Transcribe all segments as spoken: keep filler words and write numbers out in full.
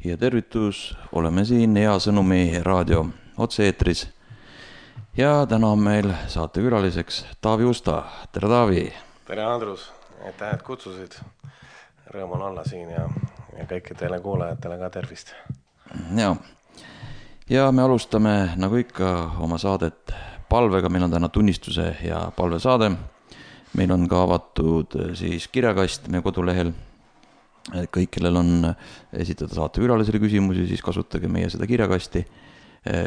Ja tervitus, oleme siin Hea Sõnumi raadio otse-eetris ja täna on meil saatekülaliseks Taavi Usta. Tere Taavi! Tere Andrus, aitäh, et kutsusid. Rõõm on olla siin ja, ja kõikidele kuulajatele ka tervist. Ja. ja me alustame nagu ikka oma saadet palvega, meil on täna tunnistuse ja palvesaade. Meil on ka avatud siis kirjakast meie kodulehel. Kõik, kellel on esitada saatekülalisele küsimusi, siis kasutage meie seda kirjakasti.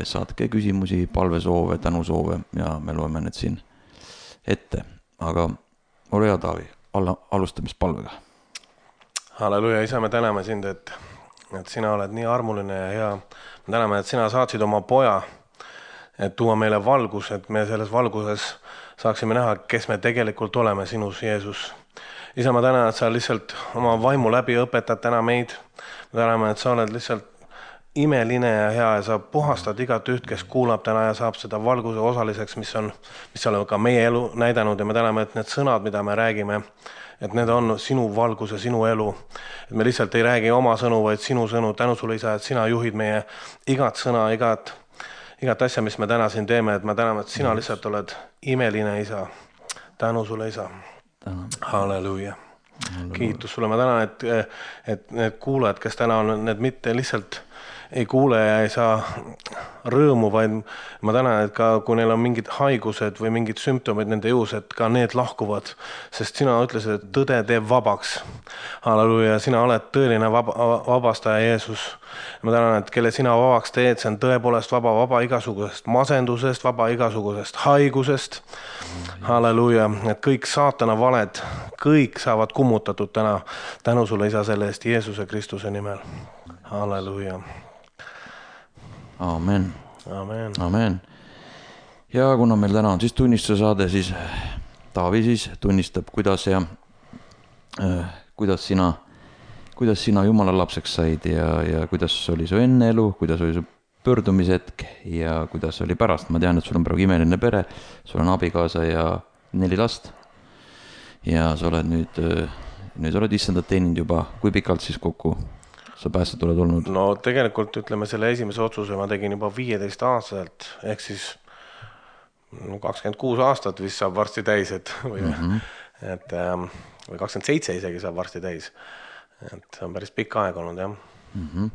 Saatke küsimusi, palvesoove, tänusoove ja me loeme need siin ette. Aga ole hea, Taavi, alustamispalvega. Halleluja, isa, me täname sind, et, et sina oled nii armuline ja hea. Me täname, et sina saatsid oma poja, et tuua meile valgus, et me selles valguses saaksime näha, kes me tegelikult oleme sinus, Jeesus. Isa, ma tänan, et sa lihtsalt oma vaimu läbi õpetad täna meid. Me täname, et sa oled lihtsalt imeline ja hea ja sa puhastad igat üht, kes kuulab täna ja saab seda valguse osaliseks, mis on, mis on ka meie elu näidanud. Ja me täname, et need sõnad, mida me räägime, et need on sinu valgus ja sinu elu. Et me lihtsalt ei räägi oma sõnu, vaid sinu sõnu. Tänu sulle, isa, et sina juhid meie igat sõna, igat, igat asja, mis me täna siin teeme. Et me täname, et sina lihtsalt oled imeline, isa. Tänu sulle, isa. Halleluja. Kiitus sulle. Ma tänan, et, et need kuulajad, kes täna on, need mitte lihtsalt ei kuule ja ei saa rõõmu, vaid ma tänan, et ka kui neil on mingid haigused või mingid sümptomid nende juhus, et ka need lahkuvad, sest sina ütlesid, et tõde teeb vabaks. Halleluja, sina oled tõeline vaba, vabastaja, Jeesus. Ma tänan, et kelle sina vabaks teed, see on tõepoolest vaba, vaba igasugusest masendusest, vaba igasugusest haigusest. Halleluja, et kõik saatana valed, kõik saavad kummutatud täna. Tänu sulle, isa, selle eest Jeesuse Kristuse nimel. Halleluja. Amen. Amen. Amen. Ja kuna meil täna on siis tunnistuse saade, siis Taavi siis tunnistab, kuidas ja äh, kuidas sina, kuidas sina Jumala lapseks said ja, ja kuidas oli su enne elu, kuidas oli su pöördumishetk ja kuidas oli pärast. Ma tean, et sul on praegu imeline pere, sul on abikaasa ja neli last ja sa oled nüüd, nüüd oled issandat teeninud juba, kui pikalt siis kokku sa päästet oled olnud? No tegelikult ütleme selle esimese otsuse ma tegin juba viieteist aastaselt, ehk siis kakskümmend kuus aastat vist saab varsti täis, et, või, mm-hmm. et, või kakskümmend seitse isegi saab varsti täis. Et on päris pikk aeg olnud, jah. Mm-hmm.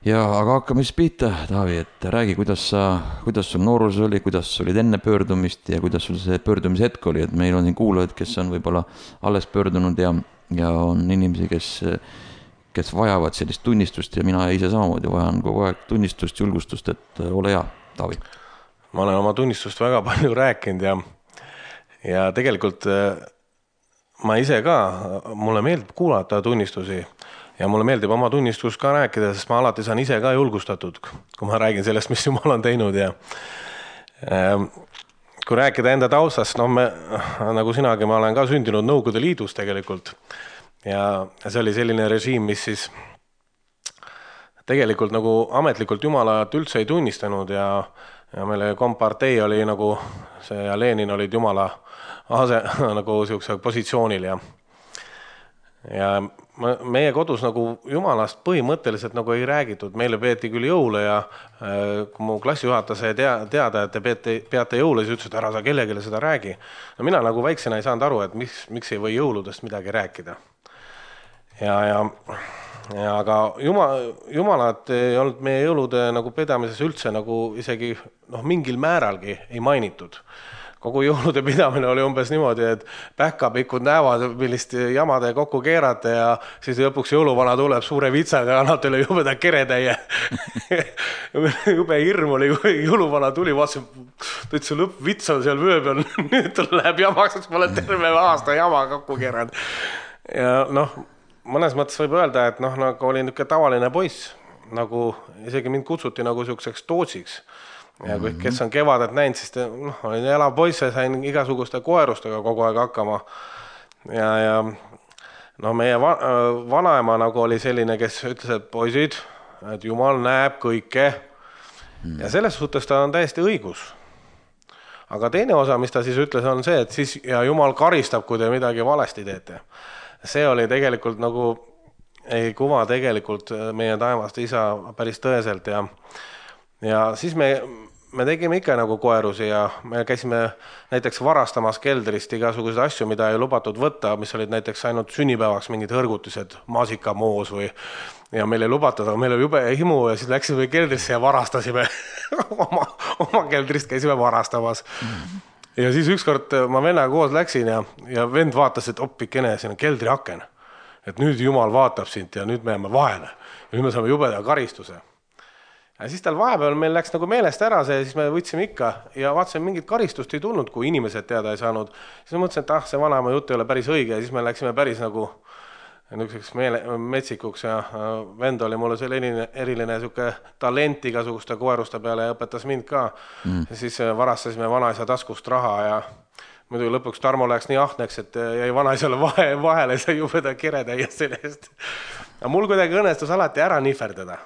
Ja aga hakkame siis pihta, Taavi, et räägi, kuidas sa, kuidas sul noorus oli, kuidas sul olid enne pöördumist ja kuidas sul see pöördumishetk oli, et meil on siin kuulajad, kes on võib-olla alles pöördunud ja, ja on inimesi, kes kes vajavad sellist tunnistust ja mina ise samamoodi vajan kogu aeg tunnistust, julgustust, et ole hea, Taavi. Ma olen oma tunnistust väga palju rääkinud ja, ja tegelikult ma ise ka, mulle meeldib kuulata tunnistusi ja mulle meeldib oma tunnistus ka rääkida, sest ma alati saan ise ka julgustatud, kui ma räägin sellest, mis Jumal on teinud ja kui rääkida enda taustast, no me, nagu sinagi, ma olen ka sündinud Nõukogude Liidus tegelikult. Ja see oli selline režiim, mis siis tegelikult nagu ametlikult Jumalat üldse ei tunnistanud ja, ja meile kompartei oli nagu see ja Lenin olid Jumala ase, nagu siukse positsioonil ja, ja meie kodus nagu Jumalast põhimõtteliselt nagu ei räägitud. Meile peeti küll jõule ja kui mu klassijuhataja sai teada, et te peate, peate jõule, siis ütles, et ära sa kellegile seda räägi. No mina nagu väiksena ei saanud aru, et miks, miks ei või jõuludest midagi rääkida. Ja, ja, ja aga Jumal, Jumalat ei olnud meie jõulude nagu pidamises üldse nagu isegi noh, mingil määralgi ei mainitud. Kogu jõulude pidamine oli umbes niimoodi, et pähkapikud näevad, millist jamade kokku keerata ja siis lõpuks jõuluvana tuleb suure vitsaga ja annab teile jubeda keretäie. Jube hirm oli, kui jõuluvana tuli, vaatasin, et see lõppvits on seal vöö peal, nüüd tal läheb jamaks, sest ma olen terve aasta jama kokku keeranud. Ja noh, mõnes mõttes võib öelda, et noh, nagu oli niisugune tavaline poiss, nagu isegi mind kutsuti nagu siukseks tootsiks. Ja kui kes on kevadet näinud, siis noh, olin elav poiss ja sain igasuguste koerustega kogu aeg hakkama. Ja, ja no meie va- vanaema nagu oli selline, kes ütles, et poisid, et Jumal näeb kõike. Ja selles suhtes ta on täiesti õigus. Aga teine osa, mis ta siis ütles, on see, et siis ja Jumal karistab, kui te midagi valesti teete. See oli tegelikult nagu ei kuva tegelikult meie taevast isa päris tõeselt ja, ja siis me me tegime ikka nagu koerusi ja me käisime näiteks varastamas keldrist igasuguseid asju, mida ei lubatud võtta, mis olid näiteks ainult sünnipäevaks mingid hõrgutised, maasikamoos või ja meil ei lubatud, aga meil oli jube himu ja siis läksime keldrisse ja varastasime oma, oma keldrist käisime varastamas. Ja siis ükskord ma vennaga koos läksin ja, ja vend vaatas, et oppikene, siin on keldri aken. Et nüüd Jumal vaatab sind ja nüüd me jääme vahele. Ja nüüd me saame jubeda karistuse. Ja siis tal vahepeal meil läks nagu meelest ära see, siis me võtsime ikka ja vaatasime mingit karistust ei tulnud, kui inimesed teada ei saanud. Siis ma mõtlesin, et ah, see vanaema jutt ei ole päris õige ja siis me läksime päris nagu niisuguseks meele, metsikuks ja vend oli mulle selline eriline siuke talent igasuguste koeruste peale ja õpetas mind ka. Mm. Ja siis varastasime vanaisa taskust raha ja muidu lõpuks Tarmo läks nii ahneks, et jäi vanaisale vahe, vahele sai jubeda kiretäia sellest. Ja mul kuidagi õnnestus alati ära nihverdada.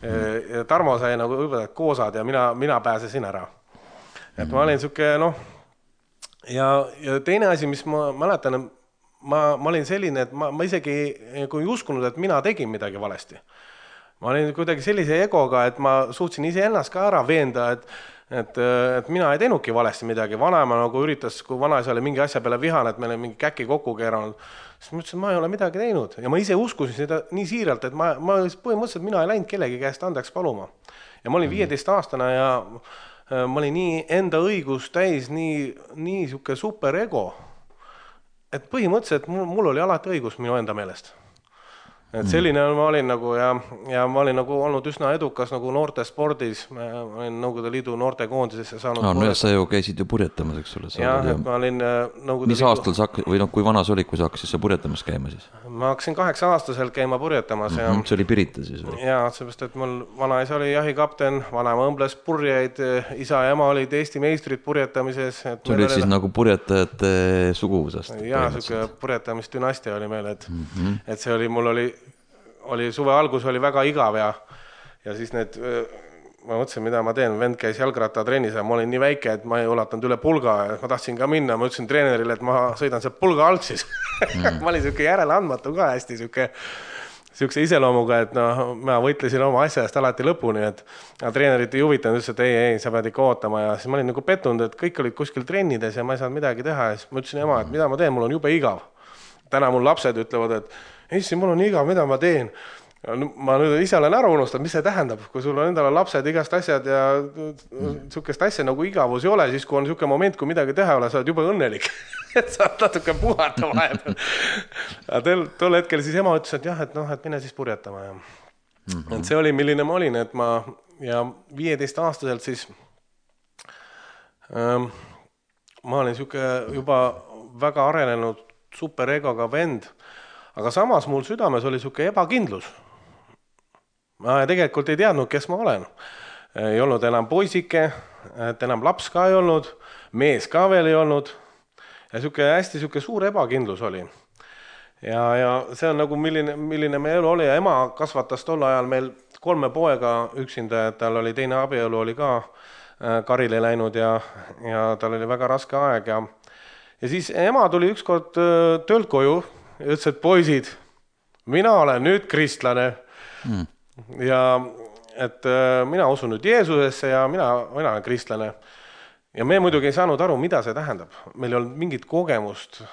Ja Tarmo sai nagu õpetajad koosad ja mina, mina pääsesin ära. Et ma olin siuke, noh, ja, ja teine asi, mis ma mäletan, ma, ma olin selline, et ma, ma isegi kui uskunud, et mina tegin midagi valesti. Ma olin kuidagi sellise egoga, et ma suutsin ise ennast ka ära veenda, et, et, et mina ei teenudki valesti midagi. Vanaema nagu üritas, kui vanaisa oli mingi asja peale vihane, et meil mingi käki kokku keeranud, siis ma ütlesin, et ma ei ole midagi teinud. Ja ma ise uskusin seda nii siiralt, et ma, ma põhimõtteliselt mina ei läinud kellegi käest andeks paluma. Ja ma olin viieteist aastane ja ma olin nii enda õigus täis, nii, nii siuke super ego, et põhimõtteliselt mul, mul oli alati õigus minu enda meelest. Et selline ma olin nagu ja, ja ma olin nagu olnud üsna edukas nagu noorte spordis. Ma olin Nõukogude Liidu noorte koondisesse saanud. No, no ja sa ju käisid ju purjetamas, eks ole. Jah, et ma olin Nõukogude Mis Liidu... aastal sa hakkasid, või no kui vana sa olid, kui sa hakkasid sa purjetamas käima siis? Ma hakkasin kaheksa aastaselt käima purjetamas. Mm-hmm. Ja... See oli Pirita siis või? Jaa, seepärast, et mul vanaisa oli jahikapten, vanaema õmbles purjeid, isa ja ema olid Eesti meistrid purjetamises. Et see oli siis oli... nagu purjetajate suguvusest? Jaa, siuke purjetamisdünastia oli meil, et, mm-hmm. et see oli, mul oli oli suve algus oli väga igav ja, ja siis need, ma mõtlesin, mida ma teen, vend käis jalgrattatrennis ja ma olin nii väike, et ma ei ulatanud üle pulga ja ma tahtsin ka minna, ma ütlesin treenerile, et ma sõidan see pulga alt siis. Mm. ma olin siuke järeleandmatu ka hästi siuke, siukse iseloomuga, et no, ma võitlesin oma asjast alati lõpuni, et treenerit ei huvitanud, ütles, et ei, ei, sa pead ikka ootama ja siis ma olin nagu pettunud, et kõik olid kuskil trennides ja ma ei saanud midagi teha ja siis ma ütlesin ema, et mida ma teen, mul on jube igav. Täna mul lapsed ütlevad, et Essi, mul on igav, mida ma teen. Ma nüüd ise olen ära unustanud, mis see tähendab, kui sul on endale lapsed igast asjad ja sukest asja nagu igavus ei ole, siis kui on siuke moment, kui midagi teha ole, sa oled juba õnnelik, et saad natuke puhata vahepeal. Tol hetkel siis ema ütles, et jah, et noh, et mine siis purjetama. Ja. Mm-hmm. Et see oli, milline ma olin, et ma ja viieteist aastaselt siis ähm, ma olin siuke juba väga arenenud superegoga vend, aga samas mul südames oli siuke ebakindlus. Ma tegelikult ei teadnud, kes ma olen. Ei olnud enam poisike, et enam laps ka ei olnud, mees ka veel ei olnud. Ja siuke hästi siuke suur ebakindlus oli. Ja, ja see on nagu milline, milline me elu oli ja ema kasvatas tol ajal meil kolme poega üksinda, et tal oli teine abielu oli ka karile läinud ja, ja tal oli väga raske aeg ja Ja siis ema tuli ükskord töölt koju ja ütles, et poisid, mina olen nüüd kristlane. Mm. Ja et mina usun nüüd Jeesusesse ja mina, mina olen kristlane. Ja me muidugi ei saanud aru, mida see tähendab. Meil ei olnud mingit kogemust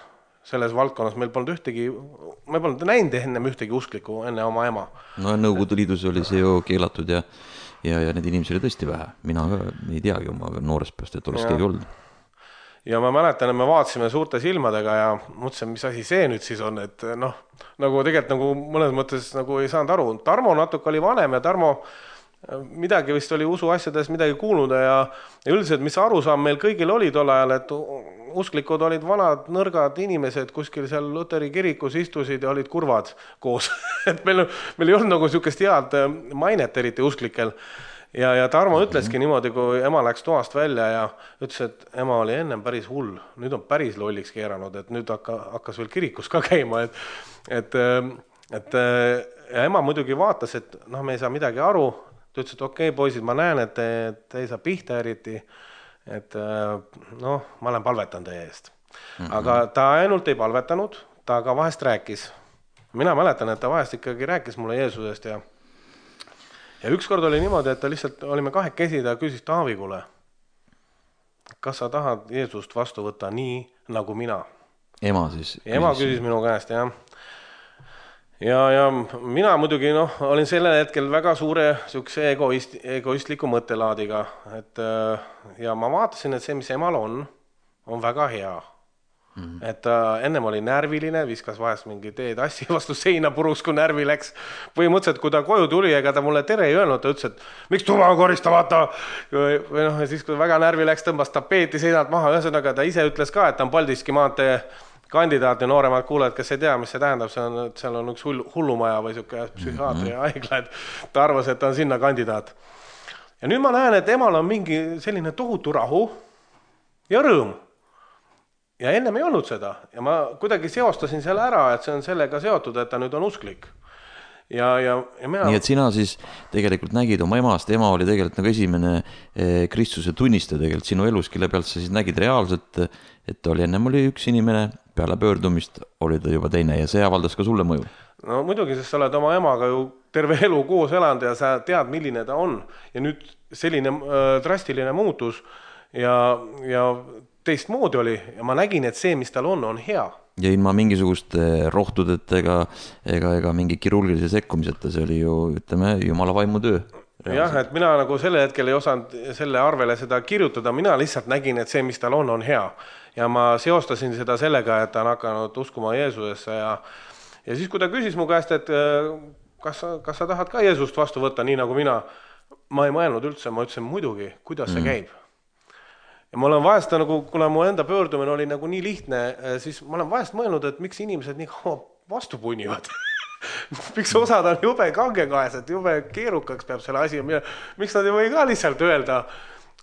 selles valdkonnas. Meil polnud ühtegi, me polnud näinud ennem ühtegi usklikku enne oma ema. No Nõukogude Liidus oli see ju keelatud ja, ja, ja need inimesi oli tõesti vähe. Mina ei teagi oma noorest pääst, et oleks ja. keegi olnud. Ja ma mäletan, et me vaatasime suurte silmadega ja mõtlesin, mis asi see nüüd siis on, et noh, nagu tegelikult nagu mõnes mõttes nagu ei saanud aru. Tarmo natuke oli vanem ja Tarmo midagi vist oli usu asjades midagi kuulnud ja, ja üldiselt, mis arusaam meil kõigil oli tol ajal, et usklikud olid vanad, nõrgad inimesed, kuskil seal Luteri kirikus istusid ja olid kurvad koos. et meil, meil ei olnud nagu siukest head mainet eriti usklikel. Ja, ja Tarmo ütleski niimoodi, kui ema läks toast välja ja ütles, et ema oli ennem päris hull. Nüüd on päris lolliks keeranud, et nüüd hakka, hakkas veel kirikus ka käima. Et, et, et ja ema muidugi vaatas, et noh, me ei saa midagi aru. Ta ütles, et okei, okay, poisid, ma näen, et te, te ei saa pihta eriti. Et noh, ma olen palvetanud teie eest. Mm-hmm. Aga ta ainult ei palvetanud, ta ka vahest rääkis. mina mäletan, et ta vahest ikkagi rääkis mulle Jeesusest ja ja ükskord oli niimoodi, et ta lihtsalt, olime kahekesi, ta küsis Taavi, kuule, kas sa tahad Jeesust vastu võtta nii, nagu mina? Ema siis küsis. Ema küsis minu käest, jah. Ja, ja mina muidugi noh, olin sellel hetkel väga suure sükse egoist, egoistliku mõttelaadiga, et ja ma vaatasin, et see, mis emal on, on väga hea. Mm-hmm. Et äh, ennem oli närviline, viskas vahest mingi teed assi vastu seina puruks, kui närvi läks. Põhimõtteliselt, kui ta koju tuli, ega ta mulle tere ei öelnud, ta ütles, et miks tuba korista, vaata. Või noh, ja siis, kui väga närvi läks, tõmbas tapeeti seinalt maha. Ühesõnaga, ta ise ütles ka, et ta on Paldiski maantee kandidaat ja nooremad kuulajad, kes ei tea, mis see tähendab, see on, seal on üks hullumaja või siuke psühhiaatri ja haigla, et ta arvas, et ta on sinna kandidaat. Ja nüüd ma näen, et emal on mingi selline tohutu rahu ja rõõm. Ja ennem ei olnud seda ja ma kuidagi seostasin selle ära, et see on sellega seotud, et ta nüüd on usklik. Ja, ja, ja mina... Nii et sina siis tegelikult nägid oma emast, ema oli tegelikult nagu esimene Kristuse tunnistaja tegelikult sinu elus, kelle pealt sa siis nägid reaalselt, et oli ennem oli üks inimene, peale pöördumist oli ta juba teine ja see avaldas ka sulle mõju. No muidugi, sest sa oled oma emaga ju terve elu koos elanud ja sa tead, milline ta on ja nüüd selline äh, drastiline muutus ja, ja teistmoodi oli ja ma nägin, et see, mis tal on, on hea. Ja ilma mingisuguste rohtudetega ega, ega mingi kirurgilise sekkumiseta, see oli ju, ütleme, Jumala vaimu töö. Jah, et mina nagu selle hetkel ei osanud selle arvele seda kirjutada, mina lihtsalt nägin, et see, mis tal on, on hea. Ja ma seostasin seda sellega, et ta on hakanud uskuma Jeesusesse ja, ja siis, kui ta küsis mu käest, et kas sa, kas sa tahad ka Jeesust vastu võtta, nii nagu mina, ma ei mõelnud üldse, ma ütlesin muidugi, kuidas see käib. Ja ma olen vahest, nagu, kuna mu enda pöördumine oli nagu nii lihtne, siis ma olen vahest mõelnud, et miks inimesed nii kaua vastu punnivad. Miks osad on jube kangekaes, et jube keerukaks peab selle asi. Miks nad ei või ka lihtsalt öelda,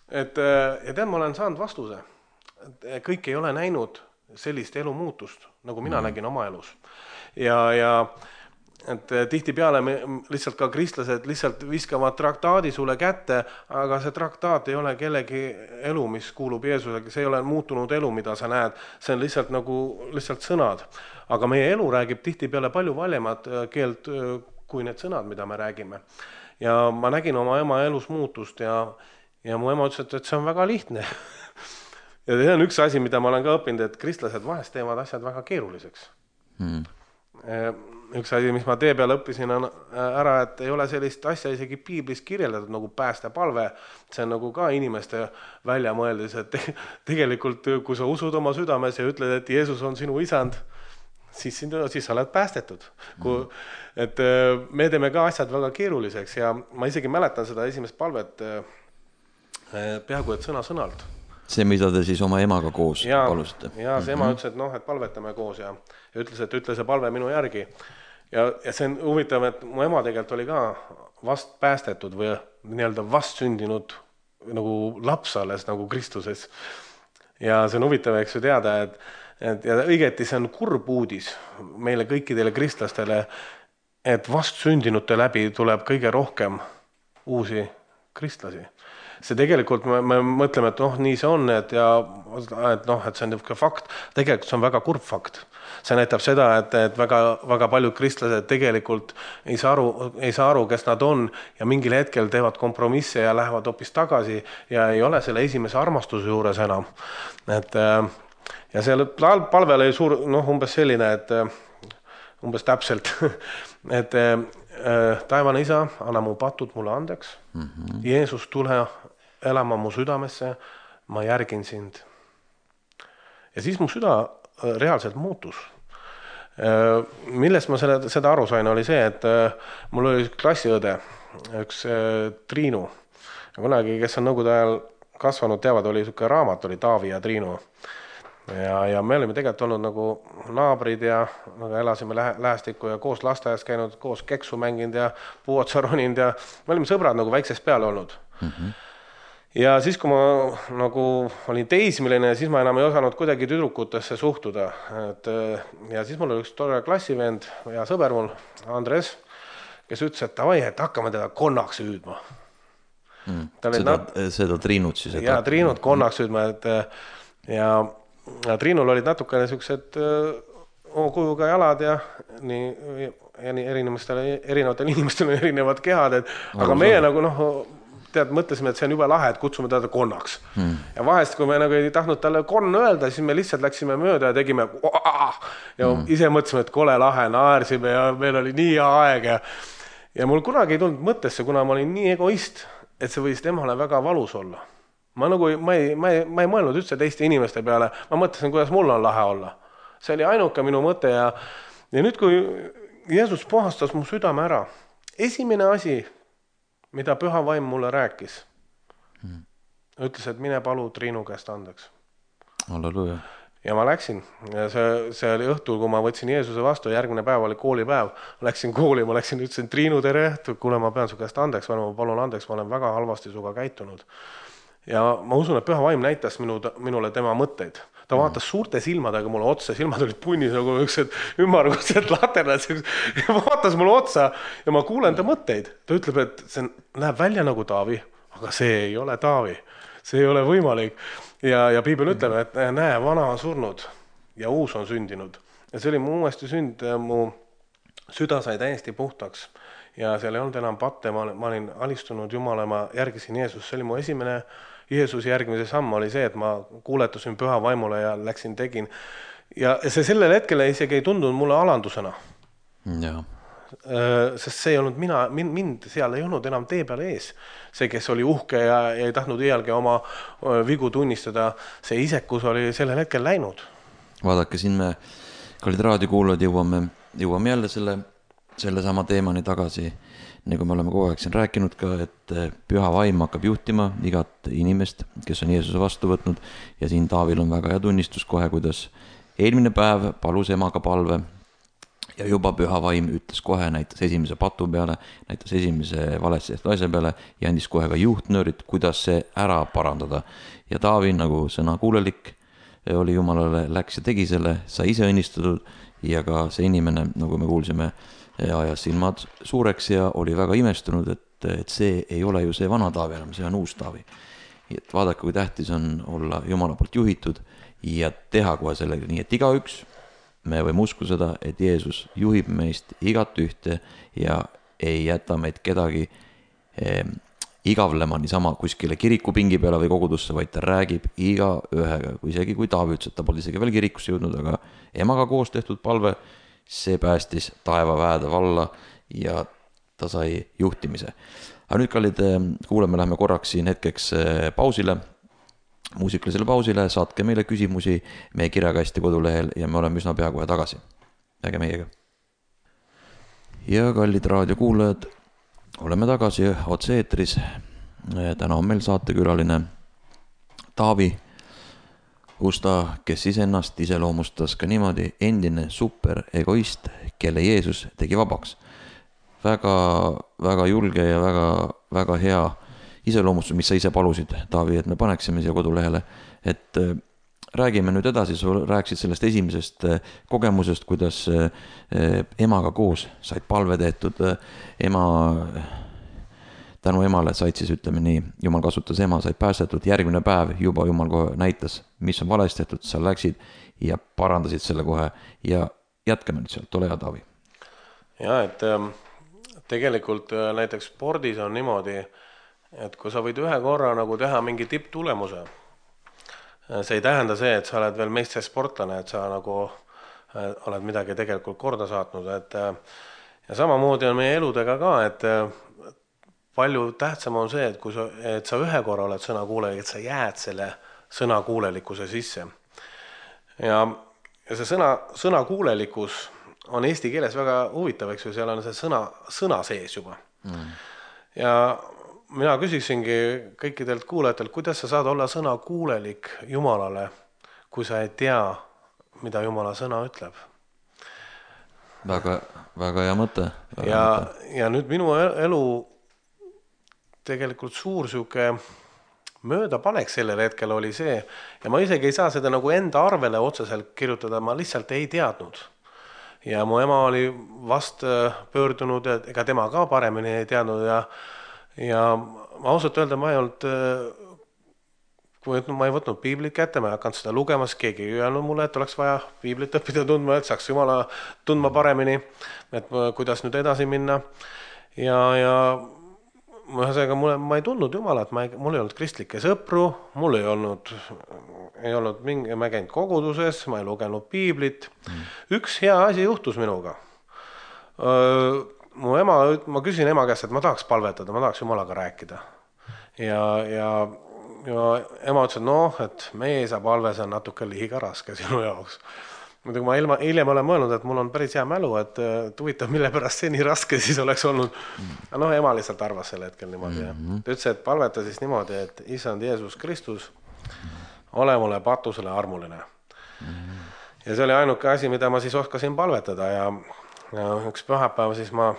et ja tead, ma olen saanud vastuse. Kõik ei ole näinud sellist elu muutust, nagu mina mm. nägin oma elus. Ja, ja et tihti peale me lihtsalt ka kristlased lihtsalt viskavad traktaadi sulle kätte, aga see traktaat ei ole kellegi elu, mis kuulub Jeesusega, see ei ole muutunud elu, mida sa näed, see on lihtsalt nagu lihtsalt sõnad. Aga meie elu räägib tihti peale palju valjemat keelt kui need sõnad, mida me räägime. Ja ma nägin oma ema elus muutust ja, ja mu ema ütles, et see on väga lihtne. Ja see on üks asi, mida ma olen ka õppinud, et kristlased vahest teevad asjad väga keeruliseks. Hmm. Üks asi, mis ma tee peal õppisin on ära, et ei ole sellist asja isegi piiblis kirjeldatud nagu päästepalve. See on nagu ka inimeste välja mõeldis, et tegelikult kui sa usud oma südames ja ütled, et Jeesus on sinu isand, siis, siis sa oled päästetud. Kui, et me teeme ka asjad väga keeruliseks ja ma isegi mäletan seda esimest palvet peaaegu et sõna sõnalt. See, mida te siis oma emaga koos ja, palusite. Ja see ema ütles, et noh, et palvetame koos ja, ja ütles, et ütle see palve minu järgi. Ja, ja see on huvitav, et mu ema tegelikult oli ka vast päästetud või nii-öelda vast sündinud nagu laps alles nagu Kristuses. Ja see on huvitav, eks ju teada, et, et ja õigeti see on kurb uudis meile kõikidele kristlastele, et vast sündinute läbi tuleb kõige rohkem uusi kristlasi. See tegelikult me, me mõtleme, et noh, nii see on, et, ja, et, noh, et see on niisugune fakt. Tegelikult see on väga kurb fakt. See näitab seda, et, et väga, väga paljud kristlased tegelikult ei saa, aru, ei saa aru, kes nad on ja mingil hetkel teevad kompromisse ja lähevad hoopis tagasi ja ei ole selle esimese armastuse juures enam. Et, ja see palvel oli suur, noh, umbes selline, et umbes täpselt, et taevane isa, anna mu patud mulle andeks. Mm-hmm. Jeesus, tule elama mu südamesse, ma järgin sind. Ja siis mu süda reaalselt muutus. Millest ma selle, seda aru sain, oli see, et mul oli üks klassiõde, üks Triinu. Kunagi, kes on nõukogude ajal kasvanud, teavad, oli üks raamat, oli Taavi ja Triinu. Ja, ja me olime tegelikult olnud nagu naabrid ja nagu elasime lähe, lähestikku ja koos lasteaias käinud, koos keksu mänginud ja puuotsa roninud ja me olime sõbrad nagu väiksest peale olnud. Mm-hmm. Ja siis, kui ma nagu olin teismiline, siis ma enam ei osanud kuidagi tüdrukutesse suhtuda. Et, ja siis mul oli üks tore klassivend ja sõber mul, Andres, kes ütles, et tavai, et hakkame teda konnaks hüüdma. Mm. Seda, nad... seda Triinut siis? Ja, Triinut konnaks hüüdma, et ja Ja Triinul olid natukene sellised O-kujuga jalad ja nii, ja nii erinevatel, erinevatel inimestel on erinevad kehad, et, aga meie nagu noh, tead, mõtlesime, et see on jube lahe, et kutsume teda konnaks. Hmm. Ja vahest, kui me nagu ei tahtnud talle konn öelda, siis me lihtsalt läksime mööda ja tegime ja hmm. ise mõtlesime, et kole lahe, naersime ja meil oli nii hea aeg ja, ja mul kunagi ei tulnud mõttesse, kuna ma olin nii egoist, et see võis temale väga valus olla. Ma nagu, ma ei, ma ei, ma ei mõelnud üldse teiste inimeste peale, ma mõtlesin, kuidas mul on lahe olla. See oli ainuke minu mõte ja, ja nüüd, kui Jeesus puhastas mu südame ära, esimene asi, mida püha vaim mulle rääkis, hmm. ütles, et mine palu Triinu käest andeks. Halleluja. Ja ma läksin ja see, see oli õhtul, kui ma võtsin Jeesuse vastu, järgmine päev oli koolipäev, läksin kooli, ma läksin, ütlesin Triinu, tere, kuule, ma pean su käest andeks, ma palun andeks, ma olen väga halvasti suga käitunud. Ja ma usun, et püha vaim näitas minu, minule tema mõtteid. Ta vaatas suurte silmadega mulle otsa, silmad olid punnis nagu üksed ümmargused laterad, ja vaatas mulle otsa ja ma kuulen ta mõtteid. Ta ütleb, et see näeb välja nagu Taavi, aga see ei ole Taavi, see ei ole võimalik. Ja, ja Piibel ütleb, et näe, vana on surnud ja uus on sündinud. Ja see oli mu uuesti sünd, mu süda sai täiesti puhtaks ja seal ei olnud enam patte, ma, ma olin alistunud Jumala, ma järgisin Jeesus, see oli mu esimene Jeesuse järgmise samm oli see, et ma kuuletusin püha vaimule ja läksin, tegin. Ja see sellel hetkel isegi ei tundunud mulle alandusena. Ja. Sest see ei olnud mina, mind seal ei olnud enam tee peal ees. See, kes oli uhke ja ei tahtnud iialgi oma vigu tunnistada, see isekus oli sellel hetkel läinud. Vaadake, siin me, kallid raadiokuulajad, jõuame, jõuame jälle selle, selle sama teemani tagasi. Nagu me oleme kogu aeg siin rääkinud ka, et püha vaim hakkab juhtima igat inimest, kes on Jeesuse vastu võtnud ja siin Taavil on väga hea tunnistus kohe, kuidas eelmine päev palus emaga palve ja juba püha vaim ütles kohe, näitas esimese patu peale, näitas esimese valetsest asja peale ja andis kohe ka juhtnöörid, kuidas see ära parandada. Ja Taavi nagu sõna kuulelik oli Jumalale, läks ja tegi selle, sai ise õnnistatud ja ka see inimene, nagu me kuulsime, ja ajas silmad suureks ja oli väga imestunud, et, et see ei ole ju see vana Taavi enam, see on uus Taavi. Et vaadake, kui tähtis on olla Jumala poolt juhitud ja teha kohe sellega nii, et igaüks, me võime usku seda, et Jeesus juhib meist igat ühte ja ei jäta meid kedagi eh, igavlema niisama kuskile kirikupingi peale või kogudusse, vaid ta räägib iga ühega, isegi kui Taavi ütles, et ta pole isegi veel kirikusse jõudnud, aga emaga koos tehtud palve, see päästis taevaväede valla ja ta sai juhtimise. Aga nüüd, kallid kuulame, lähme korraks siin hetkeks pausile, muusikalisele pausile, saatke meile küsimusi meie kirjakasti kodulehel ja me oleme üsna pea kohe tagasi. Äge meiega. Ja kallid raadiokuulajad, oleme tagasi otse-eetris. Täna on meil saatekülaline Taavi Usta, kes ennast iseloomustas ka niimoodi endine super egoist, kelle Jeesus tegi vabaks. Väga, väga julge ja väga, väga hea iseloomustus, mis sa ise palusid, Taavi, et me paneksime siia kodulehele. Et räägime nüüd edasi, sa rääksid sellest esimesest kogemusest, kuidas emaga koos said palve tehtud, ema... tänu emale said siis, ütleme nii, Jumal kasutas ema, said päästetud, järgmine päev juba Jumal kohe näitas, mis on valesti tehtud, sa läksid ja parandasid selle kohe ja jätkame nüüd sealt, ole hea, Taavi. Ja, et tegelikult näiteks spordis on niimoodi, et kui sa võid ühe korra nagu teha mingi tipptulemuse, see ei tähenda see, et sa oled veel meistersportlane, et sa nagu oled midagi tegelikult korda saatnud, et ja samamoodi on meie eludega ka, et palju tähtsam on see, et, kui sa, et sa ühe korra oled sõnakuulelik, et sa jääd selle sõnakuulelikkuse sisse. Ja, ja see sõna, sõnakuulelikkus on eesti keeles väga huvitav, eks ju, seal on see sõna, sõna sees juba. Mm. Ja mina küsiksingi kõikidelt kuulajatelt, kuidas sa saad olla sõnakuulelik Jumalale, kui sa ei tea, mida Jumala sõna ütleb. Väga, väga hea mõte. Väga ja, mõte. Ja nüüd minu elu tegelikult suur siuke möödapanek sellel hetkel oli see ja ma isegi ei saa seda nagu enda arvele otseselt kirjutada, ma lihtsalt ei teadnud. Ja mu ema oli vast pöördunud, et ega tema ka paremini ei teadnud ja, ja ma ausalt öelda, ma ei olnud ma ei võtnud piiblit kätte, ma ei hakanud seda lugemas, keegi ei öelnud mulle, et oleks vaja piiblit õppida tundma, et saaks Jumala tundma paremini, et kuidas nüüd edasi minna. Ja, ja ühesõnaga, mulle, ma ei tundnud Jumalat, ma ei, mul ei olnud kristlikke sõpru, mul ei olnud, ei olnud mingi, ma ei käinud koguduses, ma ei lugenud piiblit. Mm. Üks hea asi juhtus minuga. Öö, mu ema, ma küsin ema käest, et ma tahaks palvetada, ma tahaks Jumalaga rääkida. Ja, ja, ja ema ütles, et noh, et meie isa palve, see on natuke liiga raske sinu jaoks. Muidugi ma ilma, hiljem olen mõelnud, et mul on päris hea mälu, et huvitav, mille pärast see nii raske siis oleks olnud. Mm. No ema lihtsalt arvas selle hetkel niimoodi. Mm-hmm. Ta ütles, et palveta siis niimoodi, et Issand Jeesus Kristus, ole mulle patusele armuline. Mm-hmm. Ja see oli ainuke asi, mida ma siis oskasin palvetada ja, ja üks pühapäev siis ma,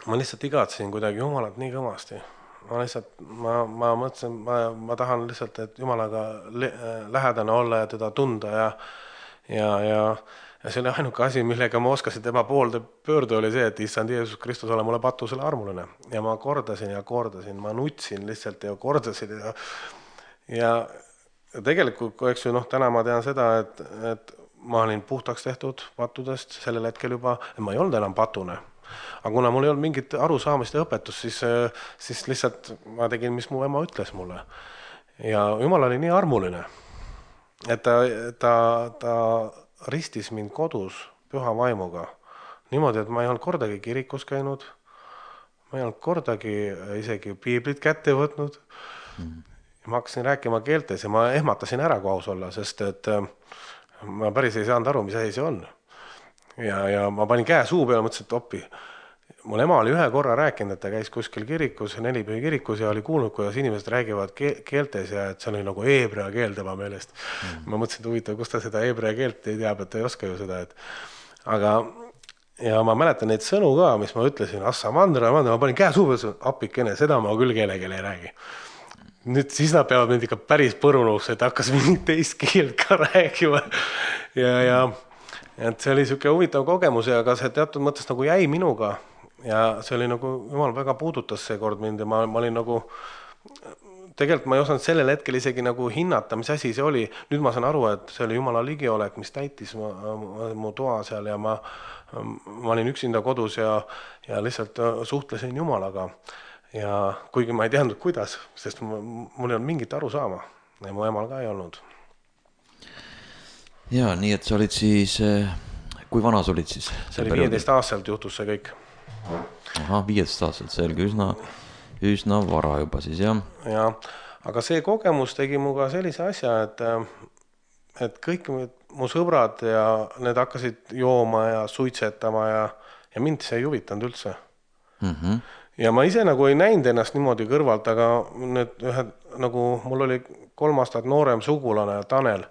ma lihtsalt igatsin kuidagi Jumalat nii kõvasti. Ma lihtsalt, ma, ma mõtlesin, ma, ma tahan lihtsalt, et Jumalaga lähedane olla ja teda tunda ja Ja, ja, ja see oli ainuke asi, millega ma oskasin tema poolde pöördu, oli see, et Issand Jeesus Kristus ole mulle patusele armuline. Ja ma kordasin ja kordasin, ma nutsin lihtsalt ja kordasin. Ja, ja tegelikult, kui eks ju, noh, täna ma tean seda, et, et ma olin puhtaks tehtud patudest sellel hetkel juba, et ma ei olnud enam patune. Aga kuna mul ei olnud mingit arusaamist ja õpetust, siis, siis lihtsalt ma tegin, mis mu ema ütles mulle. Ja Jumal oli nii armuline. Et ta, ta, ta ristis mind kodus püha vaimuga. Niimoodi, et ma ei olnud kordagi kirikus käinud. Ma ei olnud kordagi isegi piiblit kätte võtnud. Mm. Ma hakkasin rääkima keeltes ja ma ehmatasin ära, kui aus olla, sest et ma päris ei saanud aru, mis asi see on. Ja, ja ma panin käe suu peale, mõtlesin, et oppi. Mul ema oli ühe korra rääkinud, et ta käis kuskil kirikus, nelipühi kirikus ja oli kuulnud, kuidas inimesed räägivad keeltes ja et see oli nagu eebrea keel tema meelest. Mm. Ma mõtlesin, et huvitav, kus ta seda eebrea keelt ei teab, et ta ei oska ju seda. Et... Aga ja ma mäletan neid sõnu ka, mis ma ütlesin, assa mandra, mandra, ma panin käe suu peale, appikene, seda ma küll keelegel ei räägi. Nüüd siis nad peavad mind ikka päris põrunuks, et hakkas mingit teist keelt ka räägima. Ja, ja et see oli siuke huvitav kogemus ja ka see teatud mõttes nagu jäi minuga. Ja see oli nagu, Jumal väga puudutas see kord mind ja ma, ma olin nagu, tegelikult ma ei osanud sellel hetkel isegi nagu hinnata, mis asi see oli. Nüüd ma saan aru, et see oli Jumala ligiolek, mis täitis ma, mu toa seal ja ma, ma olin üksinda kodus ja, ja lihtsalt suhtlesin Jumalaga. Ja kuigi ma ei teadnud, kuidas, sest mul ei olnud mingit aru saama ja mu emal ka ei olnud. Ja, nii et sa olid siis, kui vana sa olid siis? See oli viieteist aastaselt juhtus see kõik. Aha, viieteist aastaselt, see oli üsna, üsna vara juba siis, jah. Ja, aga see kogemus tegi mu ka sellise asja, et, et kõik mu sõbrad ja need hakkasid jooma ja suitsetama ja, ja mind see ei huvitanud üldse. Mm-hmm. Ja ma ise nagu ei näinud ennast niimoodi kõrvalt, aga need ühed, nagu mul oli kolm aastat noorem sugulane Tanel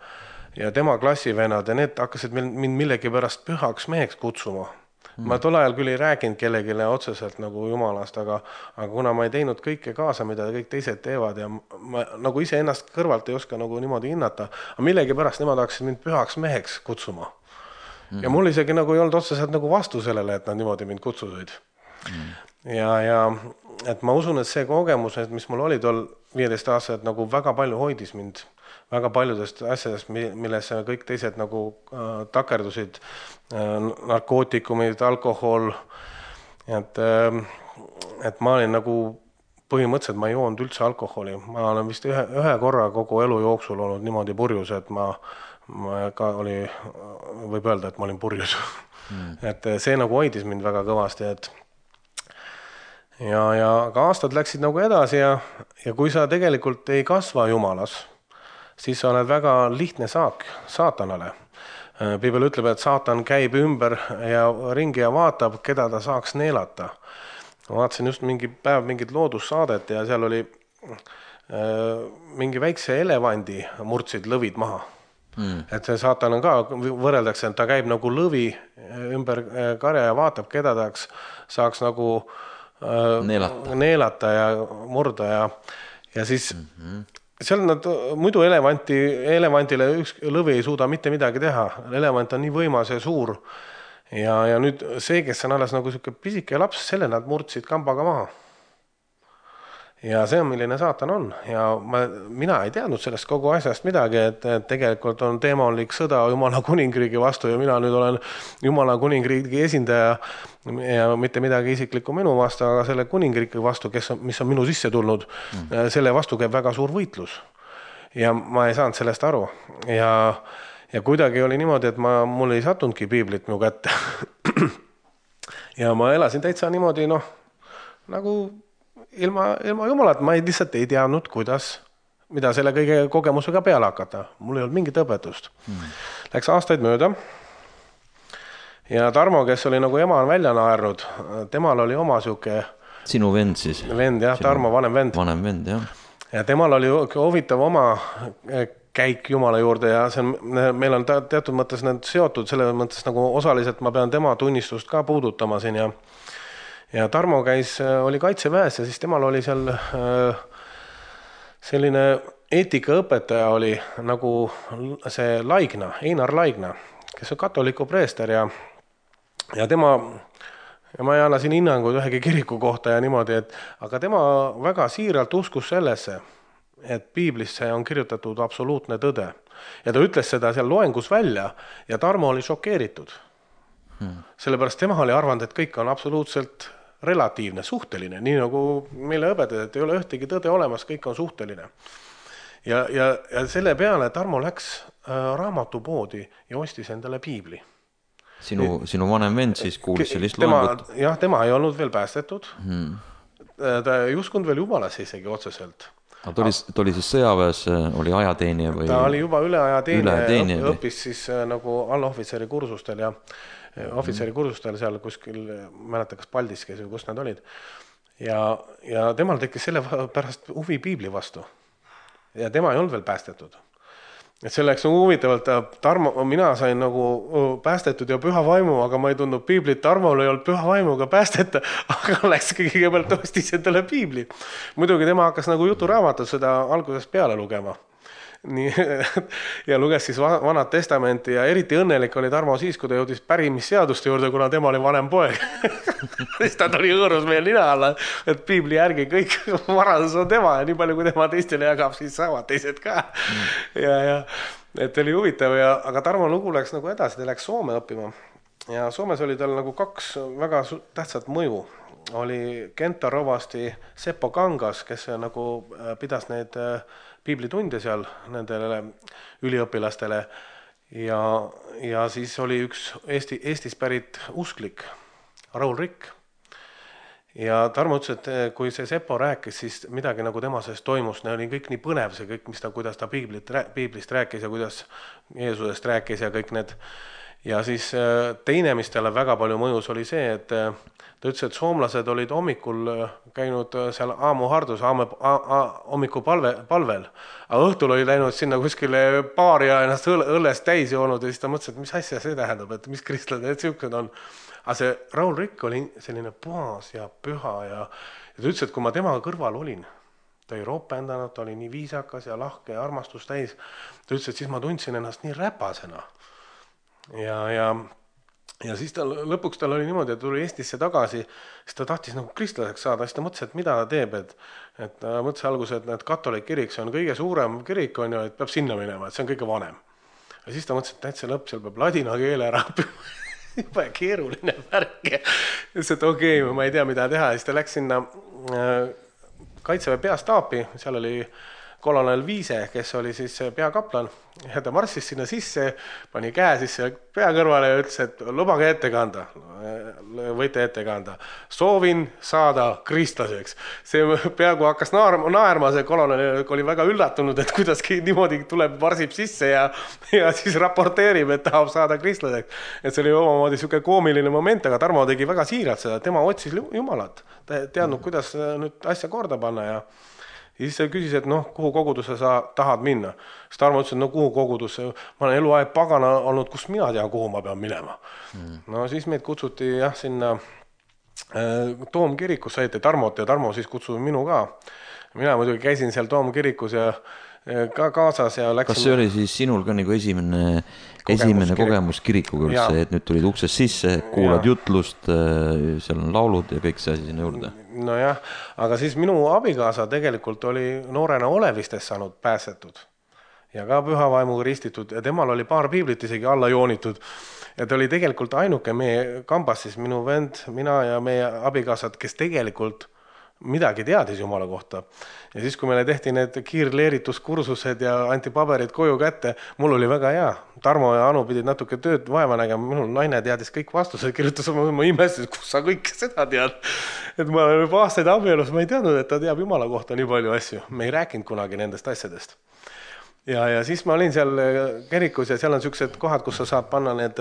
ja tema klassivennad ja need hakkasid mind millegi pärast pühaks meheks kutsuma. Mm. Ma tol ajal küll ei rääkinud kellegile otseselt nagu Jumalast, aga, aga kuna ma ei teinud kõike kaasa, mida kõik teised teevad ja ma nagu ise ennast kõrvalt ei oska nagu niimoodi hinnata, aga millegi pärast nemad hakkasid mind pühaks meheks kutsuma. Mm. Ja mul isegi nagu ei olnud otseselt nagu vastu sellele, et nad niimoodi mind kutsusid. Mm. Ja, ja et ma usun, et see kogemus, mis mul oli tol viieteist aastaselt, nagu väga palju hoidis mind väga paljudest asjadest, milles kõik teised nagu äh, takerdusid, äh, narkootikumid, alkohol, et, äh, et ma olin nagu põhimõtteliselt, ma ei joonud üldse alkoholi, ma olen vist ühe, ühe korra kogu elu jooksul olnud niimoodi purjus, et ma, ma ka oli, võib öelda, et ma olin purjus. Mm. Et see nagu hoidis mind väga kõvasti, et ja, ja ka aastad läksid nagu edasi ja, ja kui sa tegelikult ei kasva Jumalas, siis sa oled väga lihtne saak saatanale. Piibel ütleb, et saatan käib ümber ja ringi ja vaatab, keda ta saaks neelata. Ma vaatasin just mingi päev mingit loodussaadet ja seal oli äh, mingi väikse elevandi murdsid lõvid maha. Mm. Et see saatan on ka, võrreldakse, et ta käib nagu lõvi ümber karja ja vaatab, keda ta saaks nagu äh, neelata. neelata ja murda ja, ja siis mm-hmm. seal nad, muidu elevanti, elevantile üks lõvi ei suuda mitte midagi teha. Elevant on nii võimas ja suur. Ja, ja nüüd see, kes on alles nagu selline pisike laps, selle nad murdsid kambaga maha. ja see on, milline saatan on ja ma, mina ei teadnud sellest kogu asjast midagi, et, et tegelikult on teemalik sõda Jumala kuningriigi vastu ja mina nüüd olen Jumala kuningriigi esindaja ja mitte midagi isiklikku minu vastu, aga selle kuningriigi vastu, kes on, mis on minu sisse tulnud, mm. selle vastu käib väga suur võitlus. Ja ma ei saanud sellest aru ja, ja kuidagi oli niimoodi, et ma, mul ei sattunudki piiblit mu kätte. Ja ma elasin täitsa niimoodi, noh, nagu ilma, ilma Jumalat, ma ei, lihtsalt ei teadnud, kuidas, mida selle kõige kogemusega peale hakata. Mul ei olnud mingit õpetust. Hmm. Läks aastaid mööda ja Tarmo, kes oli nagu ema on välja naernud, temal oli oma siuke... Sinu vend siis? Vend, jah, Sinu... Tarmo vanem vend. Vanem vend, jah. Ja temal oli huvitav oma käik Jumala juurde ja see on, meil on teatud mõttes need seotud, selle mõttes nagu osaliselt ma pean tema tunnistust ka puudutama siin ja ja Tarmo käis, oli kaitseväes ja siis temal oli seal selline eetikaõpetaja oli nagu see Laigna, Einar Laigna, kes on katoliku preester ja ja tema ja ma ei anna siin hinnanguid ühegi kiriku kohta ja niimoodi, et aga tema väga siiralt uskus sellesse, et piiblisse on kirjutatud absoluutne tõde. Ja ta ütles seda seal loengus välja ja Tarmo oli šokeeritud. Hmm. Sellepärast tema oli arvanud, et kõik on absoluutselt relatiivne, suhteline, nii nagu meile õpetada, et ei ole ühtegi tõde olemas, kõik on suhteline. Ja, ja, ja selle peale Tarmo läks äh, raamatupoodi ja ostis endale piibli. Sinu, sinu vanem vend siis kuulis sellist tema, loengut? Jah, tema ei olnud veel päästetud. Hmm. Ta ei uskunud veel Jumalasse isegi otseselt. Ta oli, ta oli siis sõjaväes, oli ajateenija või? Ta oli juba üle ajateenija ja õppis siis nagu allohvitseri kursustel ja ohvitseri kursustel seal kuskil, mäleta kas Paldis käis või kus nad olid. Ja, ja temal tekkis selle pärast huvi piibli vastu. Ja tema ei olnud veel päästetud. Et selleks on huvitavalt, Tarmo, mina sain nagu päästetud ja püha vaimu, aga ma ei tundnud piiblit, Tarmol ei olnud püha vaimuga päästeta, aga läks kõigepealt ostis endale piibli. Muidugi tema hakkas nagu juturaamatut seda algusest peale lugema. Nii, ja luges siis vanad testamenti ja eriti õnnelik oli Tarmo siis, kui ta jõudis pärimisseaduste juurde, kuna tema oli vanem poeg. Siis ta tuli õõrus meil nina alla, et piibli järgi kõik varadus on tema ja nii palju, kui tema teistele jagab, siis saavad teised ka. Ja, ja et oli huvitav, ja, aga Tarmo lugu läks nagu edasi, ta läks Soome õppima. Ja Soomes oli tal nagu kaks väga tähtsat mõju. Oli Kenta rovasti Seppo Kangas, kes nagu pidas neid piiblitunde seal nendele üliõpilastele ja, ja siis oli üks Eesti, Eestis pärit usklik, Raul Rikk. Ja Tarmo ütles, et kui see Seppo rääkis, siis midagi nagu tema sees toimus, ne oli kõik nii põnev, see kõik, mis ta, kuidas ta piiblit, piiblist rääkis ja kuidas Jeesusest rääkis ja kõik need. Ja siis teine, mis talle väga palju mõjus, oli see, et ta ütles, et soomlased olid hommikul käinud seal aamuhardus, aamu, hommiku palve, palvel. Aga õhtul oli läinud sinna kuskile baari ja ennast õllest täis joonud ja siis ta mõtles, et mis asja see tähendab, et mis kristlad need siuksed on. Aga see Raul Rikk oli selline puhas ja püha ja, ja ta ütles, et kui ma temaga kõrval olin, ta ei roopendanud, ta oli nii viisakas ja lahke ja armastus täis. Ta ütles, et siis ma tundsin ennast nii räpasena. Ja, ja Ja siis tal, lõpuks tal oli niimoodi, et tuli Eestisse tagasi, siis ta tahtis nagu kristlaseks saada, siis ta mõtles, et mida ta teeb, et, et ta mõtles alguses, et need katolik kirik, see on kõige suurem kirik, on ju, et peab sinna minema, et see on kõige vanem. Ja siis ta mõtles, et täitsa lõpp, seal peab ladina keele ära õppima, juba keeruline värk. Ja siis, et okei, okay, ma ei tea, mida teha, ja siis ta läks sinna Kaitseväe peastaapi, seal oli kolonel Viise, kes oli siis peakaplan ja ta marssis sinna sisse, pani käe sisse pea kõrvale ja ütles, et lubage ette kanda, võite ette kanda. Soovin saada kristlaseks. See peaaegu hakkas naerma, naerma see kolonel oli väga üllatunud, et kuidas niimoodi tuleb, varsib sisse ja, ja siis raporteerib, et tahab saada kristlaseks. Et see oli omamoodi siuke koomiline moment, aga Tarmo tegi väga siiralt seda, tema otsis Jumalat. Ta teadnud, kuidas nüüd asja korda panna ja ja siis ta küsis, et noh, kuhu kogudusse sa tahad minna. Siis Tarmo ütles, et no kuhu kogudusse, ma olen eluaeg pagana olnud, kus mina tean, kuhu ma pean minema. Mm. No siis meid kutsuti jah, sinna äh, Toomkirikus, saite Tarmot ja Tarmo siis kutsuti minu ka. Mina muidugi käisin seal Toomkirikus ja ka kaasas ja läksin. Kas see oli siis sinul ka nagu esimene kogemus, esimene kirik. kogemus kirikuga üldse, et nüüd tulid uksest sisse, kuulad ja. jutlust, seal on laulud ja kõik see asi sinna juurde? Nojah, aga siis minu abikaasa tegelikult oli noorena Olevistest saanud pääsetud ja ka pühavaimuga ristitud ja temal oli paar piiblit isegi alla joonitud. Ja ta oli tegelikult ainuke meie kambas siis minu vend, mina ja meie abikaasad, kes tegelikult midagi teadis Jumala kohta. Ja siis, kui meile tehti need kiirleerituskursused ja anti paberid koju kätte, mul oli väga hea. Tarmo ja Anu pidid natuke tööd vaeva nägema, minul naine teadis kõik vastused, kirjutas oma, ma imestasin, kus sa kõik seda tead. Et ma olen juba aastaid abielus, ma ei teadnud, et ta teab Jumala kohta nii palju asju. Me ei rääkinud kunagi nendest asjadest. Ja, ja siis ma olin seal kerikus ja seal on sellised kohad, kus sa saad panna need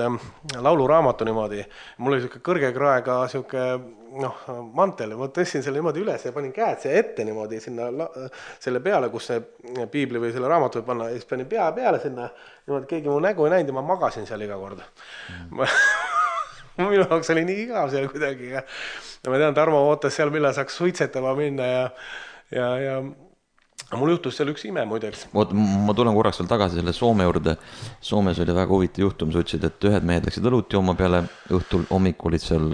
lauluraamatu niimoodi. Mul oli selline kõrge kraega selline noh, mantel, ma tõstin selle niimoodi üles ja panin käed see ette niimoodi sinna selle peale, kus see piibli või selle raamatu võib panna ja siis panin pea peale sinna, niimoodi keegi mu nägu ei näinud ja ma magasin seal iga kord. Mm. Minu jaoks oli nii igav seal kuidagi ja ma tean, Tarmo ootas seal, millal saaks suitsetama minna ja, ja, ja mul juhtus seal üks ime muideks. Oot, ma tulen korraks veel tagasi selle Soome juurde. Soomes oli väga huvitav juhtum, sa ütlesid, et ühed mehed läksid õlut jooma peale, õhtul hommik olid seal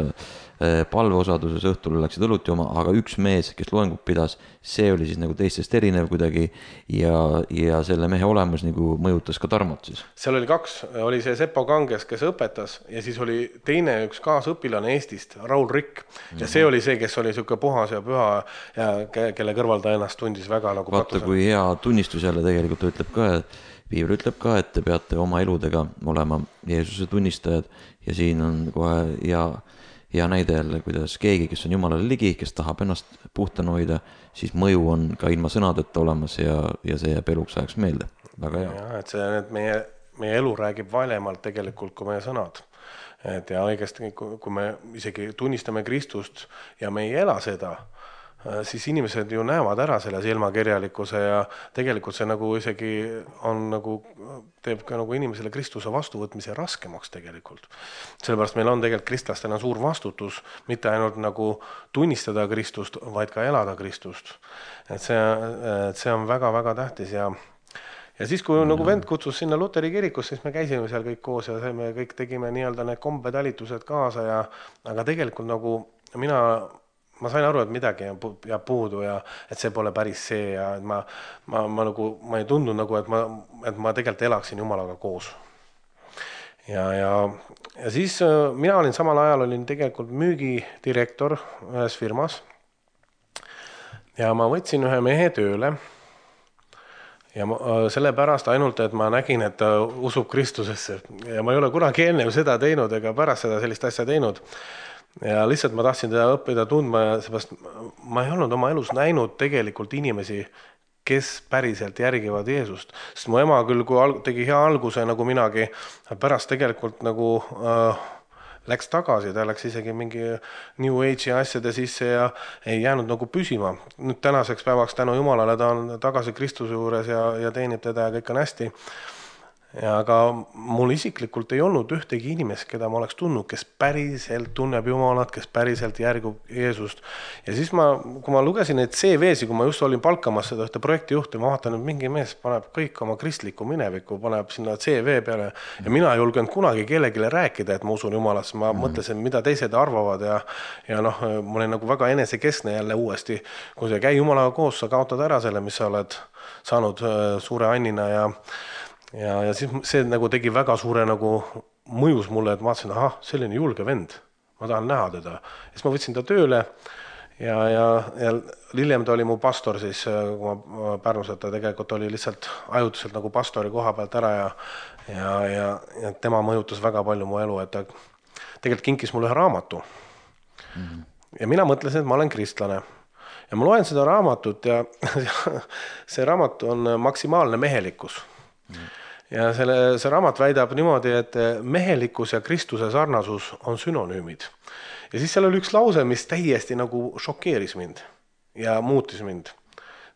palveosaduses, õhtul läksid õlut jooma, aga üks mees, kes loengut pidas, see oli siis nagu teistest erinev kuidagi ja, ja selle mehe olemus nagu mõjutas ka Tarmot siis. Seal oli kaks, oli see Seppo Kanges, kes õpetas ja siis oli teine üks kaasõpilane Eestist, Raul Rikk ja see oli see, kes oli siuke puhas ja püha ja kelle kõrval ta ennast tundis väga nagu vaata, katusel. Kui hea tunnistus jälle tegelikult ütleb ka, et Piibel ütleb ka, et te peate oma eludega olema Jeesuse tunnistajad ja siin on kohe ja ja näide jälle, kuidas keegi, kes on Jumalale ligi, kes tahab ennast puhtana hoida, siis mõju on ka ilma sõnadeta olemas ja, ja see jääb eluks ajaks meelde. Väga hea. Ja, et see, et meie, meie elu räägib valemalt tegelikult kui meie sõnad. Et ja õigesti, kui me isegi tunnistame Kristust ja me ei ela seda, siis inimesed ju näevad ära selle silmakirjalikkuse ja tegelikult see nagu isegi on nagu, teeb ka nagu inimesele Kristuse vastuvõtmise raskemaks tegelikult. Sellepärast meil on tegelikult kristlastena suur vastutus, mitte ainult nagu tunnistada Kristust, vaid ka elada Kristust. Et see, et see on väga-väga tähtis ja Ja siis, kui nagu vend kutsus sinna Luteri kirikus, siis me käisime seal kõik koos ja me kõik tegime nii-öelda need kombetalitused kaasa ja aga tegelikult nagu mina ma sain aru, et midagi jääb puudu ja et see pole päris see ja et ma, ma, ma, nagu, ma ei tundnud nagu, et ma, et ma tegelikult elaksin Jumalaga koos. Ja, ja, ja siis mina olin samal ajal olin tegelikult müügidirektor ühes firmas ja ma võtsin ühe mehe tööle ja ma, selle pärast ainult, et ma nägin, et ta usub Kristusesse ja ma ei ole kunagi enne seda teinud ega pärast seda sellist asja teinud. Ja lihtsalt ma tahtsin teda õppida tundma ja seepärast ma ei olnud oma elus näinud tegelikult inimesi, kes päriselt järgivad Jeesust. Sest mu ema küll, kui tegi hea alguse nagu minagi, pärast tegelikult nagu äh, läks tagasi, ta läks isegi mingi New Age'i asjade sisse ja ei jäänud nagu püsima. Nüüd tänaseks päevaks tänu Jumalale ta on tagasi Kristuse juures ja, ja teenib teda ja kõik on hästi. Ja aga mul isiklikult ei olnud ühtegi inimest, keda ma oleks tundnud, kes päriselt tunneb Jumalat, kes päriselt järgub Jeesust. Ja siis ma, kui ma lugesin neid C V-si, kui ma just olin palkamas seda ühte projektijuhti, ma vaatan, et mingi mees paneb kõik oma kristliku mineviku, paneb sinna C V peale ja mina ei julgenud kunagi kellegile rääkida, et ma usun Jumalasse. Ma mm. mõtlesin, mida teised arvavad ja, ja noh, ma olin nagu väga enesekeskne jälle uuesti. Kui sa käi Jumalaga koos, sa kaotad ära selle, mis sa oled saanud suure annina ja Ja, ja siis see nagu tegi väga suure nagu mõjus mulle, et ma vaatasin, aha, selline julge vend, ma tahan näha teda. Ja siis ma võtsin ta tööle ja, ja, ja hiljem ta oli mu pastor siis, kui ma Pärnus, et ta tegelikult oli lihtsalt ajutuselt nagu pastori koha pealt ära ja, ja, ja, ja tema mõjutas väga palju mu elu, et ta tegelikult kinkis mulle ühe raamatu. Mm-hmm. Ja mina mõtlesin, et ma olen kristlane. Ja ma loen seda raamatut ja see raamat on maksimaalne mehelikkus. Mm-hmm. Ja selle, see raamat väidab niimoodi, et mehelikkus ja Kristuse sarnasus on sünonüümid. Ja siis seal oli üks lause, mis täiesti nagu šokeeris mind ja muutis mind.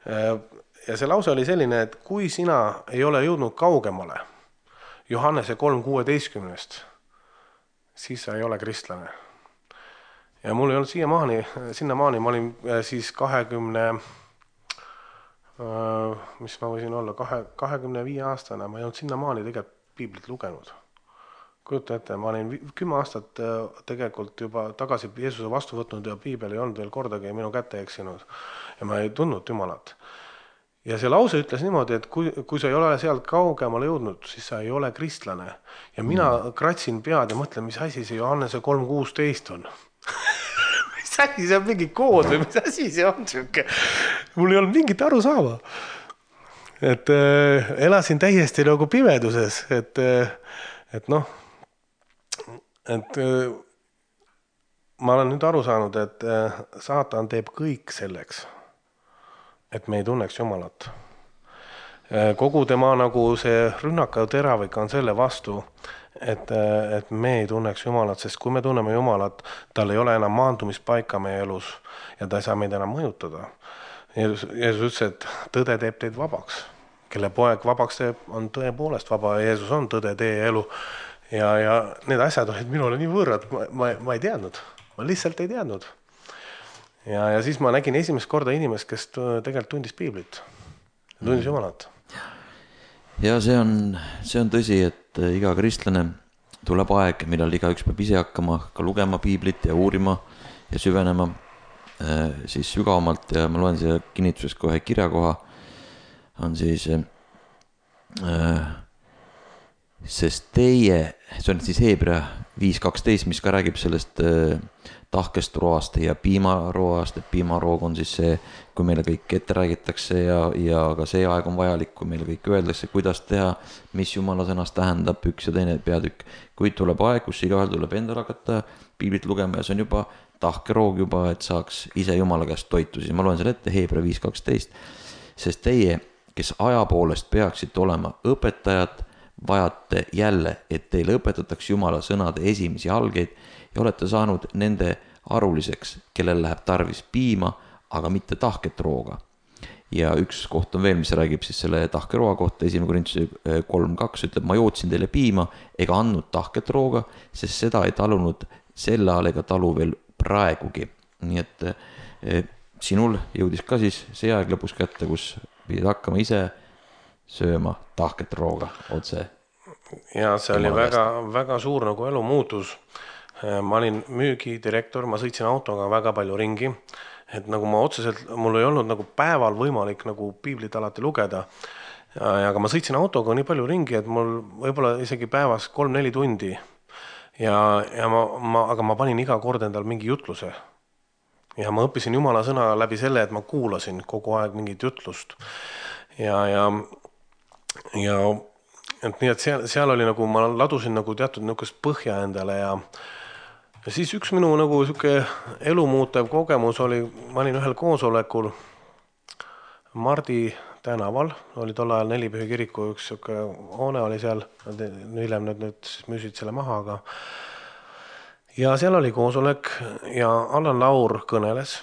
Ja see lause oli selline, et kui sina ei ole jõudnud kaugemale Johannese kolm kuueteistkümnest, siis sa ei ole kristlane. Ja mul ei olnud siiamaani, sinnamaani ma olin siis kahekümne mis ma võisin olla, kahe, kahekümne viie aastane, ma ei olnud sinna maani tegelikult piiblit lugenud. Kujuta ette, ma olin kümme aastat tegelikult juba tagasi Jeesuse vastu võtnud ja piibel ei olnud veel kordagi minu kätte eksinud ja ma ei tundnud Jumalat. Ja see lause ütles niimoodi, et kui, kui sa ei ole sealt kaugemale jõudnud, siis sa ei ole kristlane. Ja mina mm. kratsin pead ja mõtlen, mis asi see Johannese kolm kuusteist on. Mis asi see on mingi kood või mis asi see on? Siuke? Mul ei olnud mingit aru saama. Et äh, elasin täiesti nagu pimeduses, et, äh, et noh, et äh, ma olen nüüd aru saanud, et äh, saatan teeb kõik selleks, et me ei tunneks Jumalat. Äh, kogu tema nagu see rünnakav teravik on selle vastu, et, äh, et me ei tunneks Jumalat, sest kui me tunneme Jumalat, tal ei ole enam maandumispaika meie elus ja ta ei saa meid enam mõjutada. Jeesus, Jeesus ütles, et tõde teeb teid vabaks. Kelle poeg vabaks teeb, on tõepoolest vaba. Jeesus on tõde, tee ja elu. Ja, ja need asjad olid minule nii võõrad, ma, ma, ma ei teadnud. Ma lihtsalt ei teadnud. Ja, ja siis ma nägin esimest korda inimest, kes tegelikult tundis piiblit. Tundis Jumalat. Ja see on, see on tõsi, et iga kristlane tuleb aeg, millal igaüks peab ise hakkama ka lugema piiblit ja uurima ja süvenema siis sügavamalt ja ma loen siia kinnituses kohe kirjakoha on siis äh, sest teie, see on siis Heebrea viis kaksteist, mis ka räägib sellest äh, tahkest roast ja piimaroast, et piimaroog on siis see, kui meile kõik ette räägitakse ja, ja ka see aeg on vajalik, kui meile kõik öeldakse, kuidas teha, mis Jumala sõnast tähendab üks ja teine peatükk. Kuid tuleb aeg, kus igaühel tuleb endal hakata piiblit lugema ja see on juba tahkeroog juba, et saaks ise Jumala käest toitu. Siis ma loen selle ette Heebrea viis kaksteist. Sest teie, kes aja poolest peaksite olema õpetajad, vajate jälle, et teile õpetatakse Jumala sõnade esimesi algeid ja olete saanud nende aruliseks, kellel läheb tarvis piima, aga mitte tahket rooga. Ja üks koht on veel, mis räägib siis selle tahke rooga kohta, esimene Korintuse kolm kaks ütleb, ma jootsin teile piima ega andnud tahket rooga, sest seda ei talunud sel ajal ega talu veel praegugi. Nii et eh, sinul jõudis ka siis see aeg lõpus kätte, kus pidid hakkama ise sööma tahket rooga otse. Ja see oli väga, väga suur nagu elu muutus. Ma olin müügidirektor, ma sõitsin autoga väga palju ringi, et nagu ma otseselt, mul ei olnud nagu päeval võimalik nagu piiblit alati lugeda. Ja, aga ma sõitsin autoga nii palju ringi, et mul võib-olla isegi päevas kolm-neli tundi. Ja, ja ma, ma, aga ma panin iga kord endal mingi jutluse. Ja ma õppisin Jumala sõna läbi selle, et ma kuulasin kogu aeg mingit jutlust. Ja, ja, ja et nii, et seal, seal oli nagu, ma ladusin nagu teatud niisugust põhja endale ja, ja siis üks minu nagu siuke elumuutev kogemus oli, ma olin ühel koosolekul Mardi tänaval, oli tol ajal Nelipühi kiriku üks siuke hoone oli seal, hiljem nüüd, nüüd müüsid selle maha, aga ja seal oli koosolek ja Allan Laur kõneles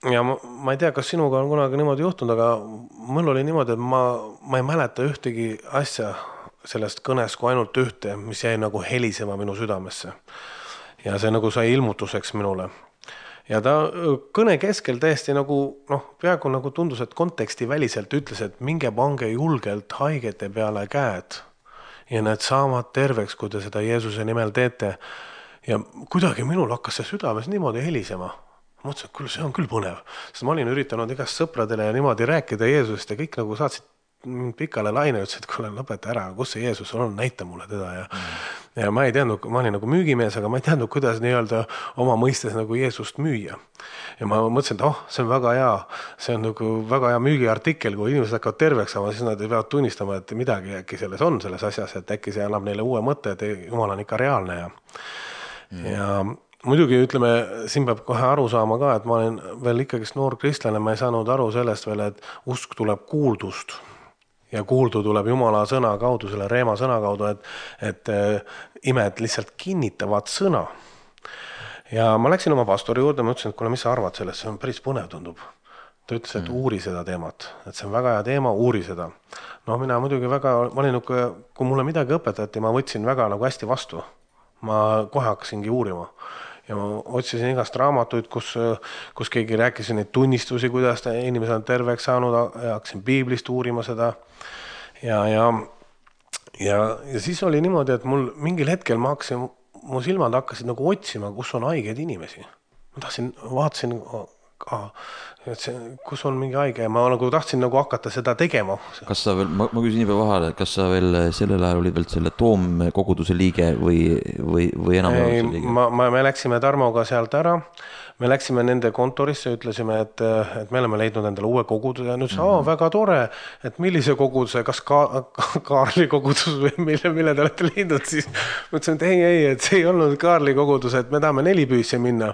ja ma, ma ei tea, kas sinuga on kunagi niimoodi juhtunud, aga mul oli niimoodi, et ma, ma ei mäleta ühtegi asja sellest kõnes kui ainult ühte, mis jäi nagu helisema minu südamesse ja see nagu sai ilmutuseks minule. Ja ta kõne keskel täiesti nagu, noh, peaaegu nagu tundus, et konteksti väliselt ütles, et minge pange julgelt haigete peale käed ja need saavad terveks, kui te seda Jeesuse nimel teete. Ja kuidagi minul hakkas see südames niimoodi helisema. Ma mõtlesin, et küll, see on küll põnev, sest ma olin üritanud igast sõpradele ja niimoodi rääkida Jeesusest ja kõik nagu saatsid pikale laine, ütles, et kuule, lõpeta ära, kus see Jeesus on, näita mulle teda ja, mm. ja ma ei teadnud, ma olin nagu müügimees, aga ma ei teadnud, kuidas nii-öelda oma mõistes nagu Jeesust müüa. Ja ma mõtlesin, et oh, see on väga hea, see on nagu väga hea müügiartikkel, kui inimesed hakkavad terveks saama, siis nad peavad tunnistama, et midagi äkki selles on selles asjas, et äkki see annab neile uue mõtte, et Jumal on ikka reaalne ja, mm. ja muidugi ütleme, siin peab kohe aru saama ka, et ma olen veel ikkagist noor kristlane, ma ei saanud aru sellest veel, et usk tuleb kuuldust. Ja kuuldu tuleb Jumala sõna kaudu, selle reema sõna kaudu, et, et imed lihtsalt kinnitavad sõna. Ja ma läksin oma pastori juurde, ma ütlesin, et kuule, mis sa arvad sellest, see on päris põnev tundub. Ta ütles, et uuri seda teemat, et see on väga hea teema, uuri seda. No mina muidugi väga, ma olin, kui mulle midagi õpetati, ma võtsin väga nagu hästi vastu. Ma kohe hakkasingi uurima. ja ma otsisin igast raamatuid, kus, kus keegi rääkis neid tunnistusi, kuidas inimesed on terveks saanud, ja hakkasin piiblist uurima seda ja, ja, ja, ja siis oli niimoodi, et mul mingil hetkel ma hakkasin, mu silmad hakkasid nagu otsima, kus on haigeid inimesi. Ma tahtsin, vaatasin ka, et see, kus on mingi haige, ma nagu tahtsin nagu hakata seda tegema. Kas sa veel, ma, ma küsin nii peal vahele, kas sa veel sellel ajal olid veel selle toomkoguduse liige või, või, või enam ei, liige? Ma, ma, me läksime Tarmoga sealt ära, me läksime nende kontorisse, ütlesime, et, et me oleme leidnud endale uue koguduse ja nüüd see, mm-hmm. väga tore, et millise koguduse, kas ka, Kaarli kogudus või mille, mille te olete leidnud, siis mõtlesin, et ei, ei, et see ei olnud Kaarli kogudus, et me tahame Nelipüüsse minna.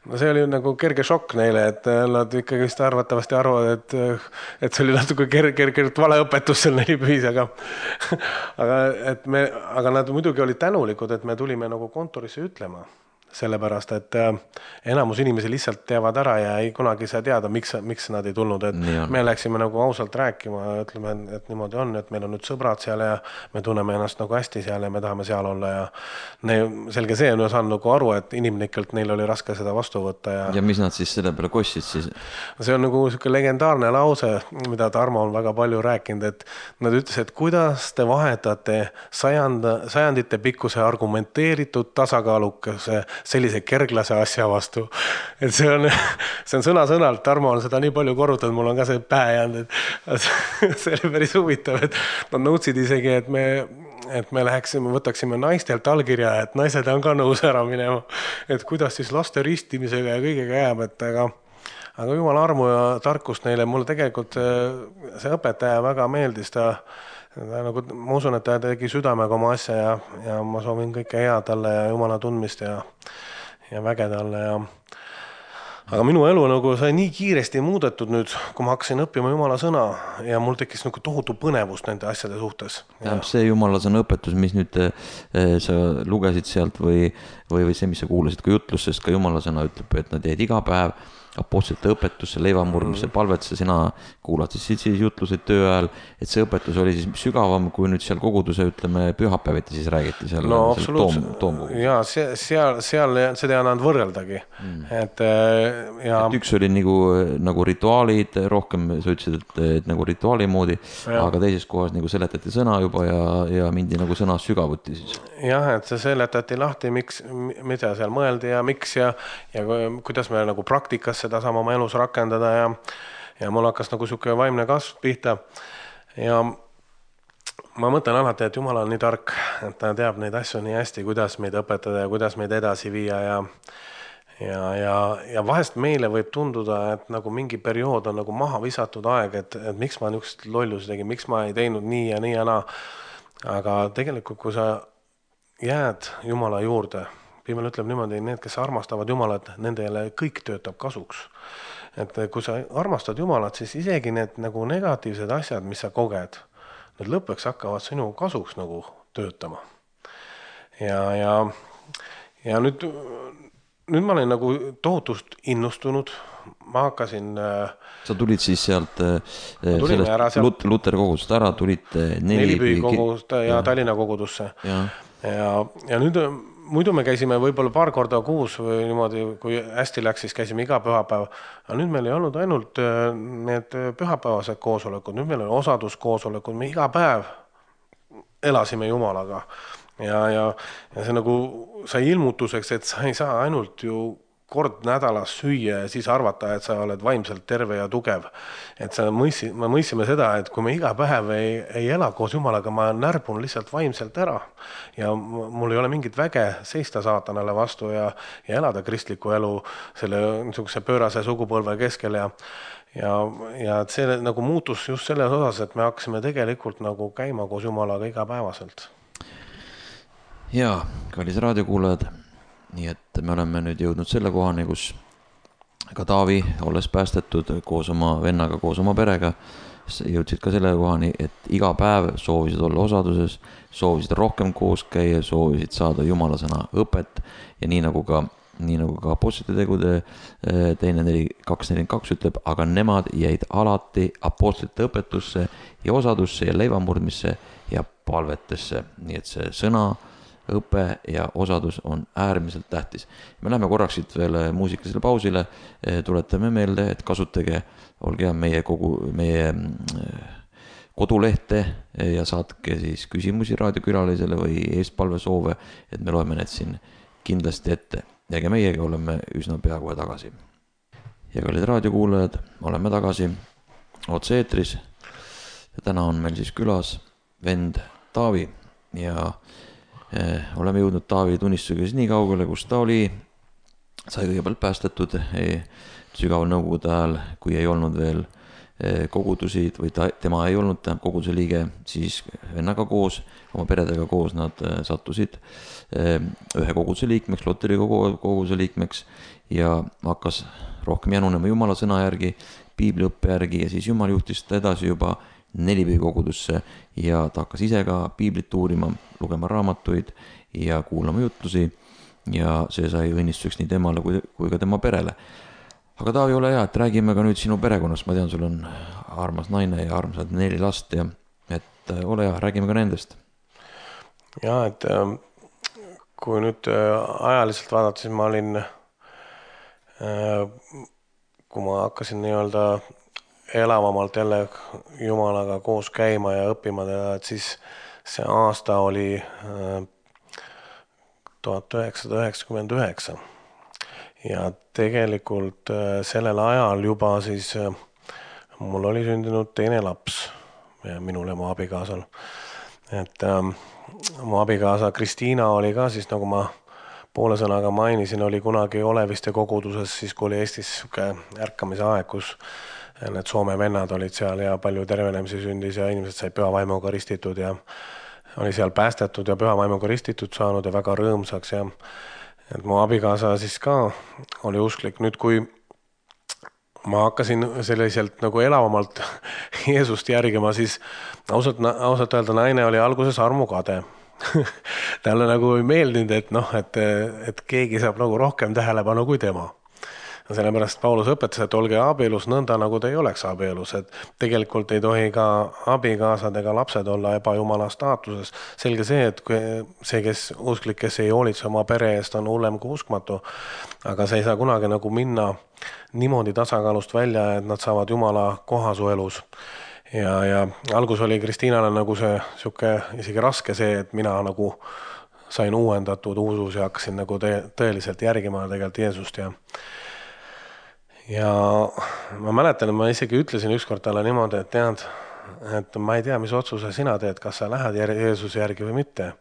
No see oli nagu kerge šokk neile, et nad ikkagi vist arvatavasti arvavad, et, et see oli natuke kerge, kerge valeõpetus seal Nelipüüs, aga, aga, et me, aga nad muidugi olid tänulikud, et me tulime nagu kontorisse ütlema. Sellepärast, et enamus inimesi lihtsalt teavad ära ja ei kunagi saa teada, miks, miks nad ei tulnud. Et me läksime nagu ausalt rääkima, ütleme, et niimoodi on, et meil on nüüd sõbrad seal ja me tunneme ennast nagu hästi seal ja me tahame seal olla ja ne, selge see on ju saan nagu aru, et inimlikelt neil oli raske seda vastu võtta. Ja, ja mis nad siis selle peale kossid siis? See on nagu selline legendaarne lause, mida Tarmo on väga palju rääkinud, et nad ütles, et kuidas te vahetate sajanda, sajandite pikkuse argumenteeritud tasakaalukese sellise kerglase asja vastu. Et see on, see on sõna-sõnalt, Tarmo on seda nii palju korrutanud, mul on ka see päe jäänud, et see oli päris huvitav, et nad nõudsid isegi, et me, et me läheksime, võtaksime naistelt allkirja, et naised on ka nõus ära minema, et kuidas siis laste ristimisega ja kõigega jääb, et aga aga jumala armu ja tarkust neile, mulle tegelikult see, see õpetaja väga meeldis, ta Ta, nagu, ma usun, et ta tegi südamega oma asja ja, ja ma soovin kõike hea talle ja jumala tundmist ja, ja väge talle. Ja... Aga minu elu nagu sai nii kiiresti muudetud nüüd, kui ma hakkasin õppima jumala sõna ja mul tekkis nagu tohutu põnevust nende asjade suhtes. Tähendab see jumala sõna õpetus, mis nüüd eh, sa lugesid sealt või, või, või see, mis sa kuulasid ka jutlust, sest ka jumala sõna ütleb, et nad jäid iga päev apostlite õpetusse, leivamurdmise, palvetuse, sina kuulad siis, siis jutlused töö ajal, et see õpetus oli siis sügavam, kui nüüd seal koguduse, ütleme, pühapäeviti siis räägiti seal, no, seal toom, toomkogudus. Jaa, seal, seal seda ei annanud võrreldagi. Mm. Et, ja... et üks oli nagu, nagu rituaalid, rohkem sa ütlesid, et, et nagu rituaali moodi, ja. Aga teises kohas nagu seletati sõna juba ja, ja mindi nagu sõna sügavuti siis. Jah, et see seletati lahti, miks, mida seal mõeldi ja miks ja, ja kuidas me nagu praktikas seda sama oma elus rakendada ja, ja mul hakkas nagu siuke vaimne kasv pihta ja ma mõtlen alati, et Jumal on nii tark, et ta teab neid asju nii hästi, kuidas meid õpetada ja kuidas meid edasi viia ja ja, ja, ja vahest meile võib tunduda, et nagu mingi periood on nagu maha visatud aeg, et, et miks ma niisugust lollusi tegin, miks ma ei teinud nii ja nii ja naa, aga tegelikult, kui sa jääd Jumala juurde, Piimel ütleb niimoodi, need, kes armastavad Jumalat, nendele kõik töötab kasuks. Et kui sa armastad Jumalat, siis isegi need nagu negatiivsed asjad, mis sa koged, need lõpuks hakkavad sinu kasuks nagu töötama. Ja, ja, ja nüüd, nüüd ma olin nagu tohutust innustunud. Ma hakkasin... Sa tulid siis sealt sellest sealt... Luteri kogudust ära, tulid Nelipüü kogudust ja, ja Tallinna kogudusse. Ja, ja, ja nüüd... Muidu me käisime võib-olla paar korda kuus või niimoodi, kui hästi läks, siis käisime iga pühapäev. Aga nüüd meil ei olnud ainult need pühapäevased koosolekud, nüüd meil oli osaduskoosolekud, me iga päev elasime Jumalaga. Ja, ja, ja see nagu sai ilmutuseks, et sa ei saa ainult ju kord nädalas süüa ja siis arvata, et sa oled vaimselt terve ja tugev. Et sa mõissi, me mõissime seda, et kui me iga päev ei, ei ela koos Jumalaga, ma närbun lihtsalt vaimselt ära. Ja mul ei ole mingit väge seista saatanale vastu ja, ja elada kristliku elu selle niisuguse pöörase sugupõlve keskel. Ja, ja, ja see nagu muutus just selles osas, et me hakkasime tegelikult nagu käima koos Jumalaga igapäevaselt. Jaa, kallis raadiokuulajad. Nii et me oleme nüüd jõudnud selle kohani, kus ka Taavi, olles päästetud koos oma vennaga, koos oma perega, jõudsid ka selle kohani, et iga päev soovisid olla osaduses, soovisid rohkem koos käia, soovisid saada Jumala sõna õpet ja nii nagu ka, nii nagu ka apostlite tegude teine neli kaks nelikümmend kaks ütleb, aga nemad jäid alati apostlite õpetusse ja osadusse ja leivamurdmisse ja palvetesse. Nii et see sõna õpe ja osadus on äärmiselt tähtis. Me lähme korraks siit veel muusikalisele pausile, tuletame meelde, et kasutage, olge hea meie kogu, meie kodulehte ja saatke siis küsimusi raadiokülalisele või eestpalvesoove, et me loeme need siin kindlasti ette. Ja ka meiega oleme üsna pea kohe tagasi. Ja kallid raadiokuulajad, oleme tagasi otse-eetris ja täna on meil siis külas vend Taavi ja eh, oleme jõudnud Taavi tunnistusega nii kaugele, kus ta oli, sai kõigepealt päästetud eh, sügaval nõukogude ajal, kui ei olnud veel eh, kogudusid või ta, tema ei olnud koguduse liige, siis vennaga koos, oma peredega koos nad eh, sattusid eh, ühe koguduse liikmeks, Luteri koguduse liikmeks ja hakkas rohkem janunema Jumala sõna järgi, piibliõppe järgi ja siis Jumal juhtis ta edasi juba Nelipäi kogudusse ja ta hakkas ise ka piiblit uurima, lugema raamatuid ja kuulama jutlusi ja see sai õnnistuseks nii temale kui, kui ka tema perele. Aga Taavi, ole hea, et räägime ka nüüd sinu perekonnast, ma tean, sul on armas naine ja armsad neli last ja et ole hea, räägime ka nendest. Ja, et kui nüüd ajaliselt vaadata, siis ma olin kui ma hakkasin nii-öelda elavamalt jälle Jumalaga koos käima ja õppima teda, et siis see aasta oli tuhat üheksasada üheksakümmend üheksa ja tegelikult sellel ajal juba siis mul oli sündinud teine laps minul ja mu abikaasal, et mu abikaasa Kristiina oli ka siis, nagu ma poole sõnaga mainisin, oli kunagi Oleviste koguduses, siis kui oli Eestis ärkamise aeg, kus need Soome vennad olid seal ja palju tervenemisi sündis ja inimesed sai pühavaimuga ristitud ja oli seal päästetud ja pühavaimuga ristitud saanud ja väga rõõmsaks ja et mu abikaasa siis ka oli usklik. Nüüd, kui ma hakkasin selliselt nagu elavamalt Jeesust järgima, siis ausalt, ausalt öelda naine oli alguses armukade. Talle nagu ei meeldinud, et, noh, et, et keegi saab nagu rohkem tähelepanu kui tema. Sellepärast Paulus õpetas, et olge abielus nõnda, nagu te ei oleks abielus. Et tegelikult ei tohi ka abikaasad ega lapsed olla ebajumala staatuses. Selge see, et see, kes usklik, kes ei hoolitse oma pere eest, on hullem kui uskmatu. Aga see ei saa kunagi nagu minna niimoodi tasakaalust välja, et nad saavad Jumala kohasu elus. Ja, ja algus oli Kristiinale nagu see siuke isegi raske see, et mina nagu sain uuendatud usus ja hakkasin nagu tõeliselt järgima tegelikult Jeesust ja ja ma mäletan, et ma isegi ütlesin ükskord talle niimoodi, et tead, et ma ei tea, mis otsuse sina teed, kas sa lähed Jeesuse järgi või mitte,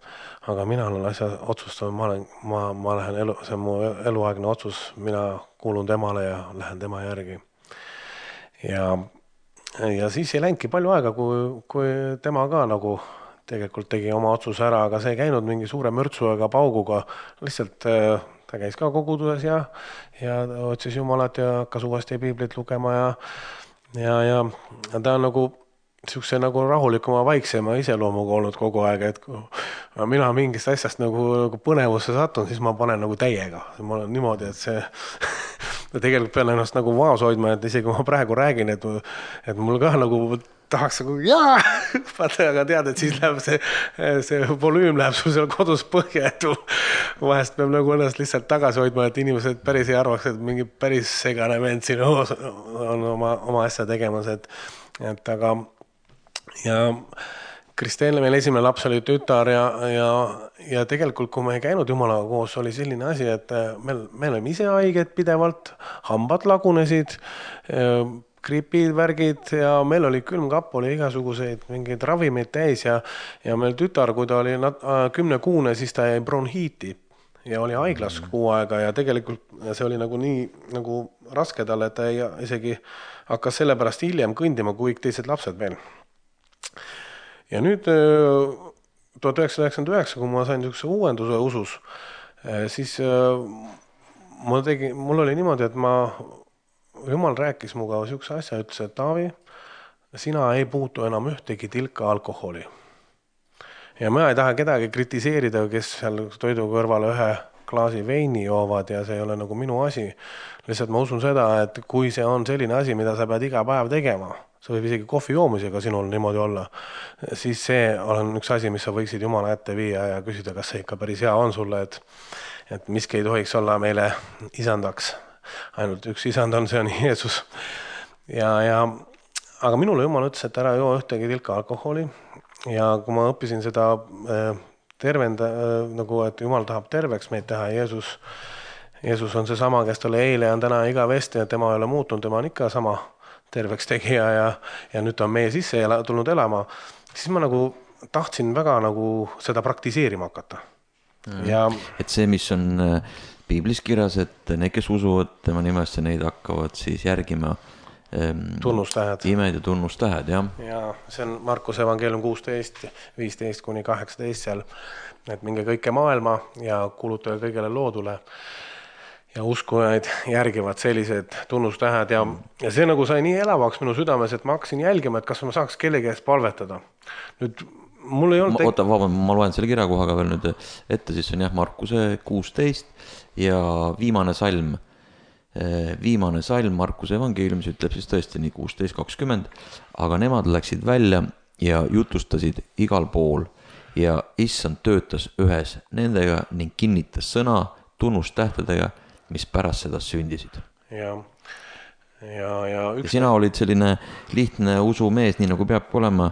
aga mina olen asja otsustanud, ma, olen, ma, ma lähen elu, see on mu eluaegne otsus, mina kuulun temale ja lähen tema järgi ja Ja siis ei läinudki palju aega, kui, kui tema ka nagu tegelikult tegi oma otsuse ära, aga see ei käinud mingi suure mürtsu ega pauguga. Lihtsalt ta käis ka koguduses ja, ja otsis Jumalat ja hakkas uuesti piiblit lugema ja, ja, ja ta on nagu siukse nagu rahulikuma, vaiksema iseloomuga olnud kogu aeg, et kui mina mingist asjast nagu, nagu põnevusse satun, siis ma panen nagu täiega. Ma olen niimoodi, et see ja tegelikult pean ennast nagu vaos hoidma, et isegi ma praegu räägin, et, et mul ka nagu tahaks nagu jaa, aga tead, et siis läheb see, see volüüm läheb sul seal kodus põhja, et vahest peab nagu ennast lihtsalt tagasi hoidma, et inimesed päris ei arvaks, et mingi päris segane vend siin on oma, oma asja tegemas, et, et aga ja Kristeele meil esimene laps oli tütar ja, ja, ja tegelikult, kui me ei käinud Jumalaga koos, oli selline asi, et meil, meil olime ise haiged pidevalt, hambad lagunesid, gripid, värgid ja meil oli külmkapp, oli igasuguseid mingeid ravimeid täis ja, ja meil tütar, kui ta oli kümnekuune, siis ta jäi bronhiiti ja oli haiglas kuu aega ja tegelikult see oli nagu nii nagu raske talle, et ta ei, isegi hakkas sellepärast hiljem kõndima kui teised lapsed veel. Ja nüüd tuhat üheksasada üheksakümmend üheksa, kui ma sain niisuguse uuenduse usus, siis mul, tegi, mul oli niimoodi, et ma, Jumal rääkis muga niisuguse asja, ütles, et Taavi, sina ei puutu enam ühtegi tilka alkoholi. Ja ma ei taha kedagi kritiseerida, kes seal toidu kõrvale ühe klaasi veini joovad ja see ei ole nagu minu asi. Lihtsalt ma usun seda, et kui see on selline asi, mida sa pead iga päev tegema, see võib isegi kohvi joomisega sinul niimoodi olla, siis see on üks asi, mis sa võiksid Jumala ette viia ja küsida, kas see ikka päris hea on sulle, et, et miski ei tohiks olla meile isandaks. Ainult üks isand on, see on Jeesus. Ja, ja, aga minule Jumal ütles, et ära joo ühtegi tilka alkoholi ja kui ma õppisin seda tervenda, nagu et Jumal tahab terveks meid teha, Jeesus, Jeesus on see sama, kes talle eile on täna igavesti ja tema ei ole muutunud, tema on ikka sama terveks tegija ja, ja nüüd ta on meie sisse ela, tulnud elama, siis ma nagu tahtsin väga nagu seda praktiseerima hakata. Mm. Ja, et see, mis on piiblis kirjas, et need, kes usuvad tema nimesse, neid hakkavad siis järgima tunnustähed. Imed ja tunnustähed, jah. Ja see on Markuse evangeelium kuusteist, viisteist kuni kaheksateist seal, et minge kõike maailma ja kuulutage kõigele loodule. Ja uskujaid järgivad sellised tunnustähed ja, ja see nagu sai nii elavaks minu südames, et ma hakkasin jälgima, et kas ma saaks kellegi eest palvetada. Nüüd mul ei olnud... Ma, oota, vaband, ma loen selle kirjakohaga veel nüüd ette, siis on jah Markuse kuusteist ja viimane salm. Viimane salm Markuse evangeeliumis ütleb siis tõesti nii kuusteist kakskümmend, aga nemad läksid välja ja jutustasid igal pool ja issand töötas ühes nendega ning kinnitas sõna tunnustähtedega, mis pärast seda sündisid. Ja, ja, ja, üks... ja sina olid selline lihtne usumees, nii nagu peabki olema,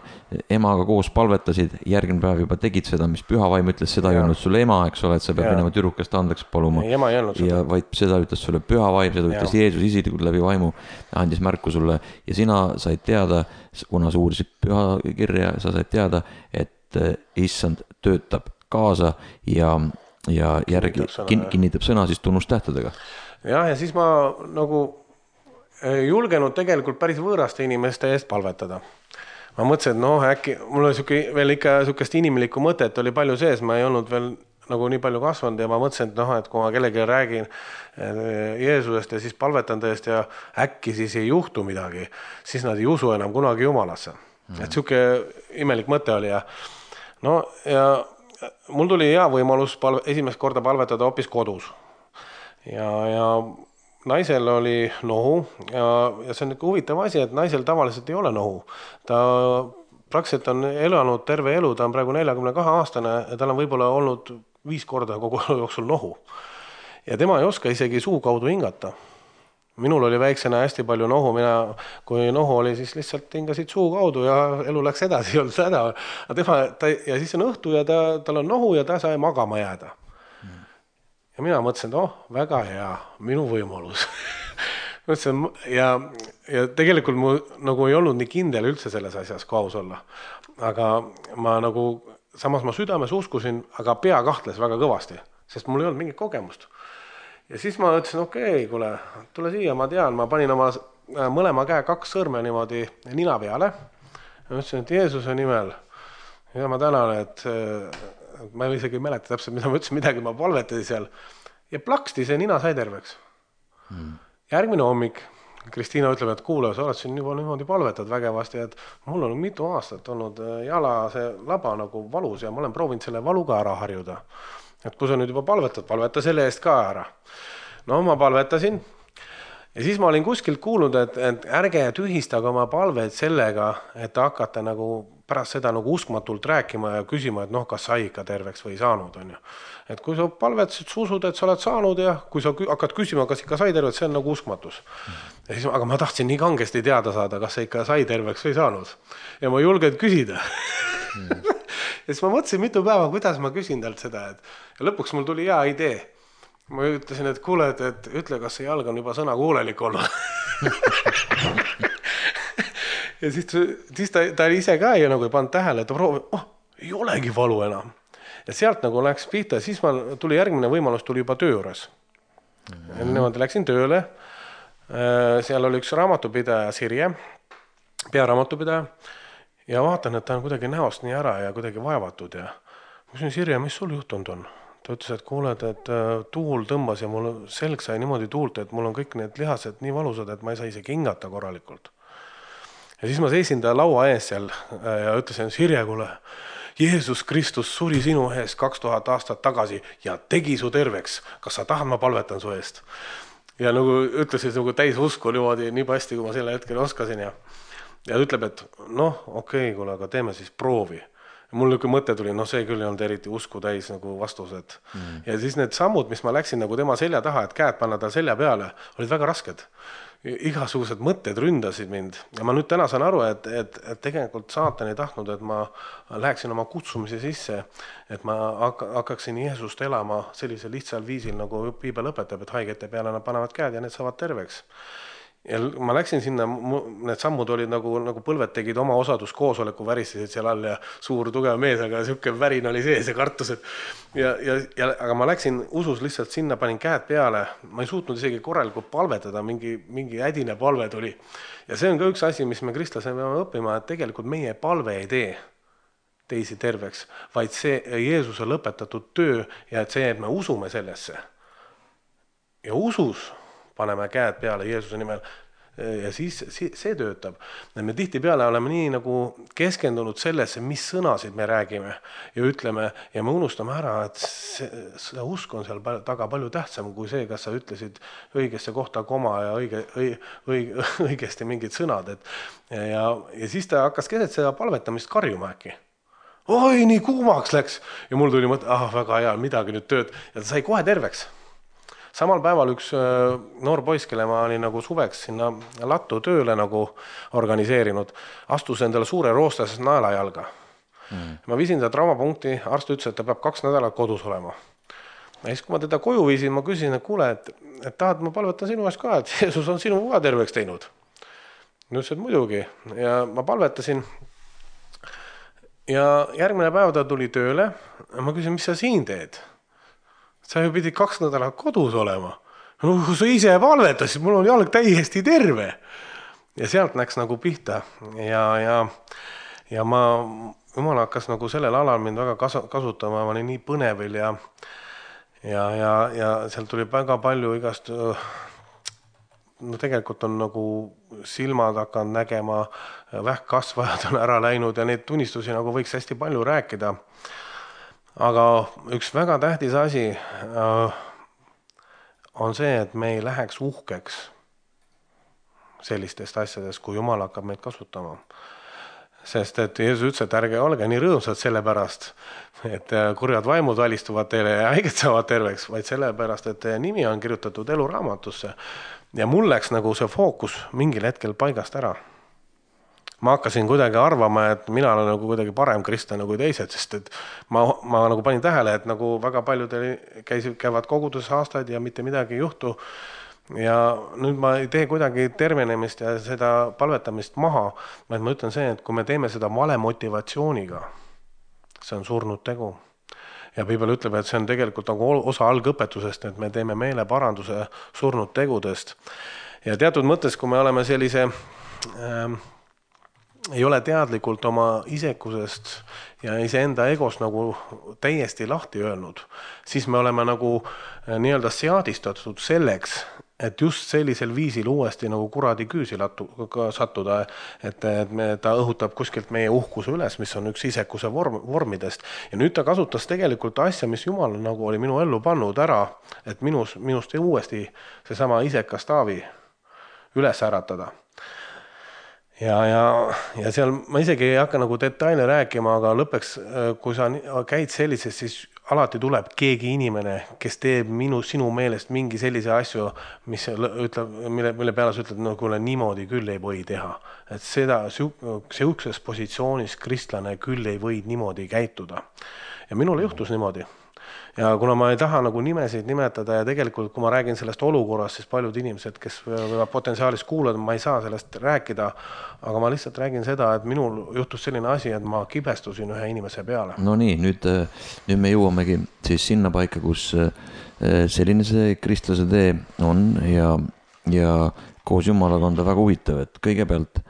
emaga koos palvetasid, järgmine päev juba tegid seda, mis püha vaim ütles, seda ja. Ei olnud sulle ema, eks ole, et sa pead ja. Minema tüdrukest andeks paluma. Ei, ema ei olnud ja vaid seda ütles sulle püha vaim, seda ütles ja. Jeesus isiklikult läbi vaimu, andis märku sulle ja sina said teada, kuna sa uurisid püha kirja, sa said teada, et issand töötab kaasa ja ja järgi kinnitab sõna, kinnitab sõna siis tunnustähtedega. Jah, ja siis ma nagu julgenud tegelikult päris võõraste inimeste eest palvetada. Ma mõtlesin, et noh, äkki mul oli suke, veel ikka sukest inimlikku mõtet oli palju sees, ma ei olnud veel nagu nii palju kasvanud ja ma mõtlesin, et noh, et kui ma kellegi räägin Jeesusest ja siis palvetan tõest ja äkki siis ei juhtu midagi, siis nad ei usu enam kunagi Jumalasse. Mm. Et suke imelik mõte oli ja no ja mul tuli hea võimalus palve, esimest korda palvetada hoopis kodus. Ja, ja naisel oli nohu ja, ja see on ikka huvitav asi, et naisel tavaliselt ei ole nohu. Ta praktiliselt on elanud terve elu, ta on praegu neljakümne kahe aastane ja tal on võib-olla olnud viis korda kogu elu jooksul nohu. Ja tema ei oska isegi suu kaudu hingata. Minul oli väiksena hästi palju nohu, mina, kui nohu oli, siis lihtsalt hingasid suu kaudu ja elu läks edasi, ei olnud seda. Tema, ta, ja siis on õhtu ja ta, tal on nohu ja ta sai magama jääda. Mm. Ja mina mõtlesin, et oh, väga hea, minu võimalus. mõtlesin, ja, ja tegelikult mu nagu ei olnud nii kindel üldse selles asjas, kui aus olla. Aga ma nagu, samas ma südames uskusin, aga pea kahtles väga kõvasti, sest mul ei olnud mingit kogemust. Ja siis ma ütlesin, okei, okay, kuule, tule siia, ma tean, ma panin oma mõlema käe kaks sõrme niimoodi nina peale. Ja ütlesin, et Jeesuse nimel, ja ma tänan, et, et ma isegi ei mäleta täpselt, mida ma ütlesin, midagi ma palvetasin seal. Ja plaksti see nina sai terveks. Hmm. Järgmine hommik, Kristiina ütleb, et kuule, sa oled siin juba niimoodi palvetad vägevasti, et mul on mitu aastat olnud jala see laba nagu valus ja ma olen proovinud selle valuga ära harjuda. Et kui sa nüüd juba palvetad, palveta selle eest ka ära. No ma palvetasin ja siis ma olin kuskilt kuulnud, et, et ärge tühistage oma palveid sellega, et hakata nagu pärast seda nagu uskmatult rääkima ja küsima, et noh, kas sai ikka terveks või saanud on ju. Et kui sa palvetasid, sa usud, et sa oled saanud ja kui sa hakkad küsima, kas ikka sai terveks, see on nagu uskmatus. Ja siis, aga ma tahtsin nii kangesti teada saada, kas sa ikka sai terveks või saanud. Ja ma julgen küsida. Ja siis ma mõtlesin mitu päeva, kuidas ma küsin talt seda, et ja lõpuks mul tuli hea idee. Ma ütlesin, et kuule, et, et ütle, kas see jalg on juba sõna kuulelik olnud. Ja siis, siis ta, ta ise ka ei, nagu ei pannud tähele, et ta proovi, oh, ei olegi valu enam. Ja sealt nagu läks pihta, siis ma tuli järgmine võimalus, tuli juba töö juures. Ja niimoodi läksin tööle, seal oli üks raamatupidaja Sirje, pearaamatupidaja, ja vaatan, et ta on kuidagi näost nii ära ja kuidagi vaevatud ja ma küsin, Sirje, mis sul juhtunud on? Ta ütles, et kuuled, et tuul tõmbas ja mul selg sai niimoodi tuult, et mul on kõik need lihased nii valusad, et ma ei saa isegi hingata korralikult. Ja siis ma seisin ta laua ees seal ja ütlesin, Sirje, kuule, Jeesus Kristus suri sinu ees kaks tuhat aastat tagasi ja tegi su terveks. Kas sa tahad, ma palvetan su eest? Ja nagu ütlesin nagu täis usku niimoodi nii hästi, kui ma selle hetkel oskasin ja ja ütleb, et noh, okei okay,, kuule, aga teeme siis proovi. Ja mul niisugune mõte tuli, noh see küll ei olnud eriti usku täis nagu vastused. Mm. Ja siis need sammud, mis ma läksin nagu tema selja taha, et käed panna ta selja peale, olid väga rasked. Igasugused mõtted ründasid mind. Ja ma nüüd täna saan aru, et, et, et tegelikult saatan ei tahtnud, et ma läheksin oma kutsumise sisse, et ma hakkaksin Jeesust elama sellisel lihtsal viisil, nagu piibel õpetab, et haigete peale nad panevad käed ja need saavad terveks. Ja ma läksin sinna, need sammud olid nagu, nagu põlved tegid oma osaduskoosoleku, väristasid seal all ja suur tugev mees, aga siuke värin oli sees ja kartused. Ja, ja, ja, aga ma läksin usus lihtsalt sinna, panin käed peale, ma ei suutnud isegi korralikult palvetada, mingi, mingi ädine palve tuli. Ja see on ka üks asi, mis me kristlasena peame õppima, et tegelikult meie palve ei tee teisi terveks, vaid see Jeesuse lõpetatud töö ja et see, et me usume sellesse. Ja usus paneme käed peale Jeesuse nimel ja siis see töötab. Me tihti peale oleme nii nagu keskendunud sellesse, mis sõnasid me räägime ja ütleme ja me unustame ära, et see, see usk on seal taga palju tähtsam kui see, kas sa ütlesid õigesse kohta koma ja õige, õige, õigesti mingid sõnad. Et, ja, ja siis ta hakkas keset seda palvetamist karjuma äkki. Oi, nii kuumaks läks ja mul tuli mõte, ah, väga hea, midagi nüüd tööd ja ta sai kohe terveks. Samal päeval üks noor poiss, kelle ma olin nagu suveks sinna lattu tööle nagu organiseerinud, astus endale suure roostas naelajalga. Mm. Ma viisin ta traumapunkti, arst ütles, et ta peab kaks nädalat kodus olema. Ja siis, kui ma teda koju viisin, ma küsisin, et kuule, et, et tahad, ma palvetan sinu eest ka, et Jeesus on sinu ka terveks teinud. Nüüd see muidugi. Ja ma palvetasin. Ja järgmine päev ta tuli tööle. Ja ma küsin, mis sa siin teed? Sa ju pidid kaks nädalat kodus olema. No, kui sa ise palvetasid, mul on jalg täiesti terve. Ja sealt läks nagu pihta. Ja, ja, ja ma, jumal hakkas nagu sellel alal mind väga kasutama. Ma olin nii põnevil ja, ja, ja, ja sealt tuli väga palju igast, no tegelikult on nagu silmad hakanud nägema, vähkkasvajad on ära läinud ja neid tunnistusi nagu võiks hästi palju rääkida. Aga üks väga tähtis asi on see, et me ei läheks uhkeks sellistest asjadest, kui Jumal hakkab meid kasutama. Sest et Jeesus ütles, et ärge olge nii rõõmsad selle pärast, et kurjad vaimud valistuvad teile ja haiged saavad terveks, vaid selle pärast, et nimi on kirjutatud eluraamatusse. Ja mul läks nagu see fookus mingil hetkel paigast ära. Ma hakkasin kuidagi arvama, et mina olen nagu kuidagi parem kristlane kui teised, sest et ma, ma nagu panin tähele, et nagu väga paljud käisid, käivad koguduses aastaid ja mitte midagi ei juhtu. Ja nüüd ma ei tee kuidagi tervenemist ja seda palvetamist maha, vaid ma ütlen see, et kui me teeme seda vale motivatsiooniga, see on surnud tegu. Ja piibel ütleb, et see on tegelikult nagu osa algõpetusest, et me teeme meele paranduse surnud tegudest. Ja teatud mõttes, kui me oleme sellise... Ähm, ei ole teadlikult oma isekusest ja iseenda egost nagu täiesti lahti öelnud, siis me oleme nagu nii-öelda seadistatud selleks, et just sellisel viisil uuesti nagu kuradi küüsi lattu, sattuda, et, et me, ta õhutab kuskilt meie uhkuse üles, mis on üks isekuse vorm, vormidest. Ja nüüd ta kasutas tegelikult asja, mis Jumal nagu oli minu ellu pannud ära, et minus, minust uuesti seesama isekas Taavi üles äratada. Ja, ja, ja seal ma isegi ei hakka nagu detaile rääkima, aga lõppeks, kui sa käid sellises, siis alati tuleb keegi inimene, kes teeb minu, sinu meelest mingi sellise asju, mis ütleb, mille, mille peale sa ütled, no kuule, niimoodi küll ei või teha. Et seda siukses positsioonis kristlane küll ei või niimoodi käituda. Ja minul juhtus niimoodi. Ja kuna ma ei taha nagu nimesid nimetada ja tegelikult, kui ma räägin sellest olukorrast, siis paljud inimesed, kes võivad potentsiaalis kuulada, ma ei saa sellest rääkida, aga ma lihtsalt räägin seda, et minul juhtus selline asi, et ma kibestusin ühe inimese peale. No nii, nüüd, nüüd me jõuamegi siis sinna paika, kus selline see kristlase tee on ja, ja koos Jumalaga on ta väga huvitav, et kõigepealt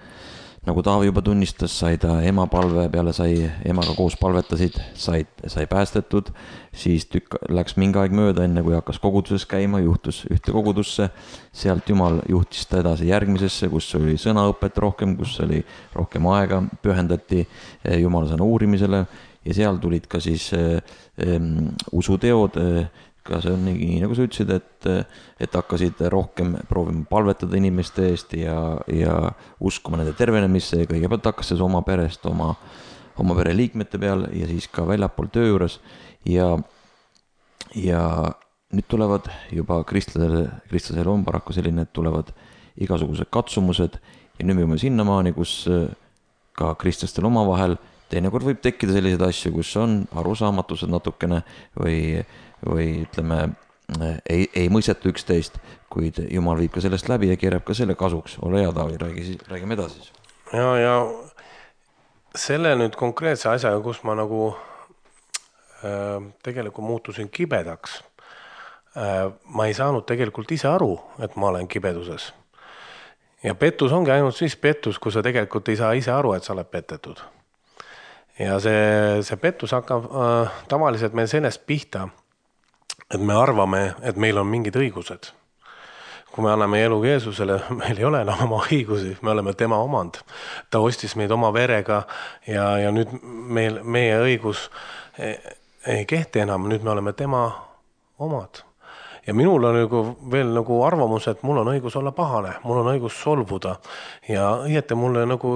nagu Taavi juba tunnistas, sai ta ema palve peale, sai emaga koos palvetasid, sai, sai päästetud, siis tükk, läks mingi aeg mööda, enne kui hakkas koguduses käima, juhtus ühte kogudusse, sealt Jumal juhtis ta edasi järgmisesse, kus oli sõnaõpet rohkem, kus oli rohkem aega, pühendati Jumala sõna uurimisele ja seal tulid ka siis um, usuteod, ka see on nii, nagu sa ütlesid, et, et hakkasid rohkem proovima palvetada inimeste eest ja, ja uskuma nende tervenemisse ja kõigepealt hakkas see oma perest, oma, oma pereliikmete peal ja siis ka väljapool töö juures ja, ja nüüd tulevad juba kristlasel, kristlasel on paraku selline, et tulevad igasugused katsumused ja nüüd me jõuame sinnamaani, kus ka kristlastel omavahel teinekord võib tekkida selliseid asju, kus on arusaamatused natukene või, või ütleme, ei, ei mõisteta üksteist, kuid Jumal viib ka sellest läbi ja keerab ka selle kasuks. Ole hea, Taavi, räägi, räägime edasi. Ja, ja selle nüüd konkreetse asjaga, kus ma nagu äh, tegelikult muutusin kibedaks, äh, ma ei saanud tegelikult ise aru, et ma olen kibeduses. Ja pettus ongi ainult siis pettus, kui sa tegelikult ei saa ise aru, et sa oled petetud. Ja see, see pettus hakkab äh, tavaliselt meil sellest pihta, et me arvame, et meil on mingid õigused. Kui me anname elu Jeesusele, meil ei ole enam oma õigusi, me oleme tema omand. Ta ostis meid oma verega ja, ja nüüd meil, meie õigus ei, ei kehti enam, nüüd me oleme tema omad. Ja minul on nagu veel nagu arvamus, et mul on õigus olla pahane, mul on õigus solvuda ja õieti mulle nagu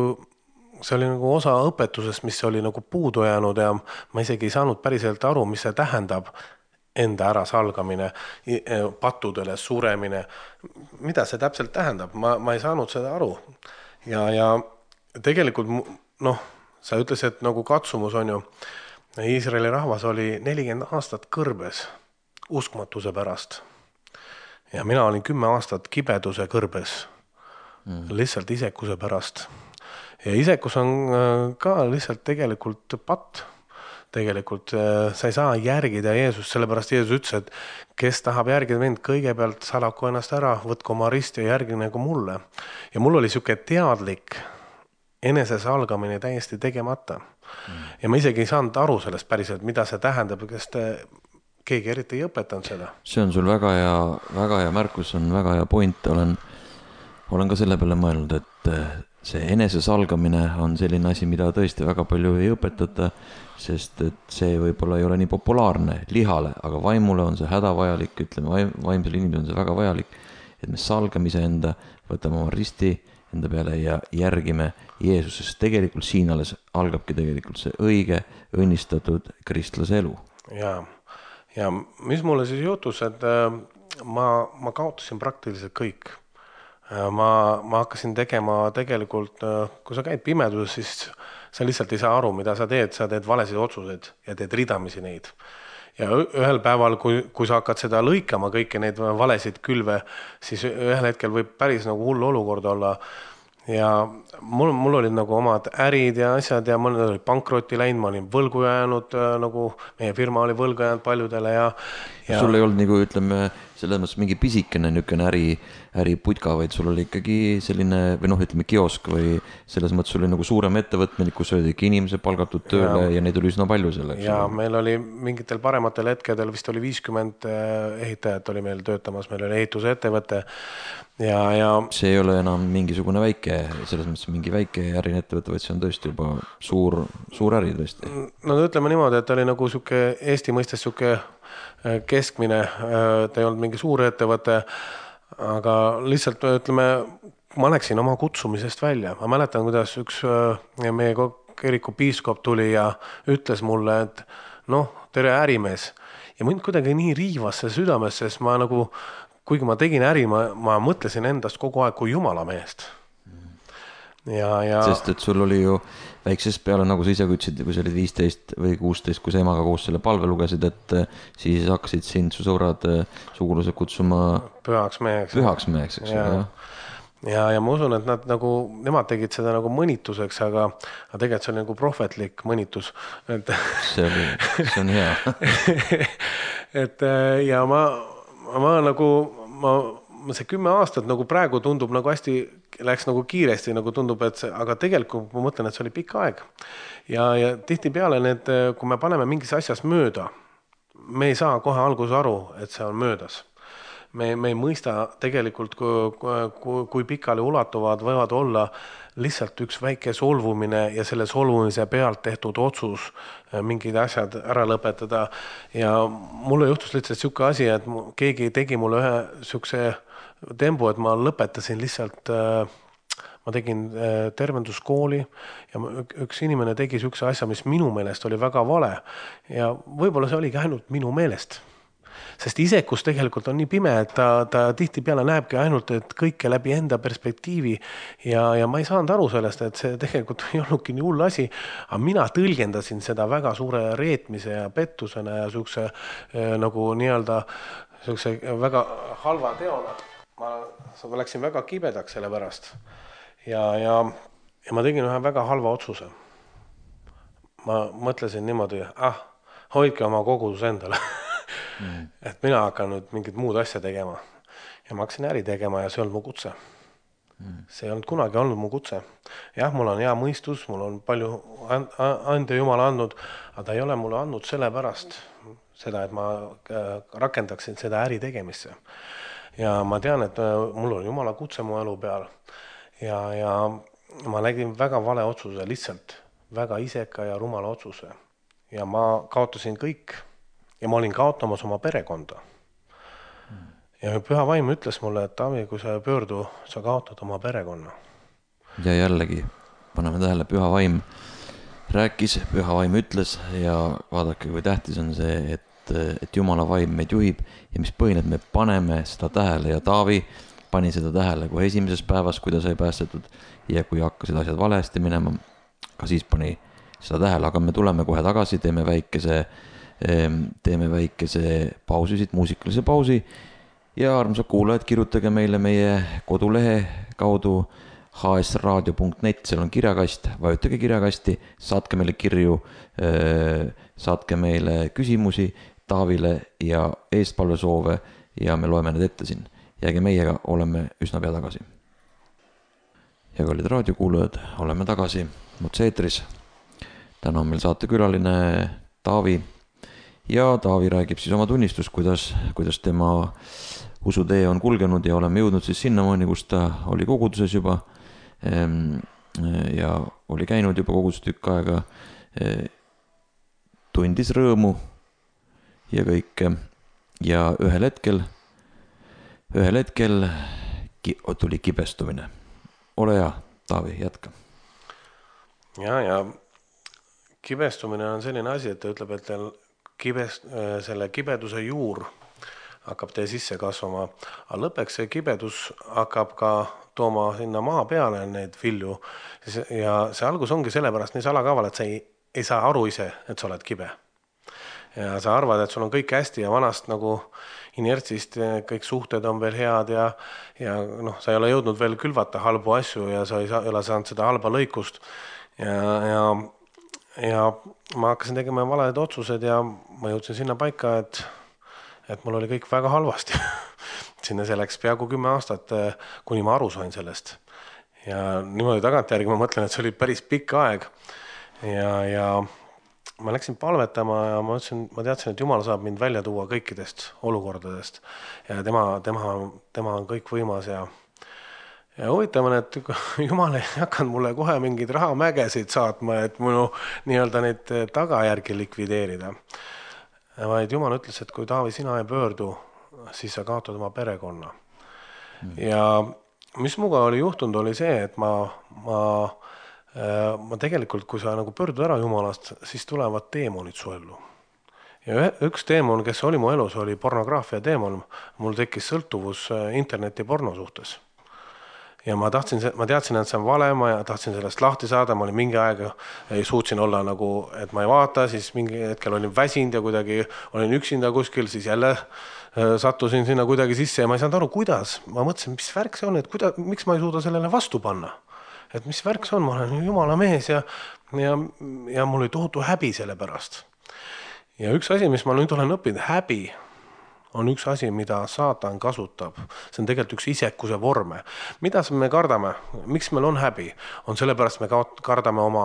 see oli nagu osa õpetusest, mis oli nagu puudu jäänud ja ma isegi ei saanud päriselt aru, mis see tähendab enda ära salgamine, pattudele suremine. Mida see täpselt tähendab? Ma, ma ei saanud seda aru. Ja, ja tegelikult, noh, sa ütles, et nagu katsumus on ju, Iisraeli rahvas oli nelikümmend aastat kõrbes uskmatuse pärast. Ja mina olin kümme aastat kibeduse kõrbes, mm. lihtsalt isekuse pärast. Ja isekus on ka lihtsalt tegelikult patt. Tegelikult sa ei saa järgida Jeesus, sellepärast Jeesus ütles, et kes tahab järgida mind, kõigepealt salaku ennast ära, võtku oma rist ja järgi nagu mulle. Ja mul oli siuke teadlik enesesalgamine täiesti tegemata. Mm. Ja ma isegi ei saanud aru sellest päriselt, mida see tähendab, kes te, keegi eriti ei õpetanud seda. See on sul väga hea, väga hea märkus, on väga hea point. Olen, olen ka selle peale mõelnud, et see enesesalgamine on selline asi, mida tõesti väga palju ei õpetata, sest et see võib-olla ei ole nii populaarne lihale, aga vaimule on see hädavajalik, ütleme vaimsele inimesele on see väga vajalik, et me salgamise enda, võtame oma risti enda peale ja järgime Jeesusest. Tegelikult siin alles algabki tegelikult see õige, õnnistatud kristlase elu. Ja, ja mis mulle siis jutus, et ma, ma kaotasin praktiliselt kõik. Ma, ma hakkasin tegema tegelikult, kui sa käid pimeduses, siis sa lihtsalt ei saa aru, mida sa teed, sa teed valesid otsuseid ja teed ridamisi neid. Ja ühel päeval, kui, kui sa hakkad seda lõikama kõiki neid valesid külve, siis ühel hetkel võib päris nagu hull olukord olla. Ja mul, mul olid nagu omad ärid ja asjad ja mul oli pankrotti läinud, ma olin võlgu jäänud, nagu meie firma oli võlgu jäänud paljudele ja, ja... Sul ei olnud nagu, ütleme, selles mõttes mingi pisikene niisugune äri, äriputka, vaid sul oli ikkagi selline, või noh, ütleme kiosk või selles mõttes sul oli nagu suurem ettevõtmine, kus olid ikka inimese palgatud tööle ja, ja neid oli üsna palju selleks. Ja ole. Meil oli mingitel parematel hetkedel, vist oli viiskümmend ehitajat oli meil töötamas, meil oli ehitusettevõte ja, ja... See ei ole enam mingisugune väike, selles mõttes mingi väike ärin ettevõte, vaid see on tõesti juba suur, suur äri tõesti. No ütleme niimoodi, et oli nagu siuke Eesti mõistes siuke keskmine, ta ei olnud mingi suur ettevõte, aga lihtsalt ütleme, ma läksin oma kutsumisest välja. Ma mäletan, kuidas üks meie kiriku piiskop tuli ja ütles mulle, et noh, tere ärimees. Ja mind kuidagi nii riivas see südames, sest ma nagu, kuigi ma tegin äri, ma, ma mõtlesin endast kogu aeg kui jumala mehest. Ja, ja... Sest et sul oli ju väiksest peale, nagu sa ise ütlesid, kui sa olid viisteist või kuusteist, kui sa emaga koos selle palve lugesid, et siis hakkasid sind su sõbrad, sugulased kutsuma pühaks meheks. Pühaks meheks, eks ja. Ja, ja ma usun, et nad nagu, nemad tegid seda nagu mõnituseks, aga, aga tegelikult see oli nagu prohvetlik mõnitus. Et... See, oli, see on hea. et ja ma, ma nagu, ma, see kümme aastat nagu praegu tundub nagu hästi, läks nagu kiiresti, nagu tundub, et see, aga tegelikult ma mõtlen, et see oli pikk aeg. Ja, ja tihti peale need, kui me paneme mingis asjas mööda, me ei saa kohe alguses aru, et see on möödas. me, me ei mõista tegelikult, kui, kui, kui pikali ulatuvad võivad olla lihtsalt üks väike solvumine ja selle solvumise pealt tehtud otsus mingid asjad ära lõpetada. Ja mulle juhtus lihtsalt siuke asi, et keegi tegi mulle ühe siukse tembu, et ma lõpetasin lihtsalt, ma tegin tervenduskooli ja üks inimene tegi siukse asja, mis minu meelest oli väga vale ja võib-olla see oligi ainult minu meelest. Sest isekus tegelikult on nii pime, et ta, ta tihti peale näebki ainult, et kõike läbi enda perspektiivi ja, ja ma ei saanud aru sellest, et see tegelikult ei olnudki nii hull asi, aga mina tõlgendasin seda väga suure reetmise ja pettusena ja siukse nagu nii-öelda siukse väga halva teona. Ma, ma läksin väga kibedaks selle pärast ja, ja, ja ma tegin ühe väga halva otsuse. Ma mõtlesin niimoodi, ah, hoidke oma kogudus endale. Mm. Et mina hakkan nüüd mingit muud asja tegema ja ma hakkasin äri tegema ja see on mu kutse. Mm. See on kunagi olnud mu kutse. Jah, mul on hea mõistus, mul on palju ande Jumala andnud, aga ta ei ole mulle andnud selle pärast seda, et ma rakendaksin seda äri tegemisse. Ja ma tean, et mul on Jumala kutse mu elu peal ja, ja ma nägin väga vale otsuse, lihtsalt väga iseka ja rumala otsuse ja ma kaotasin kõik. Ja ma olin kaotamas oma perekonda. Ja Püha Vaim ütles mulle, et Taavi, kui sa pöördu, sa kaotad oma perekonna. Ja jällegi, paneme tähele, Püha Vaim rääkis, Püha Vaim ütles ja vaadake, kui tähtis on see, et, et Jumala Vaim meid juhib ja mis põhineb, me paneme seda tähele ja Taavi pani seda tähele kohe esimeses päevas, kui ta sai päästetud ja kui hakkasid asjad valesti minema, ka siis pani seda tähele, aga me tuleme kohe tagasi, teeme väikese teeme väikese pausi, siit muusikalise pausi ja armsad kuulajad, kirjutage meile meie kodulehe kaudu h s radio punkt net, seal on kirjakast, vajutage kirjakasti, saatke meile kirju, saatke meile küsimusi Taavile ja eestpalvesoove ja me loeme need ette siin. Jääge meiega, oleme üsna pea tagasi. Ja kallid raadiokuulajad, oleme tagasi Mutseetris. Täna on meil saatekülaline Taavi. Ja Taavi räägib siis oma tunnistus, kuidas, kuidas tema usutee on kulgenud ja oleme jõudnud siis sinnamaani, kus ta oli koguduses juba ja oli käinud juba koguduses tükk aega, tundis rõõmu ja kõike ja ühel hetkel, ühel hetkel tuli kibestumine. Ole hea, Taavi, jätka. Ja, ja kibestumine on selline asi, et ta ütleb, et teil Kibest, selle kibeduse juur hakkab tee sisse kasvama, aga lõpeks see kibedus hakkab ka tooma sinna maa peale neid vilju ja see algus ongi sellepärast nii salakaval, et sa ei, ei saa aru ise, et sa oled kibe. Ja sa arvad, et sul on kõik hästi ja vanast nagu inertsist kõik suhted on veel head ja, ja noh, sa ei ole jõudnud veel külvata halbu asju ja sa ei, saa, ei ole saanud seda halba lõikust ja, ja ja ma hakkasin tegema valed otsused ja ma jõudsin sinna paika, et, et mul oli kõik väga halvasti. Sinna see läks peaaegu kümme aastat, kuni ma aru sain sellest. Ja niimoodi tagantjärgi ma mõtlen, et see oli päris pikk aeg. Ja, ja ma läksin palvetama ja ma, ütlesin, ma teadsin, et Jumal saab mind välja tuua kõikidest olukordadest. Ja tema, tema, tema on kõik võimas ja Ja huvitav on, et Jumal ei hakanud mulle kohe mingid rahamägesid saatma, et minu nii-öelda neid tagajärgi likvideerida. Vaid Jumal ütles, et kui Taavi sina ei pöördu, siis sa kaotad oma perekonna. Mm. Ja mis muga oli juhtunud, oli see, et ma, ma, ma tegelikult, kui sa nagu pöördud ära Jumalast, siis tulevad teemonid su ellu. Ja üks teemon, kes oli mu elus, oli pornograafia teemon. Mul tekkis sõltuvus interneti porno suhtes. Ja ma tahtsin, ma teadsin, et see on vale, ma tahtsin sellest lahti saada, ma olin mingi aega, ei suutsin olla nagu, et ma ei vaata, siis mingi hetkel olin väsinud ja kuidagi olin üksinda kuskil, siis jälle sattusin sinna kuidagi sisse ja ma ei saanud aru, kuidas. Ma mõtlesin, mis värk see on, et kuida, miks ma ei suuda sellele vastu panna. Et mis värk see on, ma olen Jumala mees ja, ja, ja mul oli tohutu häbi selle pärast. Ja üks asi, mis ma nüüd olen õppinud, häbi on üks asi, mida saatan kasutab. See on tegelikult üks isekuse vorme. Mida me kardame? Miks meil on häbi? On sellepärast me kardame oma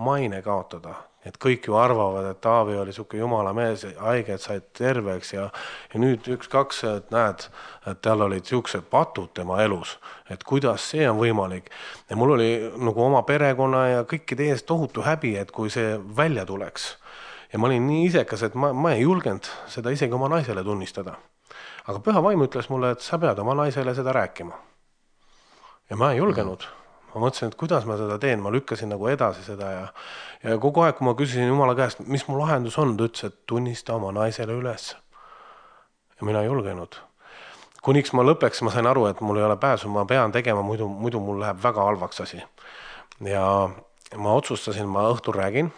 maine kaotada. Et kõik ju arvavad, et Taavi oli siuke jumala mees, haiged said terveks ja, ja nüüd üks-kaks, et näed, et tal olid siuksed patud tema elus, et kuidas see on võimalik. Ja mul oli nagu oma perekonna ja kõikide ees tohutu häbi, et kui see välja tuleks. Ja ma olin nii isekas, et ma, ma ei julgenud seda isegi oma naisele tunnistada. Aga püha vaim ütles mulle, et sa pead oma naisele seda rääkima. Ja ma ei julgenud. Ma mõtlesin, et kuidas ma seda teen, ma lükkasin nagu edasi seda ja, ja kogu aeg, kui ma küsisin Jumala käest, mis mu lahendus on, ta ütles, et tunnista oma naisele üles. Ja mina ei julgenud. Kuniks ma lõpeks, ma sain aru, et mul ei ole pääsu, ma pean tegema, muidu, muidu mul läheb väga halvaks asi. Ja ma otsustasin, ma õhtul räägin.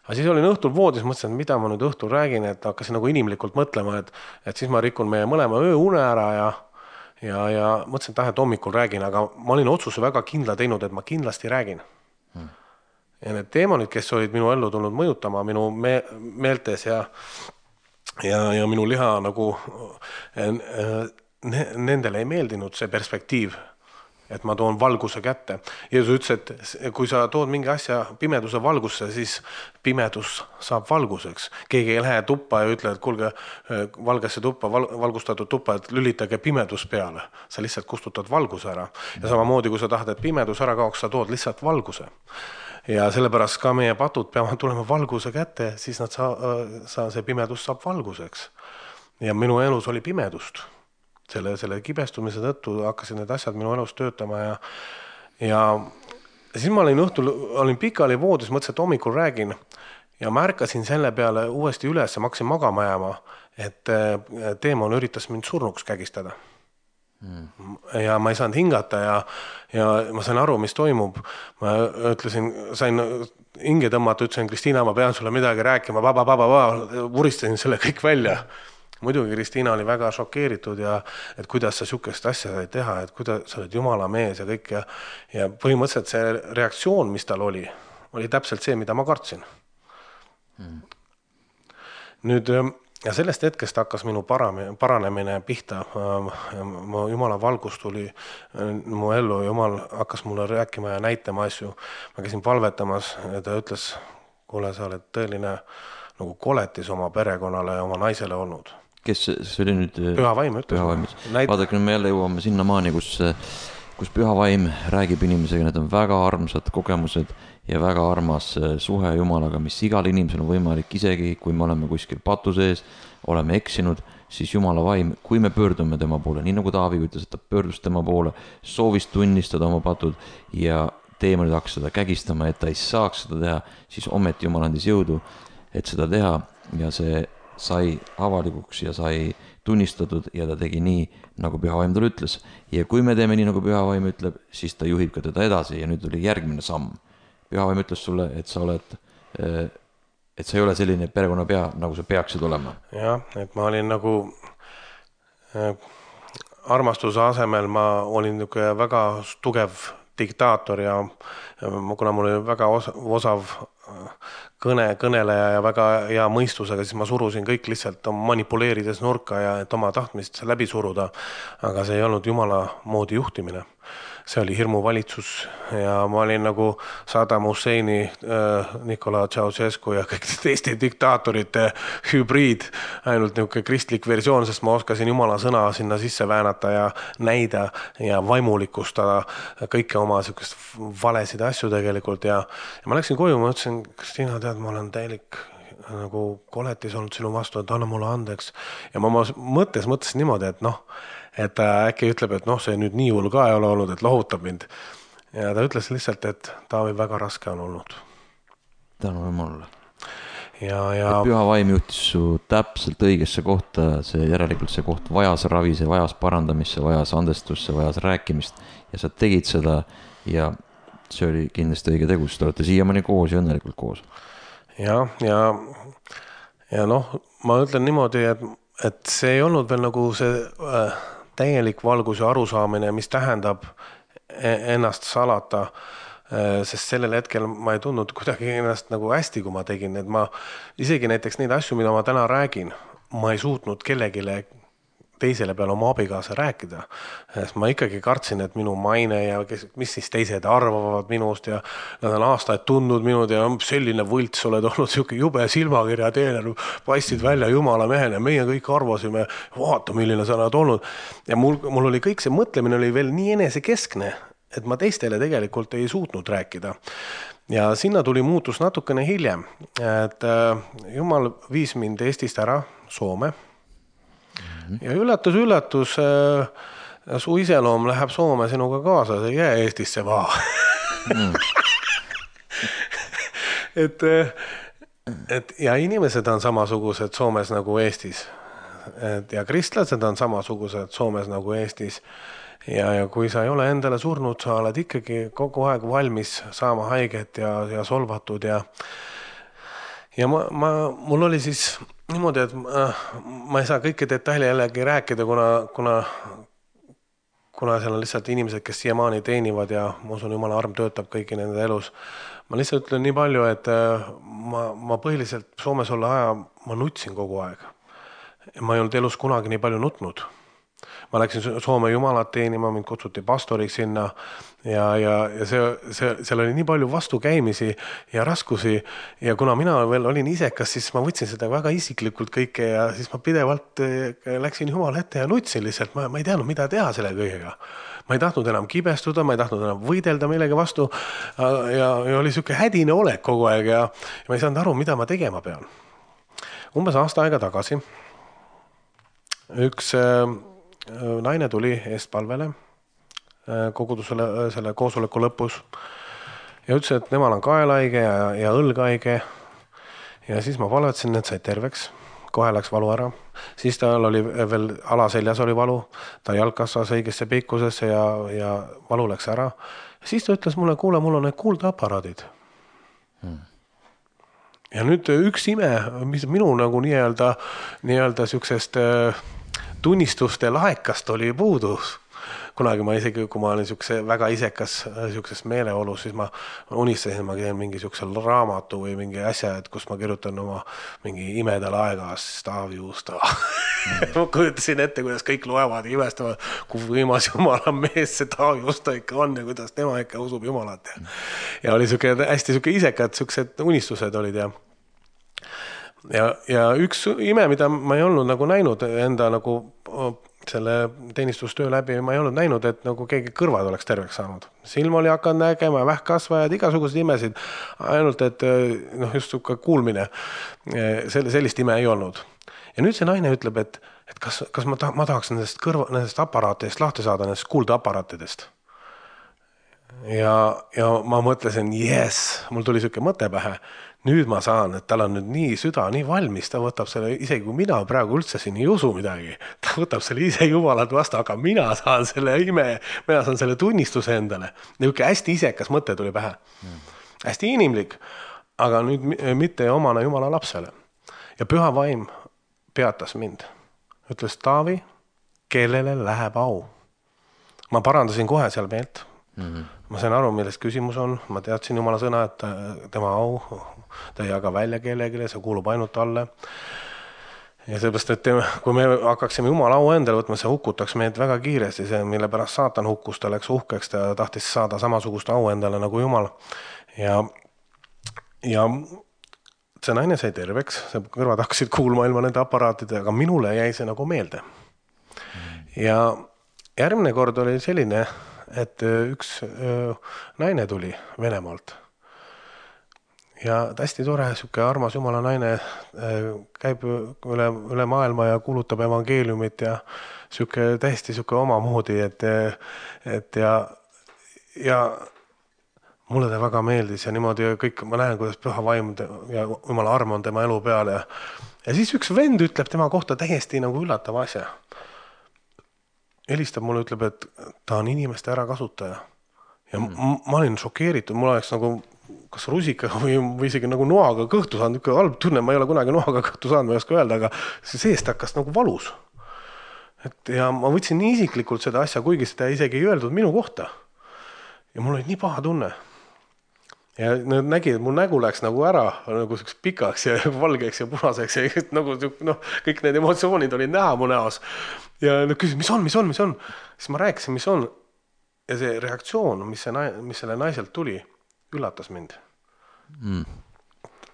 Aga siis olin õhtul voodis, mõtlesin, et mida ma nüüd õhtul räägin, et hakkasin nagu inimlikult mõtlema, et, et siis ma rikun meie mõlema öö une ära ja Ja, ja mõtlesin, et, et hommikul räägin, aga ma olin otsuse väga kindla teinud, et ma kindlasti räägin. Hmm. Ja need teemonid, kes olid minu ellu tulnud mõjutama minu me meeltes ja, ja, ja minu liha nagu ne nendele ei meeldinud see perspektiiv, et ma toon valguse kätte. Jeesus ütles, et kui sa tood mingi asja pimeduse valgusse, siis pimedus saab valguseks. Keegi ei lähe tuppa ja ütle, et kuulge valgesse tuppa, val valgustatud tuppa, et lülitage pimedus peale. Sa lihtsalt kustutad valguse ära. Ja samamoodi, kui sa tahad, et pimedus ära kaoks, sa tood lihtsalt valguse. Ja sellepärast ka meie patud peavad tulema valguse kätte, siis nad saa, saa, see pimedus saab valguseks. Ja minu elus oli pimedust. Selle, selle kibestumise tõttu hakkasid need asjad minu elus töötama ja, ja siis ma olin õhtul, olin pikali voodis, mõtlesin, et hommikul räägin ja märkasin selle peale uuesti üles ja ma hakkasin magama jääma, et teemon üritas mind surnuks kägistada. Hmm. Ja ma ei saanud hingata ja, ja ma sain aru, mis toimub. Ma ütlesin, sain hinge tõmmata, ütlesin, Kristiina, ma pean sulle midagi rääkima, vaba, vaba, vaba, vuristasin selle kõik välja. Muidugi Kristiina oli väga šokeeritud ja et kuidas sa sihukest asja sai teha, et kuidas sa oled jumala mees ja kõik ja, ja põhimõtteliselt see reaktsioon, mis tal oli, oli täpselt see, mida ma kartsin. Hmm. Nüüd ja sellest hetkest hakkas minu paranemine pihta. Mu jumala valgus tuli mu ellu, jumal hakkas mulle rääkima ja näitama asju. Ma käisin palvetamas ja ta ütles, kuule, sa oled tõeline nagu koletis oma perekonnale ja oma naisele olnud. Kes see oli nüüd? Püha vaim ütles. Näit... Vaadake, nüüd me jälle jõuame sinna maani, kus, kus püha vaim räägib inimesega, need on väga armsad kogemused ja väga armas suhe Jumalaga, mis igal inimesel on võimalik, isegi kui me oleme kuskil patu sees, oleme eksinud, siis Jumala vaim, kui me pöördume tema poole, nii nagu Taavi ütles, et ta pöördus tema poole, soovis tunnistada oma patud ja teemonid hakkas seda kägistama, et ta ei saaks seda teha, siis ometi Jumal andis jõudu, et seda teha ja see sai avalikuks ja sai tunnistatud ja ta tegi nii, nagu püha vaim talle ütles. Ja kui me teeme nii, nagu püha vaim ütleb, siis ta juhib ka teda edasi ja nüüd oli järgmine samm. Püha vaim ütles sulle, et sa oled, et sa ei ole selline perekonna pea, nagu sa peaksid olema. Jah, et ma olin nagu armastuse asemel, ma olin väga tugev diktaator ja kuna mul oli väga osav kõne, kõneleja ja väga hea mõistusega, siis ma surusin kõik lihtsalt manipuleerides nurka ja et oma tahtmist läbi suruda, aga see ei olnud Jumala moodi juhtimine. See oli hirmuvalitsus ja ma olin nagu Saddam Husseini, Nikola Ceausescu ja kõik teiste diktaatorite hübriid, ainult niisugune kristlik versioon, sest ma oskasin Jumala sõna sinna sisse väänata ja näida ja vaimulikustada kõike oma niisugust valesid asju tegelikult ja, ja ma läksin koju, ma ütlesin, Kristiina, tead, ma olen täielik nagu koletis olnud sinu vastu, et anna mulle andeks ja ma oma mõttes mõtlesin niimoodi, et noh, et ta äkki ütleb, et noh, see nüüd nii hull ka ei ole olnud, et lohutab mind. Ja ta ütles lihtsalt, et Taavi väga raske on olnud. Tänu Jumalale. Ja, ja... Et püha vaim juhtis su täpselt õigesse kohta, see järelikult see koht vajas ravi, see vajas parandamisse, vajas andestusse, vajas rääkimist ja sa tegid seda ja see oli kindlasti õige tegus, te olete siiamaani koos ja õnnelikult koos. Ja, ja, ja noh, ma ütlen niimoodi, et, et see ei olnud veel nagu see äh, täielik valgus ja arusaamine, mis tähendab ennast salata, sest sellel hetkel ma ei tundnud kuidagi ennast nagu hästi, kui ma tegin, et ma isegi näiteks neid asju, mida ma täna räägin, ma ei suutnud kellegile teisele peale oma abikaasa rääkida. Sest ma ikkagi kartsin, et minu maine ja kes, mis siis teised arvavad minust ja nad on aastaid tundnud minud ja selline võlts oled olnud, siuke jube silmakirja teener, paistid välja jumala mehele, meie kõik arvasime, vaata milline sa oled olnud. Ja mul, mul oli kõik see mõtlemine oli veel nii enesekeskne, et ma teistele tegelikult ei suutnud rääkida. Ja sinna tuli muutus natukene hiljem, et jumal viis mind Eestist ära Soome. Ja üllatus, üllatus, su iseloom läheb Soome sinuga kaasa, see ei jää Eestisse vaan. Mm. et, et, ja inimesed on samasugused Soomes nagu Eestis. Et, ja kristlased on samasugused Soomes nagu Eestis. Ja, ja kui sa ei ole endale surnud, sa oled ikkagi kogu aeg valmis saama haiget ja, ja solvatud. Ja, ja ma, ma, mul oli siis niimoodi, et ma, ma ei saa kõiki detaile jällegi rääkida, kuna, kuna, kuna seal on lihtsalt inimesed, kes siiamaani teenivad ja ma usun, jumala arm töötab kõiki nende elus. Ma lihtsalt ütlen nii palju, et ma, ma põhiliselt Soomes olla aja, ma nutsin kogu aeg. Ma ei olnud elus kunagi nii palju nutnud. Ma läksin Soome jumalat teenima, mind kutsuti pastoriks sinna ja, ja, ja see, see, seal oli nii palju vastukäimisi ja raskusi ja kuna mina veel olin isekas, siis ma võtsin seda väga isiklikult kõike ja siis ma pidevalt läksin jumala ette ja nutsin lihtsalt, ma, ma ei teadnud, mida teha selle kõigega. Ma ei tahtnud enam kibestuda, ma ei tahtnud enam võidelda millegi vastu ja, ja oli siuke hädine olek kogu aeg ja, ja ma ei saanud aru, mida ma tegema pean. Umbes aasta aega tagasi üks naine tuli eestpalvele kogudusele selle koosoleku lõpus ja ütles, et nemal on kaelaige ja, ja õlgaige ja siis ma palvetasin, et said terveks, kohe läks valu ära, siis tal oli veel alaseljas oli valu, ta jalg kasvas õigesse pikkusesse ja, ja valu läks ära ja siis ta ütles mulle, kuule, mul on need kuuldeaparaadid hmm. Ja nüüd üks ime, mis minu nagu nii-öelda nii-öelda siuksest tunnistuste laekast oli puudus. Kunagi ma isegi, kui ma olin siukse väga isekas siukses meeleolus, siis ma unistasin, ma teen mingi siukse raamatu või mingi asja, et kus ma kirjutan oma mingi imedal aegas Taavi Juusta. Mm. ma kujutasin ette, kuidas kõik loevad ja imestavad, kui võimas jumala mees see Taavi Juusta ikka on ja kuidas tema ikka usub jumalat. Ja, ja oli siuke hästi siuke isekad, siuksed unistused olid ja Ja, ja üks ime, mida ma ei olnud nagu näinud enda nagu selle teenistustöö läbi, ma ei olnud näinud, et nagu keegi kõrvad oleks terveks saanud. Silm oli hakanud nägema, vähkkasvajad, igasugused imesid, ainult et noh, just suke kuulmine, sellist ime ei olnud. Ja nüüd see naine ütleb, et, et kas, kas ma, ta, ma tahaks nendest, kõrva, nendest aparaatidest lahti saada, nendest kuuldeaparaatidest. Ja, ja ma mõtlesin, yes, mul tuli siuke mõte pähe, nüüd ma saan, et tal on nüüd nii süda, nii valmis, ta võtab selle, isegi kui mina praegu üldse siin ei usu midagi, ta võtab selle ise jumalat vastu, aga mina saan selle ime, mina saan selle tunnistuse endale. Niuke hästi isekas mõte tuli pähe. Mm. Hästi inimlik, aga nüüd mitte omane jumala lapsele. Ja püha vaim peatas mind. Ütles Taavi, kellele läheb au. Ma parandasin kohe seal meelt. Mm-hmm. Ma sain aru, millest küsimus on. Ma teadsin jumala sõna, et tema au ta ei jaga välja kellegile, see kuulub ainult talle. Ja seepärast, et kui me hakkaksime jumala au endale võtma, see hukutaks meid väga kiiresti, see, mille pärast saatan hukkus, ta läks uhkeks, ta tahtis saada samasugust au endale nagu jumal. Ja, ja see naine sai terveks, see kõrvad hakkasid kuulma ilma nende aparaatide, aga minule jäi see nagu meelde. Ja järgmine kord oli selline, et üks naine tuli Venemaalt. Ja hästi tore, siuke armas jumala naine käib üle, üle maailma ja kuulutab evangeeliumit ja siuke täiesti siuke omamoodi, et, et ja, ja mulle ta väga meeldis ja niimoodi kõik, ma näen, kuidas püha vaim ja jumala arm on tema elu peal ja, ja siis üks vend ütleb tema kohta täiesti nagu üllatava asja. Helistab mulle, ütleb, et ta on inimeste ärakasutaja. Ja mm. ma olin šokeeritud, mul oleks nagu kas rusika või, või isegi nagu noaga kõhtu saanud, niisugune halb tunne, ma ei ole kunagi noaga kõhtu saanud, ma ei oska öelda, aga see seest hakkas nagu valus. Et ja ma võtsin nii isiklikult seda asja, kuigi seda isegi ei öeldud minu kohta. Ja mul oli nii paha tunne. ja nad nägid, et mu nägu läks nagu ära nagu selliseks pikaks ja valgeks ja punaseks ja nagu noh, kõik need emotsioonid olid näha mu näos. Ja nad küsisid, mis on, mis on, mis on? Siis ma rääkisin, mis on. Ja see reaktsioon, mis, see, mis selle naiselt tuli, üllatas mind. Mm.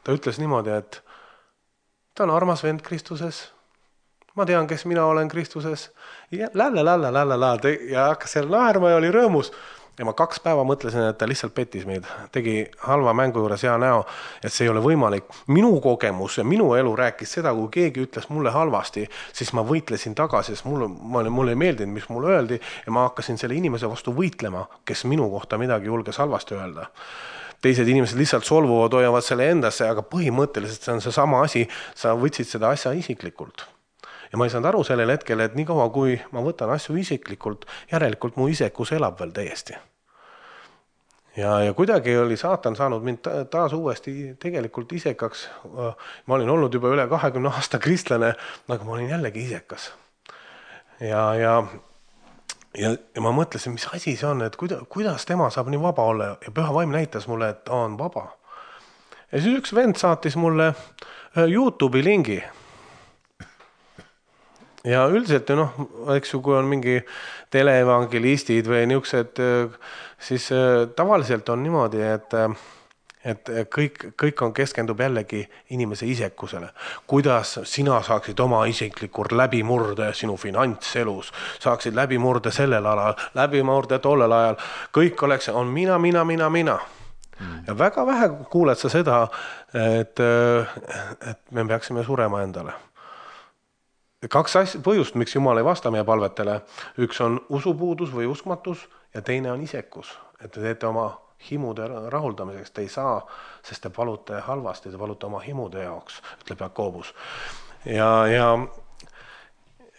Ta ütles niimoodi, et ta on armas vend Kristuses. Ma tean, kes mina olen Kristuses. Ja lälle, lälle, lälle, lälle. Ja hakkas seal naerma ja oli rõõmus. Ja ma kaks päeva mõtlesin, et ta lihtsalt pettis meid. Tegi halva mängu juures hea näo, et see ei ole võimalik. Minu kogemus ja minu elu rääkis seda, kui keegi ütles mulle halvasti, siis ma võitlesin tagasi, sest mulle, mulle ei meeldinud, mis mulle öeldi ja ma hakkasin selle inimese vastu võitlema, kes minu kohta midagi julges halvasti öelda. Teised inimesed lihtsalt solvuvad, hoiavad selle endasse, aga põhimõtteliselt see on see sama asi, sa võtsid seda asja isiklikult. Ja ma ei saanud aru sellel hetkel, et nii kaua, kui ma võtan asju isiklikult, järelikult mu isekus elab veel täiesti. Ja, ja kuidagi oli saatan saanud mind taas uuesti tegelikult isekaks. Ma olin olnud juba üle kahekümne aasta kristlane, aga ma olin jällegi isekas. Ja, ja, ja, ja ma mõtlesin, mis asi see on, et kuidas, kuidas tema saab nii vaba olla ja Püha Vaim näitas mulle, et ta on vaba. Ja siis üks vend saatis mulle YouTube'i lingi. Ja üldiselt, noh, eks ju, kui on mingi teleevangelistid või niisugused, siis tavaliselt on niimoodi, et, et kõik, kõik on keskendub jällegi inimese isekusele. Kuidas sina saaksid oma isiklikult läbimurde sinu finantselus, saaksid läbimurde sellel alal, läbimurde tollel ajal, kõik oleks, on mina, mina, mina, mina. Mm. Ja väga vähe kuuled sa seda, et, et me peaksime surema endale. Kaks asja, põhjust, miks Jumal ei vasta meie palvetele. Üks on usupuudus või uskmatus ja teine on isekus. Et te teete oma himude rahuldamiseks. Te ei saa, sest te palute halvasti, te palute oma himude jaoks, ütleb Jakobus. Ja, ja,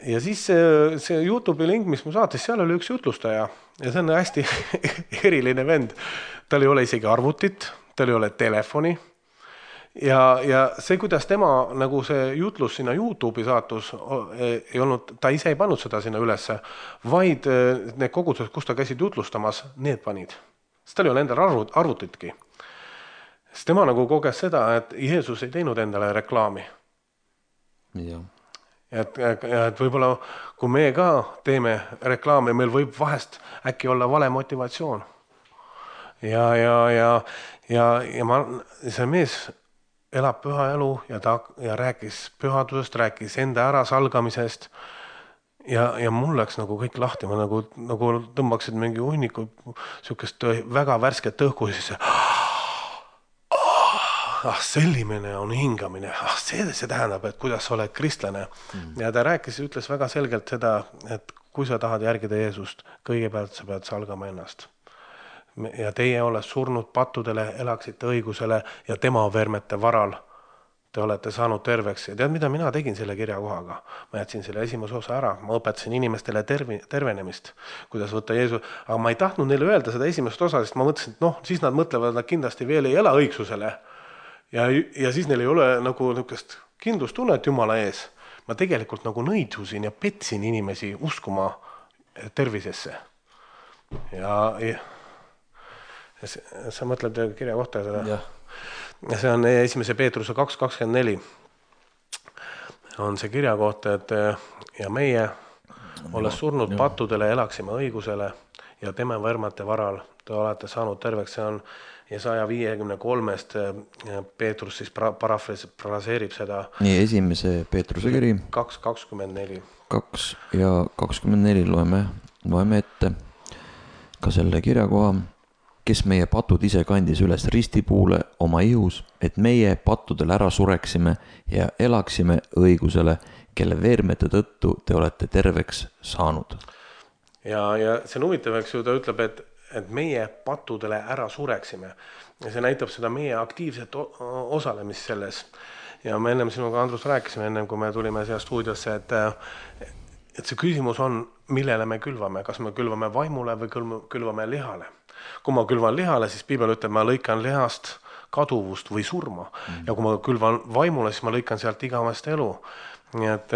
ja siis see, see YouTube'i link, mis mu saatis, seal oli üks jutlustaja. Ja see on hästi eriline vend. Tal ei ole isegi arvutit, tal ei ole telefoni. Ja, ja see, kuidas tema nagu see jutlus sinna YouTube'i saatus ei olnud, ta ise ei pannud seda sinna ülesse, vaid need kogudused, kus ta käisid jutlustamas, need panid. Sest tal ei ole endal arvut, arvutitki. Sest tema nagu koges seda, et Jeesus ei teinud endale reklaami. Ja. Et, et võib-olla, kui me ka teeme reklaami, meil võib vahest äkki olla vale motivatsioon. Ja, ja, ja, ja, ja ma, see mees elab püha elu ja ta ja rääkis pühadusest, rääkis enda ära salgamisest ja, ja mul läks nagu kõik lahti, ma nagu, nagu tõmbaksid mingi hunniku sükest väga värsket õhku ja siis ah, sellimine on hingamine, ah, see, see tähendab, et kuidas sa oled kristlane. Mm. Ja ta rääkis, ütles väga selgelt seda, et kui sa tahad järgida Jeesust, kõigepealt sa pead salgama ennast. Ja teie olete surnud pattudele, elaksite õigusele ja tema vermete varal te olete saanud terveks. Ja tead, mida mina tegin selle kirjakohaga? Ma jätsin selle esimese osa ära. Ma õpetasin inimestele tervi, tervenemist, kuidas võtta Jeesus. Aga ma ei tahtnud neile öelda seda esimest osa, sest ma mõtlesin, et noh, siis nad mõtlevad, nad kindlasti veel ei ela õigsusele. Ja, ja siis neil ei ole nagu niisugust kindlustunnet Jumala ees. Ma tegelikult nagu nõidsusin ja petsin inimesi uskuma tervisesse. Ja... ja sa mõtled kirja kohta seda? Ja. See on esimese Peetruse kaks kakskümmend neli. On see kirja kohta, et ja meie olles surnud pattudele, elaksime õigusele ja tema vermate varal te olete saanud terveks. See on Jesaja viiekümne kolmest Peetrus siis parafraseerib seda. Nii, esimese Peetruse kiri. kaks kakskümmend neli. kaks ja kakskümmend neli loeme, loeme ette ka selle kirjakoha. Kes meie patud ise kandis üles ristipuule oma ihus, et meie pattudel ära sureksime ja elaksime õigusele, kelle veermete tõttu te olete terveks saanud. Ja, ja see on huvitav, eks ju, ta ütleb, et, et meie pattudele ära sureksime. Ja see näitab seda meie aktiivset osalemist selles. Ja me ennem sinuga, Andrus, rääkisime ennem, kui me tulime siia stuudiosse, et, et see küsimus on, millele me külvame. Kas me külvame vaimule või külvame lihale? Kui ma külvan lihale, siis Piibel ütleb, ma lõikan lihast kaduvust või surma. Mm. Ja kui ma külvan vaimule, siis ma lõikan sealt igavest elu. Nii et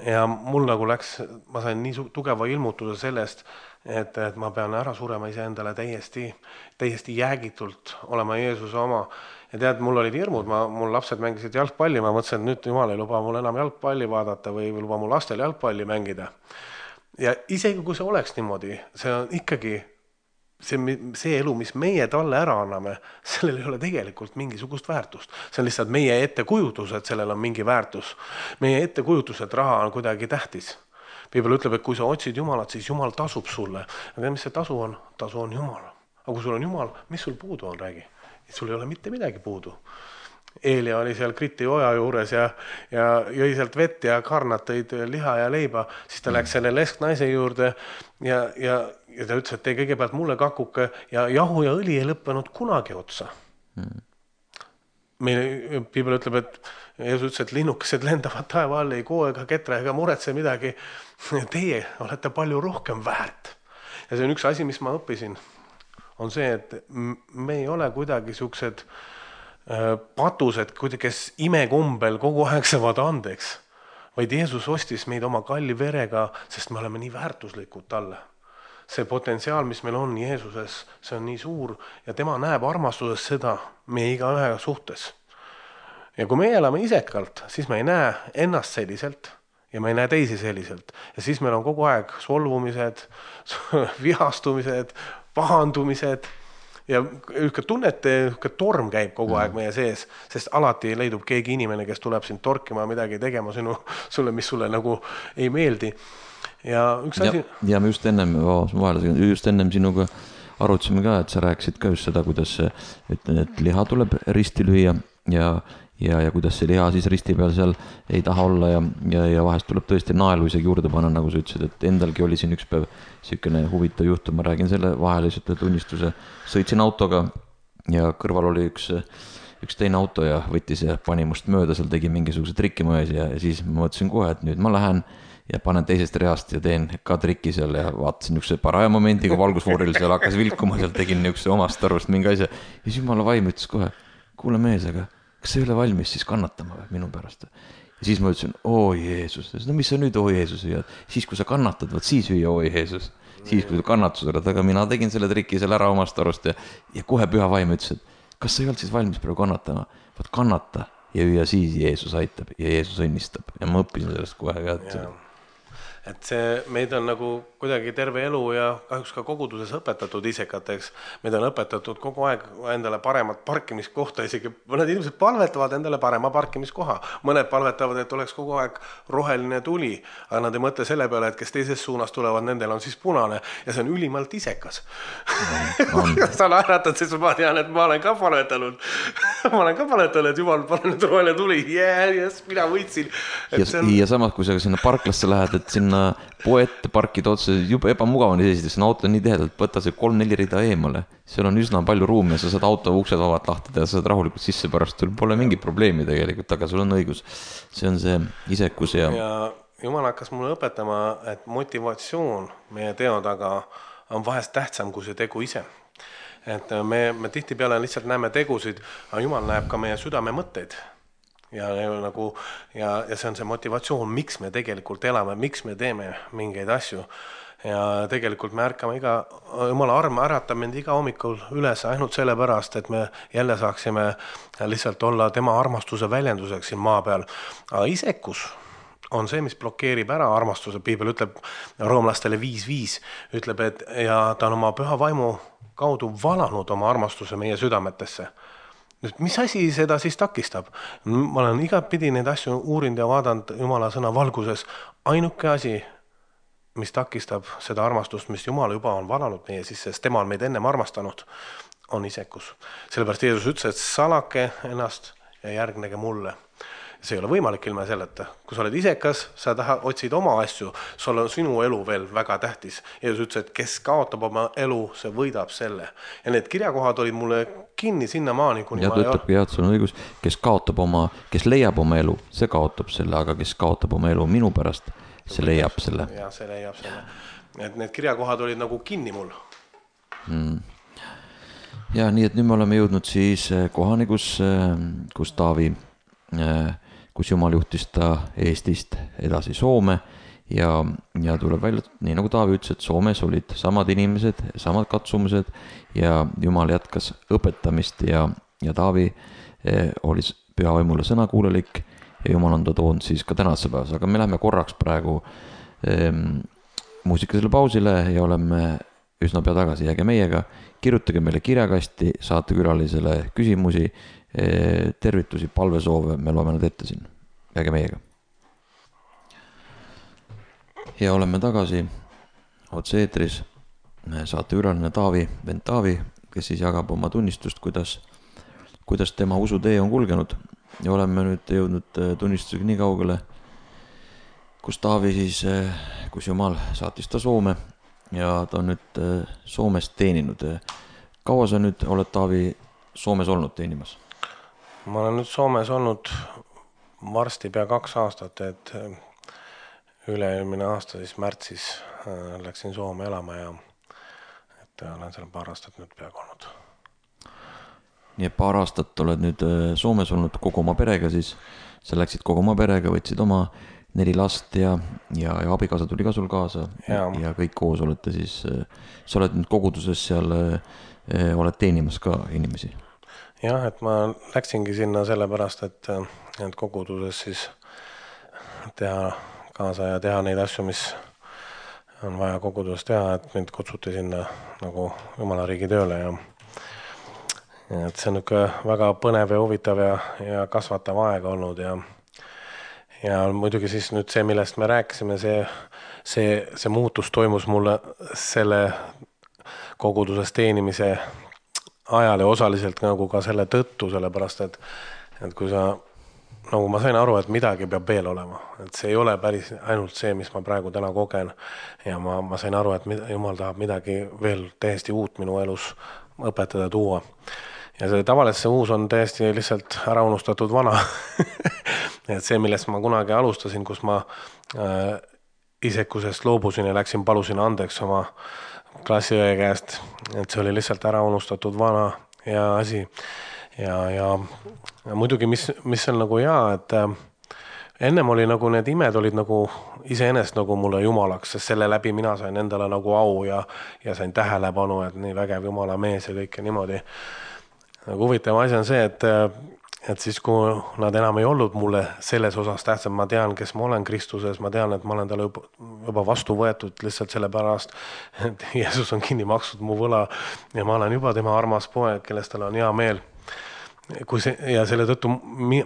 ja mul nagu läks, ma sain nii tugeva ilmutuse sellest, et, et ma pean ära surema iseendale täiesti, täiesti jäägitult olema Jeesuse oma. Ja tead, mul olid hirmud, ma, mul lapsed mängisid jalgpalli, ma mõtlesin, et nüüd Jumal ei luba mul enam jalgpalli vaadata või luba mul lastel jalgpalli mängida. Ja isegi kui see oleks niimoodi, see on ikkagi see, see elu, mis meie talle ära anname, sellel ei ole tegelikult mingisugust väärtust. See on lihtsalt meie ettekujutus, et sellel on mingi väärtus. Meie ettekujutus, et raha on kuidagi tähtis. Piibel ütleb, et kui sa otsid Jumalat, siis Jumal tasub sulle. Ja mis see tasu on? Tasu on Jumal. Aga kui sul on Jumal, mis sul puudu on, räägi? Sul ei ole mitte midagi puudu. Eelia oli seal Kriti oja juures ja, ja jõi sealt vett ja karnad tõid liha ja leiba. Siis ta läks selle lesknaise juurde ja, ja, ja ta ütles, et tee kõigepealt mulle kakuke ja jahu ja õli ei lõppenud kunagi otsa. Mm. Meil Piibel ütleb, et Jeesus ütles, et linnukesed lendavad taeva all, ei koo ega ketra ega muretse midagi. Teie olete palju rohkem väärt. Ja see on üks asi, mis ma õppisin, on see, et me ei ole kuidagi siuksed patused, kes imekombel kogu aeg saavad andeks, vaid Jeesus ostis meid oma kalli verega, sest me oleme nii väärtuslikud talle. See potentsiaal, mis meil on Jeesuses, see on nii suur ja tema näeb armastuses seda meie igaühe suhtes. Ja kui me elame isekalt, siis me ei näe ennast selliselt ja me ei näe teisi selliselt. Ja siis meil on kogu aeg solvumised, vihastumised, pahandumised ja ükka tunnete, ükka torm käib kogu aeg meie sees, sest alati leidub keegi inimene, kes tuleb sind torkima midagi tegema sinu, sulle, mis sulle nagu ei meeldi. Ja üks asi... Ja, ja me just ennem, vahele, just ennem sinuga arutasime ka, et sa rääkisid ka just seda, kuidas et, et liha tuleb risti lüüa ja Ja, ja kuidas see liha siis risti peal seal ei taha olla ja, ja, ja vahest tuleb tõesti naelu isegi juurde panna, nagu sa ütlesid, et endalgi oli siin üks päev sükene huvitav juhtum, ma räägin selle vahele lihtsalt tunnistuse. Sõitsin autoga ja kõrval oli üks, üks teine auto ja võttis ja pani must mööda, seal tegi mingisuguse trikki mões ja, ja siis ma mõtlesin kohe, et nüüd ma lähen ja panen teisest reast ja teen ka trikki seal ja vaatasin niisuguse paraja momendiga valgusfooril seal hakkas vilkuma, seal tegin niisuguse omast arvust mingi asja ja siis jumala vaim ütles kohe, kuule mees, aga kas sa ei ole valmis siis kannatama või minu pärast? Ja siis ma ütlesin, oo Jeesus, no mis sa nüüd oo Jeesus hüüad? Siis kui sa kannatad, võt siis hüüa oo Jeesus. Siis kui sa kannatus oled, aga mina tegin selle triki seal ära omast arvust ja, ja kohe püha vaim ütles, et kas sa ei olnud siis valmis praegu kannatama? Võt kannata ja hüüa siis Jeesus aitab ja Jeesus õnnistab. Ja ma õppisin sellest kohe ka, et... Ja. Et see, meid on nagu kuidagi terve elu ja kahjuks ka koguduses õpetatud isekateks. Meid on õpetatud kogu aeg endale paremat parkimiskohta, isegi mõned inimesed palvetavad endale parema parkimiskoha. Mõned palvetavad, et oleks kogu aeg roheline tuli, aga nad ei mõtle selle peale, et kes teises suunas tulevad, nendel on siis punane ja see on ülimalt isekas. Sa naeratad, siis ma tean, et ma olen ka palvetanud. ma olen ka palvetanud, et Jumal, pane nüüd roheline tuli. Yeah, yes, mina võitsin. Ja, on... ja samas, kui sa sinna parklasse lähed, et sinna poe ette parkid otsa, juba ebamugav on esiteks, see auto on nii tihedalt, võtta see kolm-neli rida eemale, seal on üsna palju ruumi ja sa saad auto uksed vabalt lahtada ja sa saad rahulikult sisse pärast, sul pole mingi probleemi tegelikult, aga sul on õigus, see on see isekus ja... ja Jumal hakkas mulle õpetama, et motivatsioon meie teo taga on vahest tähtsam kui see tegu ise. Et me, me tihtipeale lihtsalt näeme tegusid, aga Jumal näeb ka meie südame mõtteid. Ja, nagu, ja, ja see on see motivatsioon, miks me tegelikult elame, miks me teeme mingeid asju. Ja tegelikult me ärkame iga, Jumala arm äratab mind iga hommikul üles ainult selle pärast, et me jälle saaksime lihtsalt olla tema armastuse väljenduseks siin maa peal. Aga isekus on see, mis blokeerib ära armastuse. Piibel ütleb roomlastele viis viis, ütleb, et ja ta on oma püha vaimu kaudu valanud oma armastuse meie südametesse. Nüüd, mis asi seda siis takistab? Ma olen igatpidi neid asju uurinud ja vaadanud Jumala sõna valguses. Ainuke asi, mis takistab seda armastust, mis Jumal juba on valanud meie sisse, sest tema on meid ennem armastanud, on isekus. Sellepärast Jeesus ütles, et salake ennast ja järgnege mulle. See ei ole võimalik ilma selleta. Kui sa oled isekas, sa taha, otsid oma asju, sul on sinu elu veel väga tähtis. Jeesus ütles, et kes kaotab oma elu, see võidab selle. Ja need kirjakohad olid mulle kinni sinna maani, kuni ja ma... Ja tõttab, jah, sul on õigus, kes kaotab oma, kes leiab oma elu, see kaotab selle, aga kes kaotab oma elu minu pärast, see leiab selle. Ja see leiab selle. Et need kirjakohad olid nagu kinni mul. Hmm. Ja nii, et nüüd me oleme jõudnud siis kohani, kus, kus Taavi... kus Jumal juhtis ta Eestist edasi Soome ja, ja tuleb välja, nii nagu Taavi ütles, et Soomes olid samad inimesed, samad katsumused ja Jumal jätkas õpetamist ja, ja Taavi eh, oli pühavaimule sõnakuulelik ja Jumal on ta toonud siis ka tänase päevas, aga me lähme korraks praegu eh, muusikalisele pausile ja oleme üsna pea tagasi, jääge meiega, kirjutage meile kirjakasti, saate külalisele küsimusi, eh, tervitusi, palvesoove, me loeme nad ette siin, jääge meiega. Ja oleme tagasi otse eetris, saate külaline Taavi, vend Taavi, kes siis jagab oma tunnistust, kuidas, kuidas tema usutee on kulgenud ja oleme nüüd jõudnud tunnistusega nii kaugele, kus Taavi siis, kus Jumal saatis ta Soome ja ta on nüüd Soomes teeninud. Kaua sa nüüd oled Taavi Soomes olnud teenimas? Ma olen nüüd Soomes olnud varsti pea kaks aastat, et üle-eelmine aasta siis märtsis läksin Soome elama ja et olen seal paar aastat nüüd peaaegu olnud. Nii et paar aastat oled nüüd Soomes olnud kogu oma perega siis, sa läksid kogu oma perega, võtsid oma neli last ja, ja, ja abikaasa tuli ka sul kaasa ja. ja kõik koos olete siis, sa oled nüüd koguduses seal, oled teenimas ka inimesi? Jah, et ma läksingi sinna sellepärast, et, et koguduses siis teha kaasa ja teha neid asju, mis on vaja koguduses teha, et mind kutsuti sinna nagu Jumala riigi tööle ja et see on niisugune väga põnev ja huvitav ja, ja kasvatav aeg olnud ja ja muidugi siis nüüd see, millest me rääkisime, see, see, see muutus toimus mulle selle koguduses teenimise ajal ja osaliselt nagu ka selle tõttu, sellepärast et, et kui sa nagu ma sain aru, et midagi peab veel olema, et see ei ole päris ainult see, mis ma praegu täna kogen ja ma, ma sain aru, et Jumal tahab midagi veel täiesti uut minu elus õpetada tuua ja see tavaliselt see uus on täiesti lihtsalt ära unustatud vana et see, millest ma kunagi alustasin, kus ma äh, isekusest loobusin ja läksin, palusin andeks oma klassiõe käest, et see oli lihtsalt ära unustatud vana ja asi ja, ja, ja muidugi, mis, mis on nagu hea, et äh, ennem oli nagu need imed olid nagu iseenesest nagu mulle jumalaks, sest selle läbi mina sain endale nagu au ja, ja sain tähelepanu, et nii vägev Jumala mees ja kõike niimoodi. Nagu huvitav asi on see, et, et siis kui nad enam ei olnud mulle selles osas tähtsam, ma tean, kes ma olen Kristuses, ma tean, et ma olen talle juba, juba vastu võetud lihtsalt selle pärast, et Jeesus on kinni maksud mu võla ja ma olen juba tema armas poeg, kellest tal on hea meel. Kui see, ja selle tõttu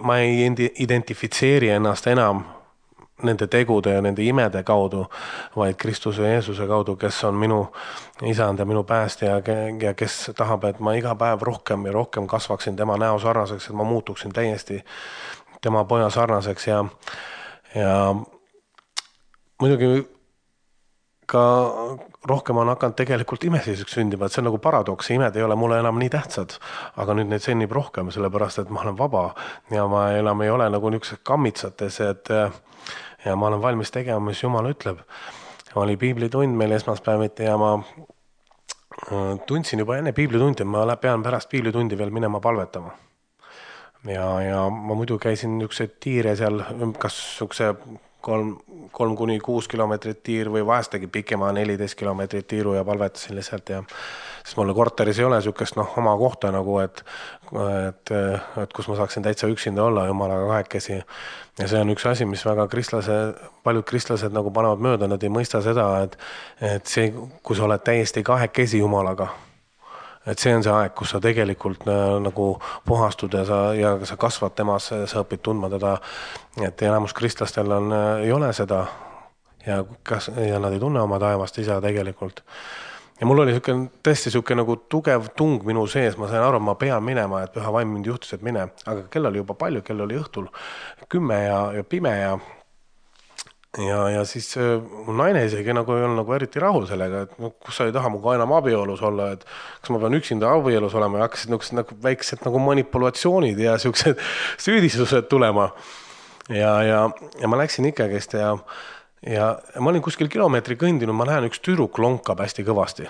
ma ei identifitseeri ennast enam nende tegude ja nende imede kaudu, vaid Kristuse ja Jeesuse kaudu, kes on minu isand ja minu päästja ja kes tahab, et ma iga päev rohkem ja rohkem kasvaksin tema näo sarnaseks, et ma muutuksin täiesti tema poja sarnaseks ja, ja muidugi ka rohkem on hakanud tegelikult imesiseks sündima, et see on nagu paradoks, imed ei ole mulle enam nii tähtsad, aga nüüd neid sünnib rohkem, sellepärast et ma olen vaba ja ma enam ei ole nagu niisugused kammitsates, et ja ma olen valmis tegema, mis Jumal ütleb. Ma oli piiblitund meil esmaspäeviti ja ma tundsin juba enne piiblitundi, ma pean pärast piiblitundi veel minema palvetama. Ja, ja ma muidu käisin niisugused tiire seal, kas niisuguse kolm, kolm kuni kuus kilomeetrit tiir või vahestagi pikema neliteist kilomeetrit tiiru ja palvetasin lihtsalt ja siis mulle korteris ei ole niisugust noh, oma kohta nagu, et, et, et kus ma saaksin täitsa üksinda olla Jumalaga kahekesi. Ja see on üks asi, mis väga kristlase, paljud kristlased nagu panevad mööda, nad ei mõista seda, et, et see, kui sa oled täiesti kahekesi Jumalaga, et see on see aeg, kus sa tegelikult nagu puhastud ja sa, ja sa kasvad temas, sa õpid tundma teda, et enamus kristlastel on, ei ole seda ja, kas, ja nad ei tunne oma taevast isa tegelikult. Ja mul oli siuke, tõesti siuke nagu tugev tung minu sees, ma sain aru, ma pean minema, et püha vaim mind juhtus, et mine, aga kell oli juba palju, kell oli õhtul kümme ja, ja pime ja ja, ja siis mu naine isegi nagu ei olnud nagu eriti rahul sellega, et no, kus sa ei taha muga enam abielus olla, et kas ma pean üksinda abielus olema ja hakkasid niisugused nagu väiksed nagu manipulatsioonid ja siuksed süüdistused tulema ja, ja, ja ma läksin ikkagist ja ja ma olin kuskil kilomeetri kõndinud, ma näen üks tüdruk lonkab hästi kõvasti.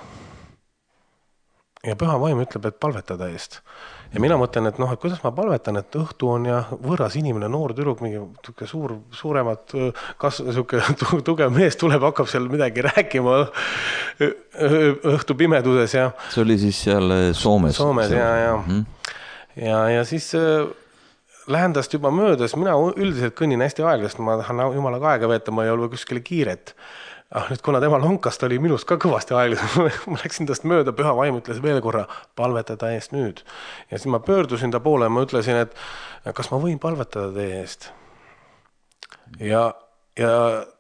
ja püha vaim ütleb, et palvetada eest. Ja mina mõtlen, et noh, et kuidas ma palvetan, et õhtu on ja võõras inimene, noor tüdruk, mingi suur, suuremat kas, suke, tugev mees tuleb, hakkab seal midagi rääkima õhtu pimeduses. Ja see oli siis seal Soomes. Soomes, ja, ja. Mm-hmm. ja, ja siis lähen tast juba möödas, mina üldiselt kõnnin hästi aeglast, ma tahan jumalaga aega veeta, ma ei ole kuskile kiiret. Ah, nüüd kuna tema lonkast oli minust ka kõvasti aeglas, ma läksin tast mööda, püha vaim ütles veel korra, palvetada eest nüüd. Ja siis ma pöördusin ta poole ja ma ütlesin, et kas ma võin palvetada teie eest? Ja, ja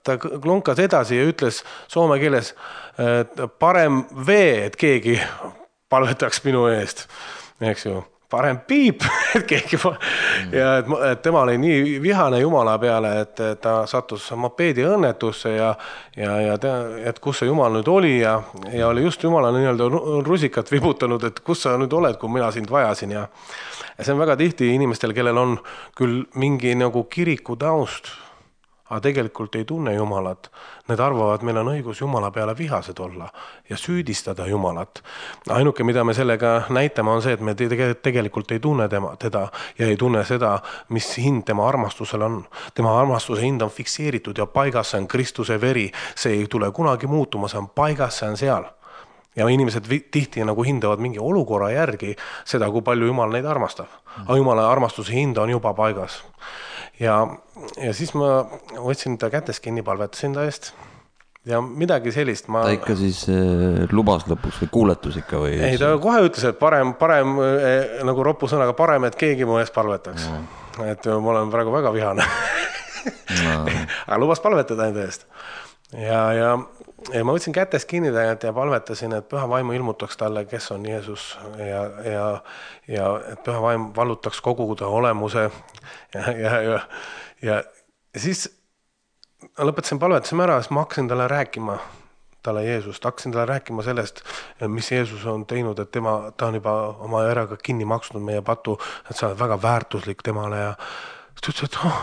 ta lonkas edasi ja ütles soome keeles, et parem vee, et keegi palvetaks minu eest, eks ju. Parem piip, et keegi ja et, et tema oli nii vihane Jumala peale, et ta sattus mopeedi õnnetusse ja, ja, ja te, et kus see Jumal nüüd oli ja, ja oli just Jumala nii-öelda rusikat vibutanud, et kus sa nüüd oled, kui mina sind vajasin ja, ja see on väga tihti inimestel, kellel on küll mingi nagu kiriku taust, aga tegelikult ei tunne Jumalat. Need arvavad, meil on õigus Jumala peale vihased olla ja süüdistada Jumalat. Ainuke, mida me sellega näitame, on see, et me tegelikult ei tunne tema, teda ja ei tunne seda, mis hind tema armastusel on. Tema armastuse hind on fikseeritud ja paigas, see on Kristuse veri. See ei tule kunagi muutuma, see on paigas, see on seal. Ja inimesed tihti nagu hindavad mingi olukorra järgi seda, kui palju Jumal neid armastab. Aga Jumala armastuse hind on juba paigas. Ja, ja siis ma võtsin ta kätes kinni, palvetasin ta eest ja midagi sellist ma... Ta ikka siis äh, lubas lõpuks või kuuletus ikka või? Ei, ta kohe ütles, et parem, parem äh, nagu roppu sõnaga parem, et keegi mu eest palvetaks. No. Et ma olen praegu väga vihane. No. Aga lubas palvetada enda eest. Ja, ja, ja ma võtsin kätes kinni ja palvetasin, et püha vaimu ilmutaks talle, kes on Jeesus ja, ja, ja et püha vaim vallutaks kogu ta olemuse ja, ja, ja, ja siis lõpetasin palvetasime ära, siis ma hakkasin talle rääkima talle Jeesust, hakkasin talle rääkima sellest, mis Jeesus on teinud, et tema, ta on juba oma eraga kinni maksnud meie patu, et sa oled väga väärtuslik temale ja ta ütles, et oh,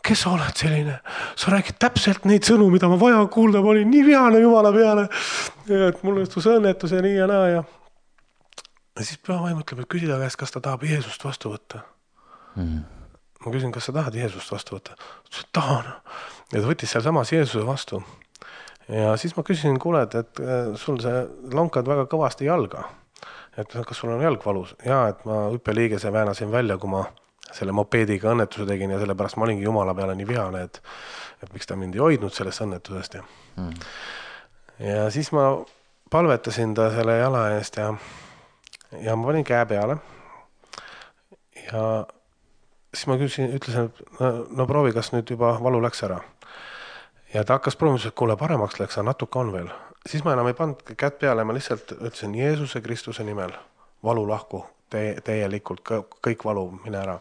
kes sa oled selline? Sa räägid täpselt neid sõnu, mida ma vaja kuulda, ma olin nii vihane Jumala peale, et mul õstus õnnetus ja nii ja naa ja ja siis püha vaim ütleb, et küsida käest, kas ta tahab Jeesust vastu võtta. Mm. Ma küsin, kas sa tahad Jeesust vastu võtta? Ta tahan. Ja ta võttis seal samas Jeesuse vastu. Ja siis ma küsisin, kuule, et, et sul see lonkad väga kõvasti jalga. Et kas sul on jalg valus? Ja, et ma hüppeliigese väänasin välja, kui ma selle mopeediga õnnetuse tegin ja sellepärast ma olingi Jumala peale nii vihane, et, et miks ta mind ei hoidnud sellest õnnetusest. Ja, mm. ja siis ma palvetasin ta selle jala eest ja, ja ma panin käe peale. Ja siis ma küsin, ütlesin, et no, no proovi, kas nüüd juba valu läks ära. Ja ta hakkas proovima, et kuule paremaks läks, aga natuke on veel. Siis ma enam ei pannud kätt peale, ma lihtsalt ütlesin Jeesuse Kristuse nimel, valu lahku. Te, täielikult, kõik valu, mine ära.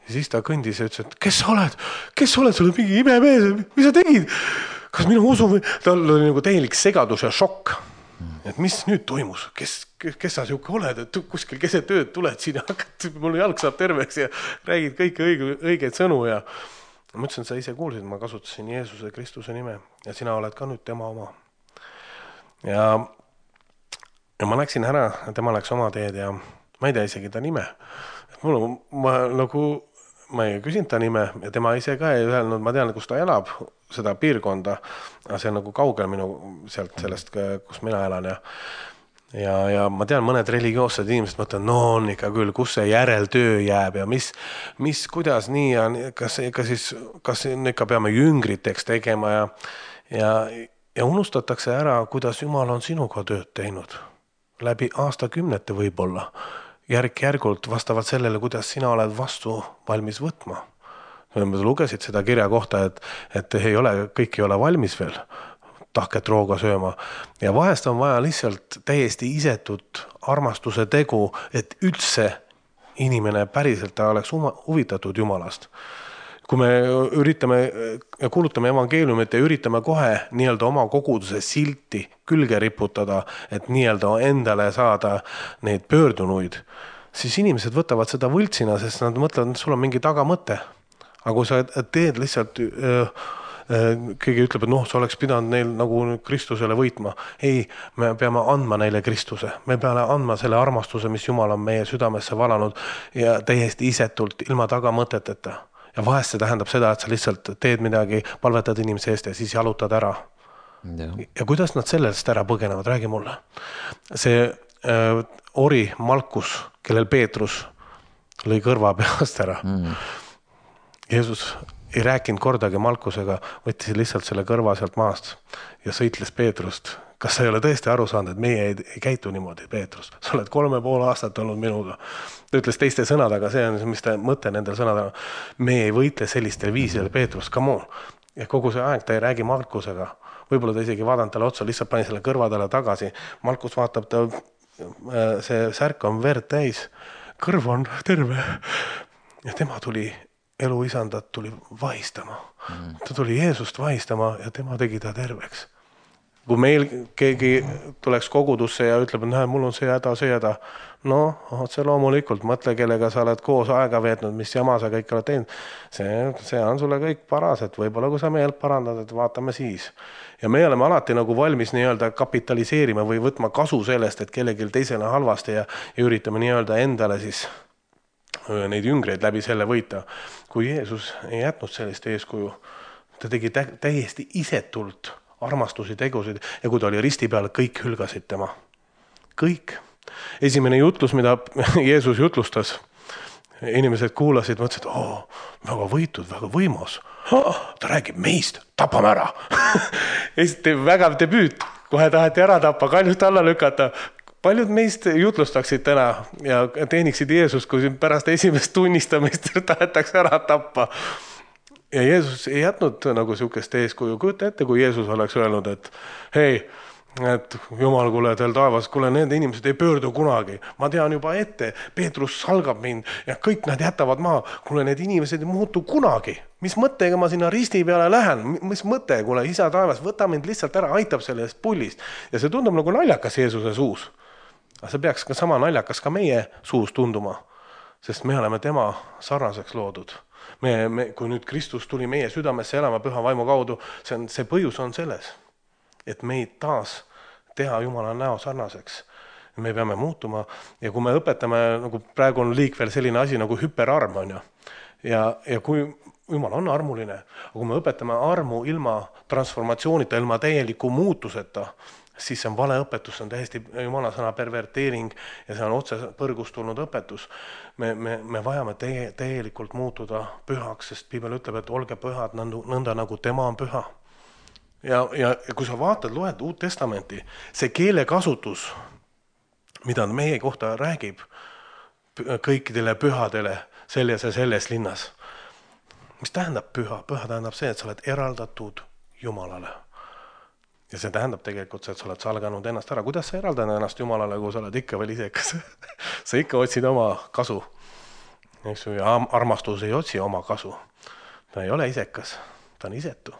Ja siis ta kõndis ja ütles, et kes sa oled? Kes sa oled? Sul on mingi imemees, mis sa tegid? Kas minu usu või? Tal oli nagu täielik segadus ja šokk. Et mis nüüd toimus? Kes, kes sa siuke oled? Et kuskil keset tööd tuled siin ja hakkad, mul jalg saab terveks ja räägid kõiki õige, õigeid sõnu. Ja ma ütlesin, et sa ise kuulsid, ma kasutasin Jeesuse Kristuse nime ja sina oled ka nüüd tema oma. Ja, ja ma läksin ära, tema läks oma teed ja ma ei tea isegi ta nime. Mul, ma, nagu, ma ei küsinud ta nime ja tema ise ka ei öelnud, ma tean, kus ta elab, seda piirkonda, aga see on nagu kaugel minu sealt sellest, kus mina elan. Ja, ja, ja ma tean, mõned religioossed inimesed mõtlevad, no on ikka küll, kus see järeltöö jääb ja mis, mis kuidas nii ja kas, ikka siis, kas ikka peame jüngriteks tegema ja, ja, ja unustatakse ära, kuidas Jumal on sinuga tööd teinud. Läbi aastakümnete võib-olla. Järk-järgult vastavalt sellele, kuidas sina oled vastu valmis võtma. Lugesid seda kirja kohta, et, et ei ole, kõik ei ole valmis veel tahket rooga sööma. Ja vahest on vaja lihtsalt täiesti isetut armastuse tegu, et üldse inimene päriselt ta oleks huvitatud Jumalast. Kui me üritame ja kuulutame evangeeliumit ja üritame kohe nii-öelda oma koguduse silti külge riputada, et nii-öelda endale saada neid pöördunuid, siis inimesed võtavad seda võltsina, sest nad mõtlevad, et sul on mingi tagamõte. Aga kui sa teed lihtsalt keegi ütleb, et noh, sa oleks pidanud neil nagu Kristusele võitma. Ei, me peame andma neile Kristuse. Me peame andma selle armastuse, mis Jumal on meie südamesse valanud ja täiesti isetult, ilma tagamõteteta. Ja vahest see tähendab seda, et sa lihtsalt teed midagi, palvetad inimese eest ja siis jalutad ära. Ja, ja kuidas nad sellest ära põgenevad, räägi mulle. See äh, ori Malkus, kellel Peetrus lõi kõrva peast ära. Mm. Jeesus ei rääkinud kordagi Malkusega, võttis lihtsalt selle kõrva sealt maast ja sõitles Peetrust. Kas sa ei ole tõesti aru saanud, et meie ei, ei käitu niimoodi, Peetrus? Sa oled kolme pool aastat olnud minuga. Ta ütles teiste sõnadega, see on mis ta mõte nendel sõnadega. Me ei võitle sellistel viisidel, Peetrus, come on. Ja kogu see aeg ta ei räägi Malkusega. Võib-olla ta isegi vaadanud talle otsa, lihtsalt pani selle kõrvadele tagasi. Malkus vaatab, ta, see särk on verd täis, kõrv on terve. Ja tema tuli, elu isandat tuli vahistama. Ta tuli Jeesust vahistama ja tema tegi ta terveks. Kui meil keegi tuleks kogudusse ja ütleb, et näe, mul on see häda, see häda. No, otse loomulikult, mõtle, kellega sa oled koos aega veetnud, mis jama sa kõik oled teinud. See, see on sulle kõik paras, et võib-olla kui sa meelt parandad, et vaatame siis. Ja me oleme alati nagu valmis nii-öelda kapitaliseerima või võtma kasu sellest, et kellelgi teisele halvasti ja, ja üritame nii-öelda endale siis neid jüngreid läbi selle võita. Kui Jeesus ei jätnud sellist eeskuju, ta tegi tä- täiesti isetult armastusi, tegusid ja kui ta oli risti peal, kõik hülgasid tema. Kõik. Esimene jutlus, mida Jeesus jutlustas, inimesed kuulasid, mõtlesid, oo, väga võitud, väga võimas. Ta räägib meist, tapame ära. Esiti vägav debüüt, kohe taheti ära tappa, kaljust alla lükata. Paljud meist jutlustaksid täna ja teeniksid Jeesus, kui pärast esimest tunnistamist tahetakse ära tappa. Ja Jeesus ei jätnud nagu sihukest eeskuju. Kujuta ette, kui Jeesus oleks öelnud, et hei, et Jumal, kuule, teil taevas, kuule, need inimesed ei pöördu kunagi. Ma tean juba ette, Peetrus salgab mind ja kõik nad jätavad maa. Kuule, need inimesed ei muutu kunagi. Mis mõttega ma sinna risti peale lähen? Mis mõte, kuule, isa taevas, võta mind lihtsalt ära, aitab sellest pullist. Ja see tundub nagu naljakas Jeesuse suus. Aga see peaks ka sama naljakas ka meie suus tunduma, sest me oleme tema sarnaseks loodud. Me, me, kui nüüd Kristus tuli meie südamesse elama püha vaimu kaudu, see, on, see põhjus on selles, et meid taas teha Jumala näo sarnaseks. Me peame muutuma ja kui me õpetame, nagu praegu on liik veel selline asi nagu hüperarm on ju. Ja, ja kui Jumal on armuline, aga kui me õpetame armu ilma transformatsioonita, ilma täieliku muutuseta, siis see on vale õpetus, see on täiesti Jumala sõna perverteering ja see on otse põrgust tulnud õpetus. Me, me, me vajame teie, täielikult muutuda pühaks, sest Piibel ütleb, et olge pühad nõnda nagu tema on püha. Ja, ja, ja kui sa vaatad, loed Uut Testamenti, see keelekasutus, mida meie kohta räägib kõikidele pühadele selles ja selles linnas. Mis tähendab püha? Püha tähendab see, et sa oled eraldatud Jumalale. Ja see tähendab tegelikult see, et sa oled salganud ennast ära. Kuidas sa eraldad ennast Jumalale, kui sa oled ikka veel isekas? Sa ikka otsid oma kasu. Ja armastus ei otsi oma kasu. Ta ei ole isekas, ta on isetu.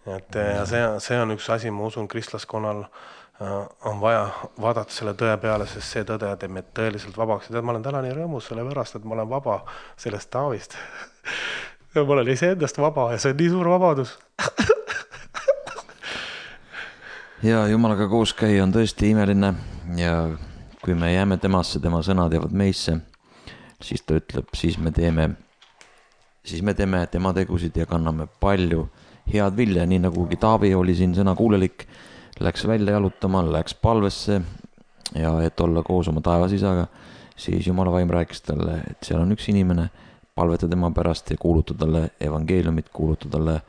Et, ja see, see on üks asi, ma usun, kristlaskonnal on vaja vaadata selle tõe peale, sest see tõde teeb meid tõeliselt vabaks. Ja ma olen täna nii rõõmus selle pärast, et ma olen vaba sellest Taavist. Ja ma olen ise endast vaba ja see on nii suur vabadus. Ja Jumalaga koos käia on tõesti imeline ja kui me jääme temasse, tema sõnad jäävad meisse, siis ta ütleb, siis me teeme, siis me teeme tema tegusid ja kanname palju head vilja, nii nagu Taavi oli siin sõnakuulelik, läks välja jalutama, läks palvesse ja et olla koos oma taevas isaga, siis Jumala vaim rääkis talle, et seal on üks inimene, palveta tema pärast ja kuuluta talle evangeeliumit, kuuluta talle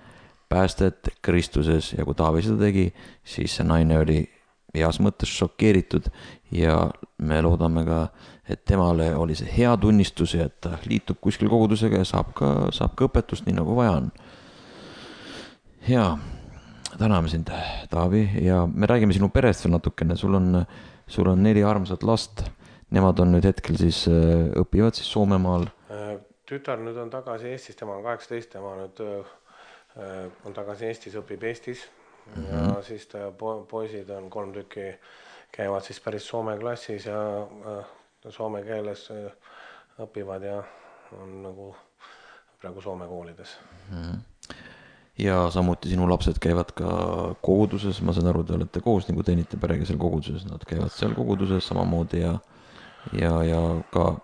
päästet Kristuses ja kui Taavi seda tegi, siis see naine oli heas mõttes šokeeritud ja me loodame ka, et temale oli see hea tunnistus ja et ta liitub kuskil kogudusega ja saab ka, saab ka õpetust nii nagu vaja on. Ja täname sind, Taavi, ja me räägime sinu perest veel natukene, sul on, sul on neli armsat last, nemad on nüüd hetkel siis õpivad siis Soomemaal. Tütar nüüd on tagasi Eestis, tema on kaheksateist, tema nüüd on tagasi Eestis, õpib Eestis mm-hmm. ja siis ta po- poisid on kolm tükki, käivad siis päris soome klassis ja soome keeles õpivad ja on nagu praegu soome koolides. Mm-hmm. ja samuti sinu lapsed käivad ka koguduses, ma saan aru, te olete koos nagu teenite perega seal koguduses, nad käivad seal koguduses samamoodi ja ja, ja ka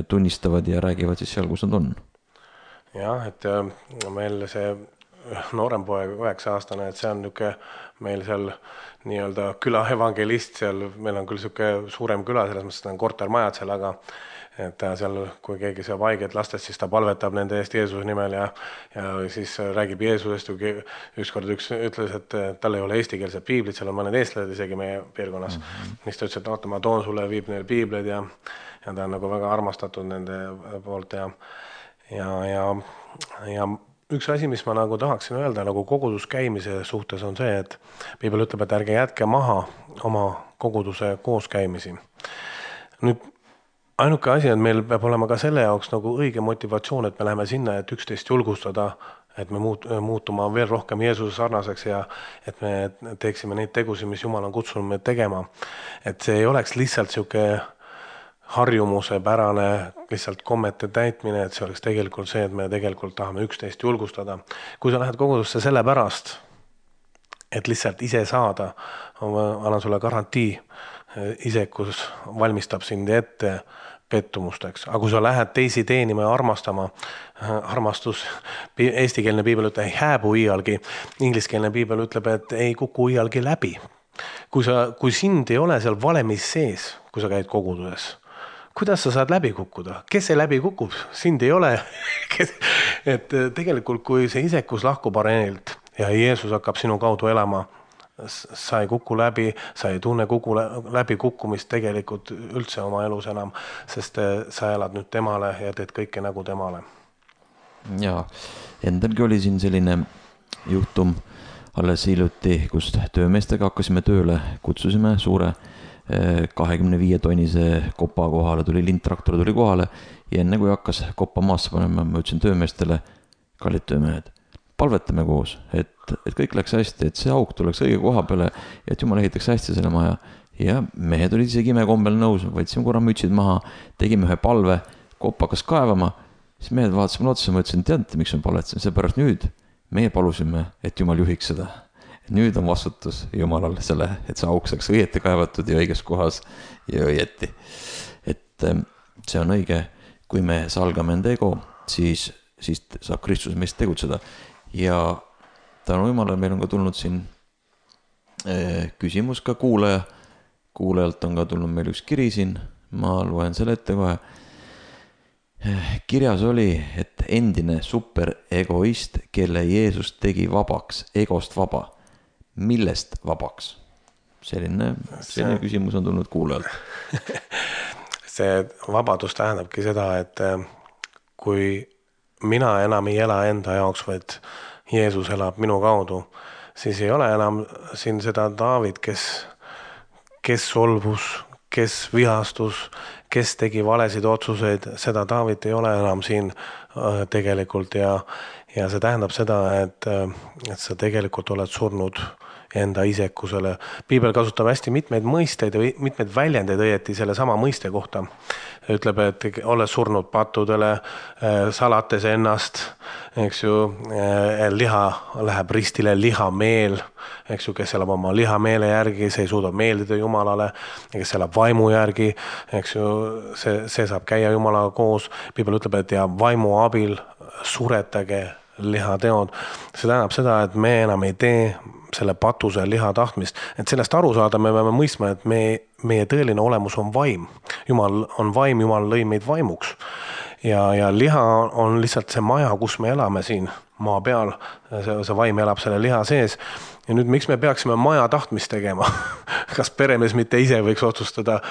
tunnistavad ja räägivad siis seal, kus nad on. Jah, et meil see noorem poeg, üheksa aastane, et see on niuke meil seal nii-öelda küla evangelist seal, meil on küll siuke suurem küla, selles mõttes on kortermajad seal, aga et ta seal, kui keegi saab haiget lastest, siis ta palvetab nende eest Jeesuse nimel ja, ja siis räägib Jeesusest. Ükskord üks ütles, et tal ei ole eestikeelset piiblit, seal on mõned eestlased isegi meie piirkonnas. Mm-hmm. Mis ta ütles, et oota, ma toon sulle, viib neil piibleid ja, ja ta on nagu väga armastatud nende poolt ja, ja, ja, ja üks asi, mis ma nagu tahaksin öelda nagu kogudus käimise suhtes on see, et piibel ütleb, et ärge jätke maha oma koguduse kooskäimisi. Nüüd ainuke asi, et meil peab olema ka selle jaoks nagu õige motivatsioon, et me läheme sinna, et üksteist julgustada, et me muut, muutuma veel rohkem Jeesuse sarnaseks ja et me teeksime neid tegusid, mis Jumal on kutsunud meid tegema. Et see ei oleks lihtsalt siuke harjumuse pärane lihtsalt kommete täitmine, et see oleks tegelikult see, et me tegelikult tahame üksteist julgustada. Kui sa lähed kogudusse selle pärast, et lihtsalt ise saada, annan sulle garantii, isekus valmistab sind ette pettumusteks. Aga kui sa lähed teisi teenima ja armastama, armastus, eestikeelne piibel ütleb, ei hääbu iialgi, ingliskeelne piibel ütleb, et ei kuku iialgi läbi. Kui, sa, kui sind ei ole seal valemis sees, kui sa käid koguduses, kuidas sa saad läbi kukkuda? Kes see läbi kukub? Sind ei ole. Et tegelikult, kui see isekus lahkub areenilt ja Jeesus hakkab sinu kaudu elama, sa ei kuku läbi, sa ei tunne kuku läbi kukkumist tegelikult üldse oma elus enam, sest sa elad nüüd temale ja teed kõike nagu temale. Ja, endalgi oli siin selline juhtum alles hiljuti, kus töömeestega hakkasime tööle, kutsusime suure kahekümne viie tonnise kopa kohale, tuli lindtraktor tuli kohale ja enne kui hakkas koppa maasse panema, ma ütlesin töömeestele, kallid töömehed, palvetame koos, et, et kõik läks hästi, et see auk tuleks õige koha peale ja et Jumal ehitaks hästi selle maja. Ja mehed olid isegi imekombel nõus, võtsime korra mütsid maha, tegime ühe palve, kopp hakkas kaevama, siis mehed vaatasime otsa, ma ütlesin, teadite, miks me palvetasin, seepärast nüüd meie palusime, et Jumal juhiks seda. Nüüd on vastutus Jumalal selle, et see auk saaks õieti kaevatud ja õiges kohas ja õieti. Et see on õige, kui me salgame enda ego, siis, siis saab Kristus meist tegutseda. Ja tänu Jumalale meil on ka tulnud siin küsimus ka kuulaja. Kuulajalt on ka tulnud meil üks kiri siin, ma loen selle ette kohe. Kirjas oli, et endine superegoist, kelle Jeesus tegi vabaks, egost vaba. Millest vabaks? Selline, selline see, küsimus on tulnud kuulajalt. See vabadus tähendabki seda, et kui mina enam ei ela enda jaoks, vaid Jeesus elab minu kaudu, siis ei ole enam siin seda David, kes, kes solvus, kes vihastus, kes tegi valesid otsuseid, seda David ei ole enam siin tegelikult ja, ja see tähendab seda, et, et sa tegelikult oled surnud enda isekusele. Piibel kasutab hästi mitmeid mõisteid ja mitmeid väljendeid õieti selle sama mõiste kohta. Ütleb, et oled surnud pattudele, salates ennast, eks ju, liha läheb ristile lihameel, eks ju, kes elab oma lihameele järgi, see ei suuda meeldida Jumalale, kes elab vaimu järgi, eks ju, see, see saab käia Jumalaga koos. Piibel ütleb, et ja vaimu abil suretage lihateod. See tähendab seda, et me enam ei tee selle patuse liha tahtmist. Et sellest aru saada me peame mõistma, et me, meie tõeline olemus on vaim. Jumal on vaim, Jumal lõi meid vaimuks. Ja, ja liha on lihtsalt see maja, kus me elame siin maa peal. See, see vaim elab selle liha sees. Ja nüüd miks me peaksime maja tahtmist tegema? Kas peremees mitte ise võiks otsustada,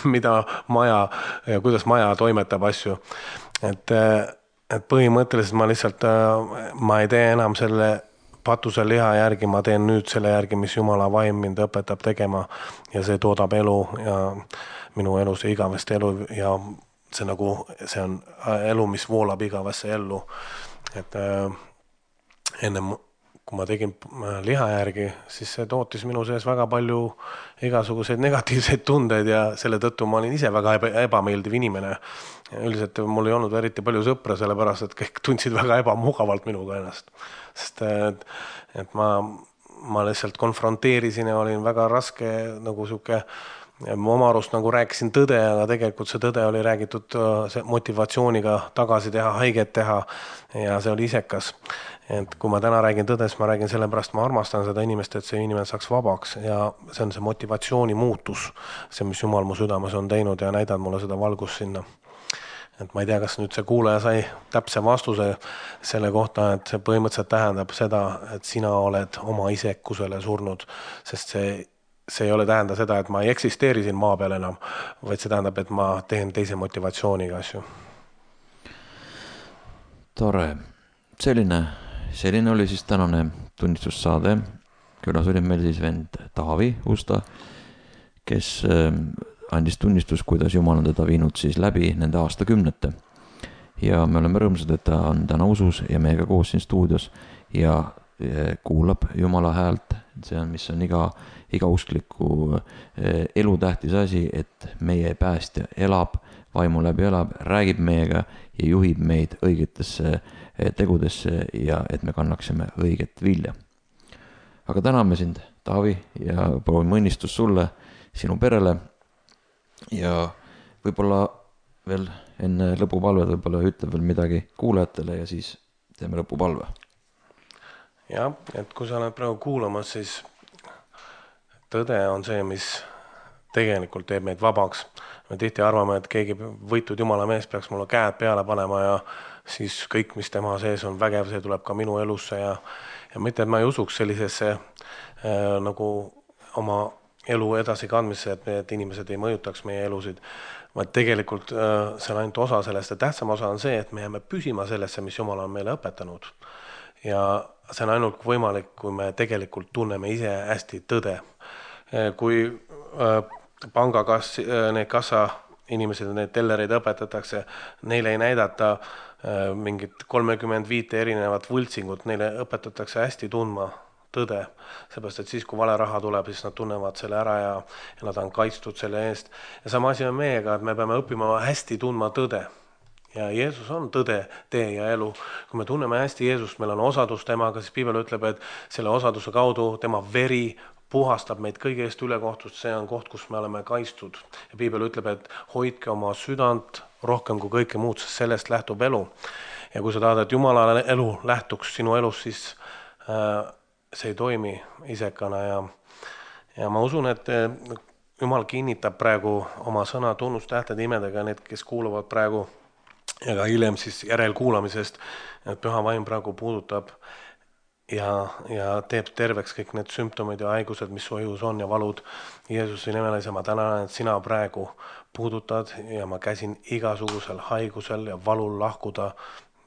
mida maja ja kuidas maja toimetab asju? Et, et põhimõtteliselt ma lihtsalt, ma ei tee enam selle patuse liha järgi, ma teen nüüd selle järgi, mis Jumala vaim mind õpetab tegema ja see toodab elu ja minu elus ja igavest elu ja see nagu, see on elu, mis voolab igavesse ellu. Et äh, enne kui ma tegin liha järgi, siis see tootis minu sees väga palju igasuguseid negatiivseid tundeid ja selle tõttu ma olin ise väga ebameeldiv inimene. Üldiselt mul ei olnud eriti palju sõpra, sellepärast, et kõik tundsid väga ebamugavalt minuga ennast. Sest et, et ma, ma lihtsalt konfronteerisin ja olin väga raske nagu siuke, ma oma arust nagu rääkisin tõde, aga tegelikult see tõde oli räägitud see motivatsiooniga tagasi teha, haiget teha ja see oli isekas. Et kui ma täna räägin tõdes, ma räägin sellepärast, ma armastan seda inimest, et see inimene saaks vabaks ja see on see motivatsiooni muutus, see, mis Jumal mu südames on teinud ja näidanud mulle seda valgust sinna. Et ma ei tea, kas nüüd see kuulaja sai täpse vastuse selle kohta, et see põhimõtteliselt tähendab seda, et sina oled oma isekusele surnud, sest see, see ei ole tähenda seda, et ma ei eksisteeri siin maa peal enam, vaid see tähendab, et ma teen teise motivatsiooniga asju. Tore. Selline Selline oli siis tänane tunnistussaade. Külas oli meil siis vend Taavi Usta, kes andis tunnistus, kuidas Jumal on teda viinud siis läbi nende aastakümnete. Ja me oleme rõõmsad, et ta on täna usus ja meiega koos siin stuudios ja kuulab Jumala häält. See on, mis on iga, iga uskliku elu tähtis asi, et meie päästja elab, vaimu läbi elab, räägib meiega ja juhib meid õigetesse tegudesse ja et me kannaksime õiget vilja. Aga täname sind, Taavi, ja proovime õnnistus sulle, sinu perele ja võib-olla veel enne lõpupalved võib-olla ütleb veel midagi kuulajatele ja siis teeme lõpupalve. Ja, et kui sa oled praegu kuulamas, siis tõde on see, mis tegelikult teeb meid vabaks. Me tihti arvame, et keegi võitud Jumala mees peaks mulle käed peale panema ja siis kõik, mis tema sees on vägev, see tuleb ka minu elusse ja, ja mitte, et ma ei usuks sellisesse äh, nagu oma elu edasi kandmisse, et need inimesed ei mõjutaks meie elusid, vaid tegelikult äh, see on ainult osa sellest ja tähtsam osa on see, et me jääme püsima sellesse, mis Jumal on meile õpetanud. Ja see on ainult võimalik, kui me tegelikult tunneme ise hästi tõde. Kui äh, pangakassi, äh, need kassa inimesed, need tellereid õpetatakse, neile ei näidata äh, mingit kolmekümmend viis erinevat võltsingut, neile õpetatakse hästi tundma tõde. Seepärast, et siis, kui vale raha tuleb, siis nad tunnevad selle ära ja, ja nad on kaitstud selle eest. Ja sama asi on meiega, et me peame õppima hästi tundma tõde. Ja Jeesus on tõde, tee ja elu. Kui me tunneme hästi Jeesust, meil on osadus temaga, siis Piibel ütleb, et selle osaduse kaudu tema veri puhastab meid kõige eest ülekohtust, see on koht, kus me oleme kaitstud. Ja Piibel ütleb, et hoidke oma südant rohkem kui kõike muud, sest sellest lähtub elu. Ja kui sa tahad, et Jumala elu lähtuks sinu elus, siis äh, see ei toimi isekana. Ja, ja ma usun, et Jumal kinnitab praegu oma sõna tunnustähtede imedega need, kes kuuluvad praegu ja ka hiljem siis järelkuulamisest, et püha vaim praegu puudutab ja, ja teeb terveks kõik need sümptomid ja haigused, mis su õjus on ja valud. Jeesuse nimel ma tänan, et sina praegu puudutad ja ma käsin igasugusel haigusel ja valul lahkuda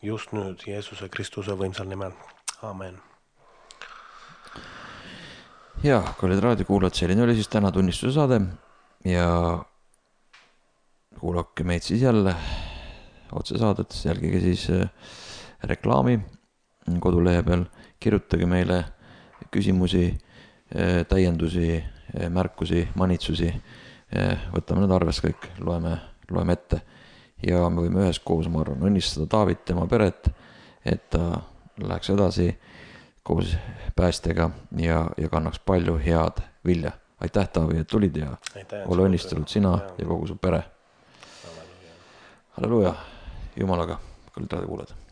just nüüd Jeesuse Kristuse võimsal nimel. Amen. Ja, kallid raadiokuulajad, selline oli siis täna tunnistuse saade ja kuulake meid siis jälle otsesaadet, jälgige siis reklaami kodulehe peal. Kirjutage meile küsimusi, täiendusi, märkusi, manitsusi. Võtame need arves kõik, loeme, loeme ette. Ja me võime ühes koos, ma arvan, õnnistada Taavit, tema peret, et ta läheks edasi koos päästega ja, ja kannaks palju head vilja. Aitäh, Taavi, et tulid ja Aitäh, ole õnnistatud sina ja, ja kogu su pere. Halleluja. Jumalaga, kallid raadiokuulajad.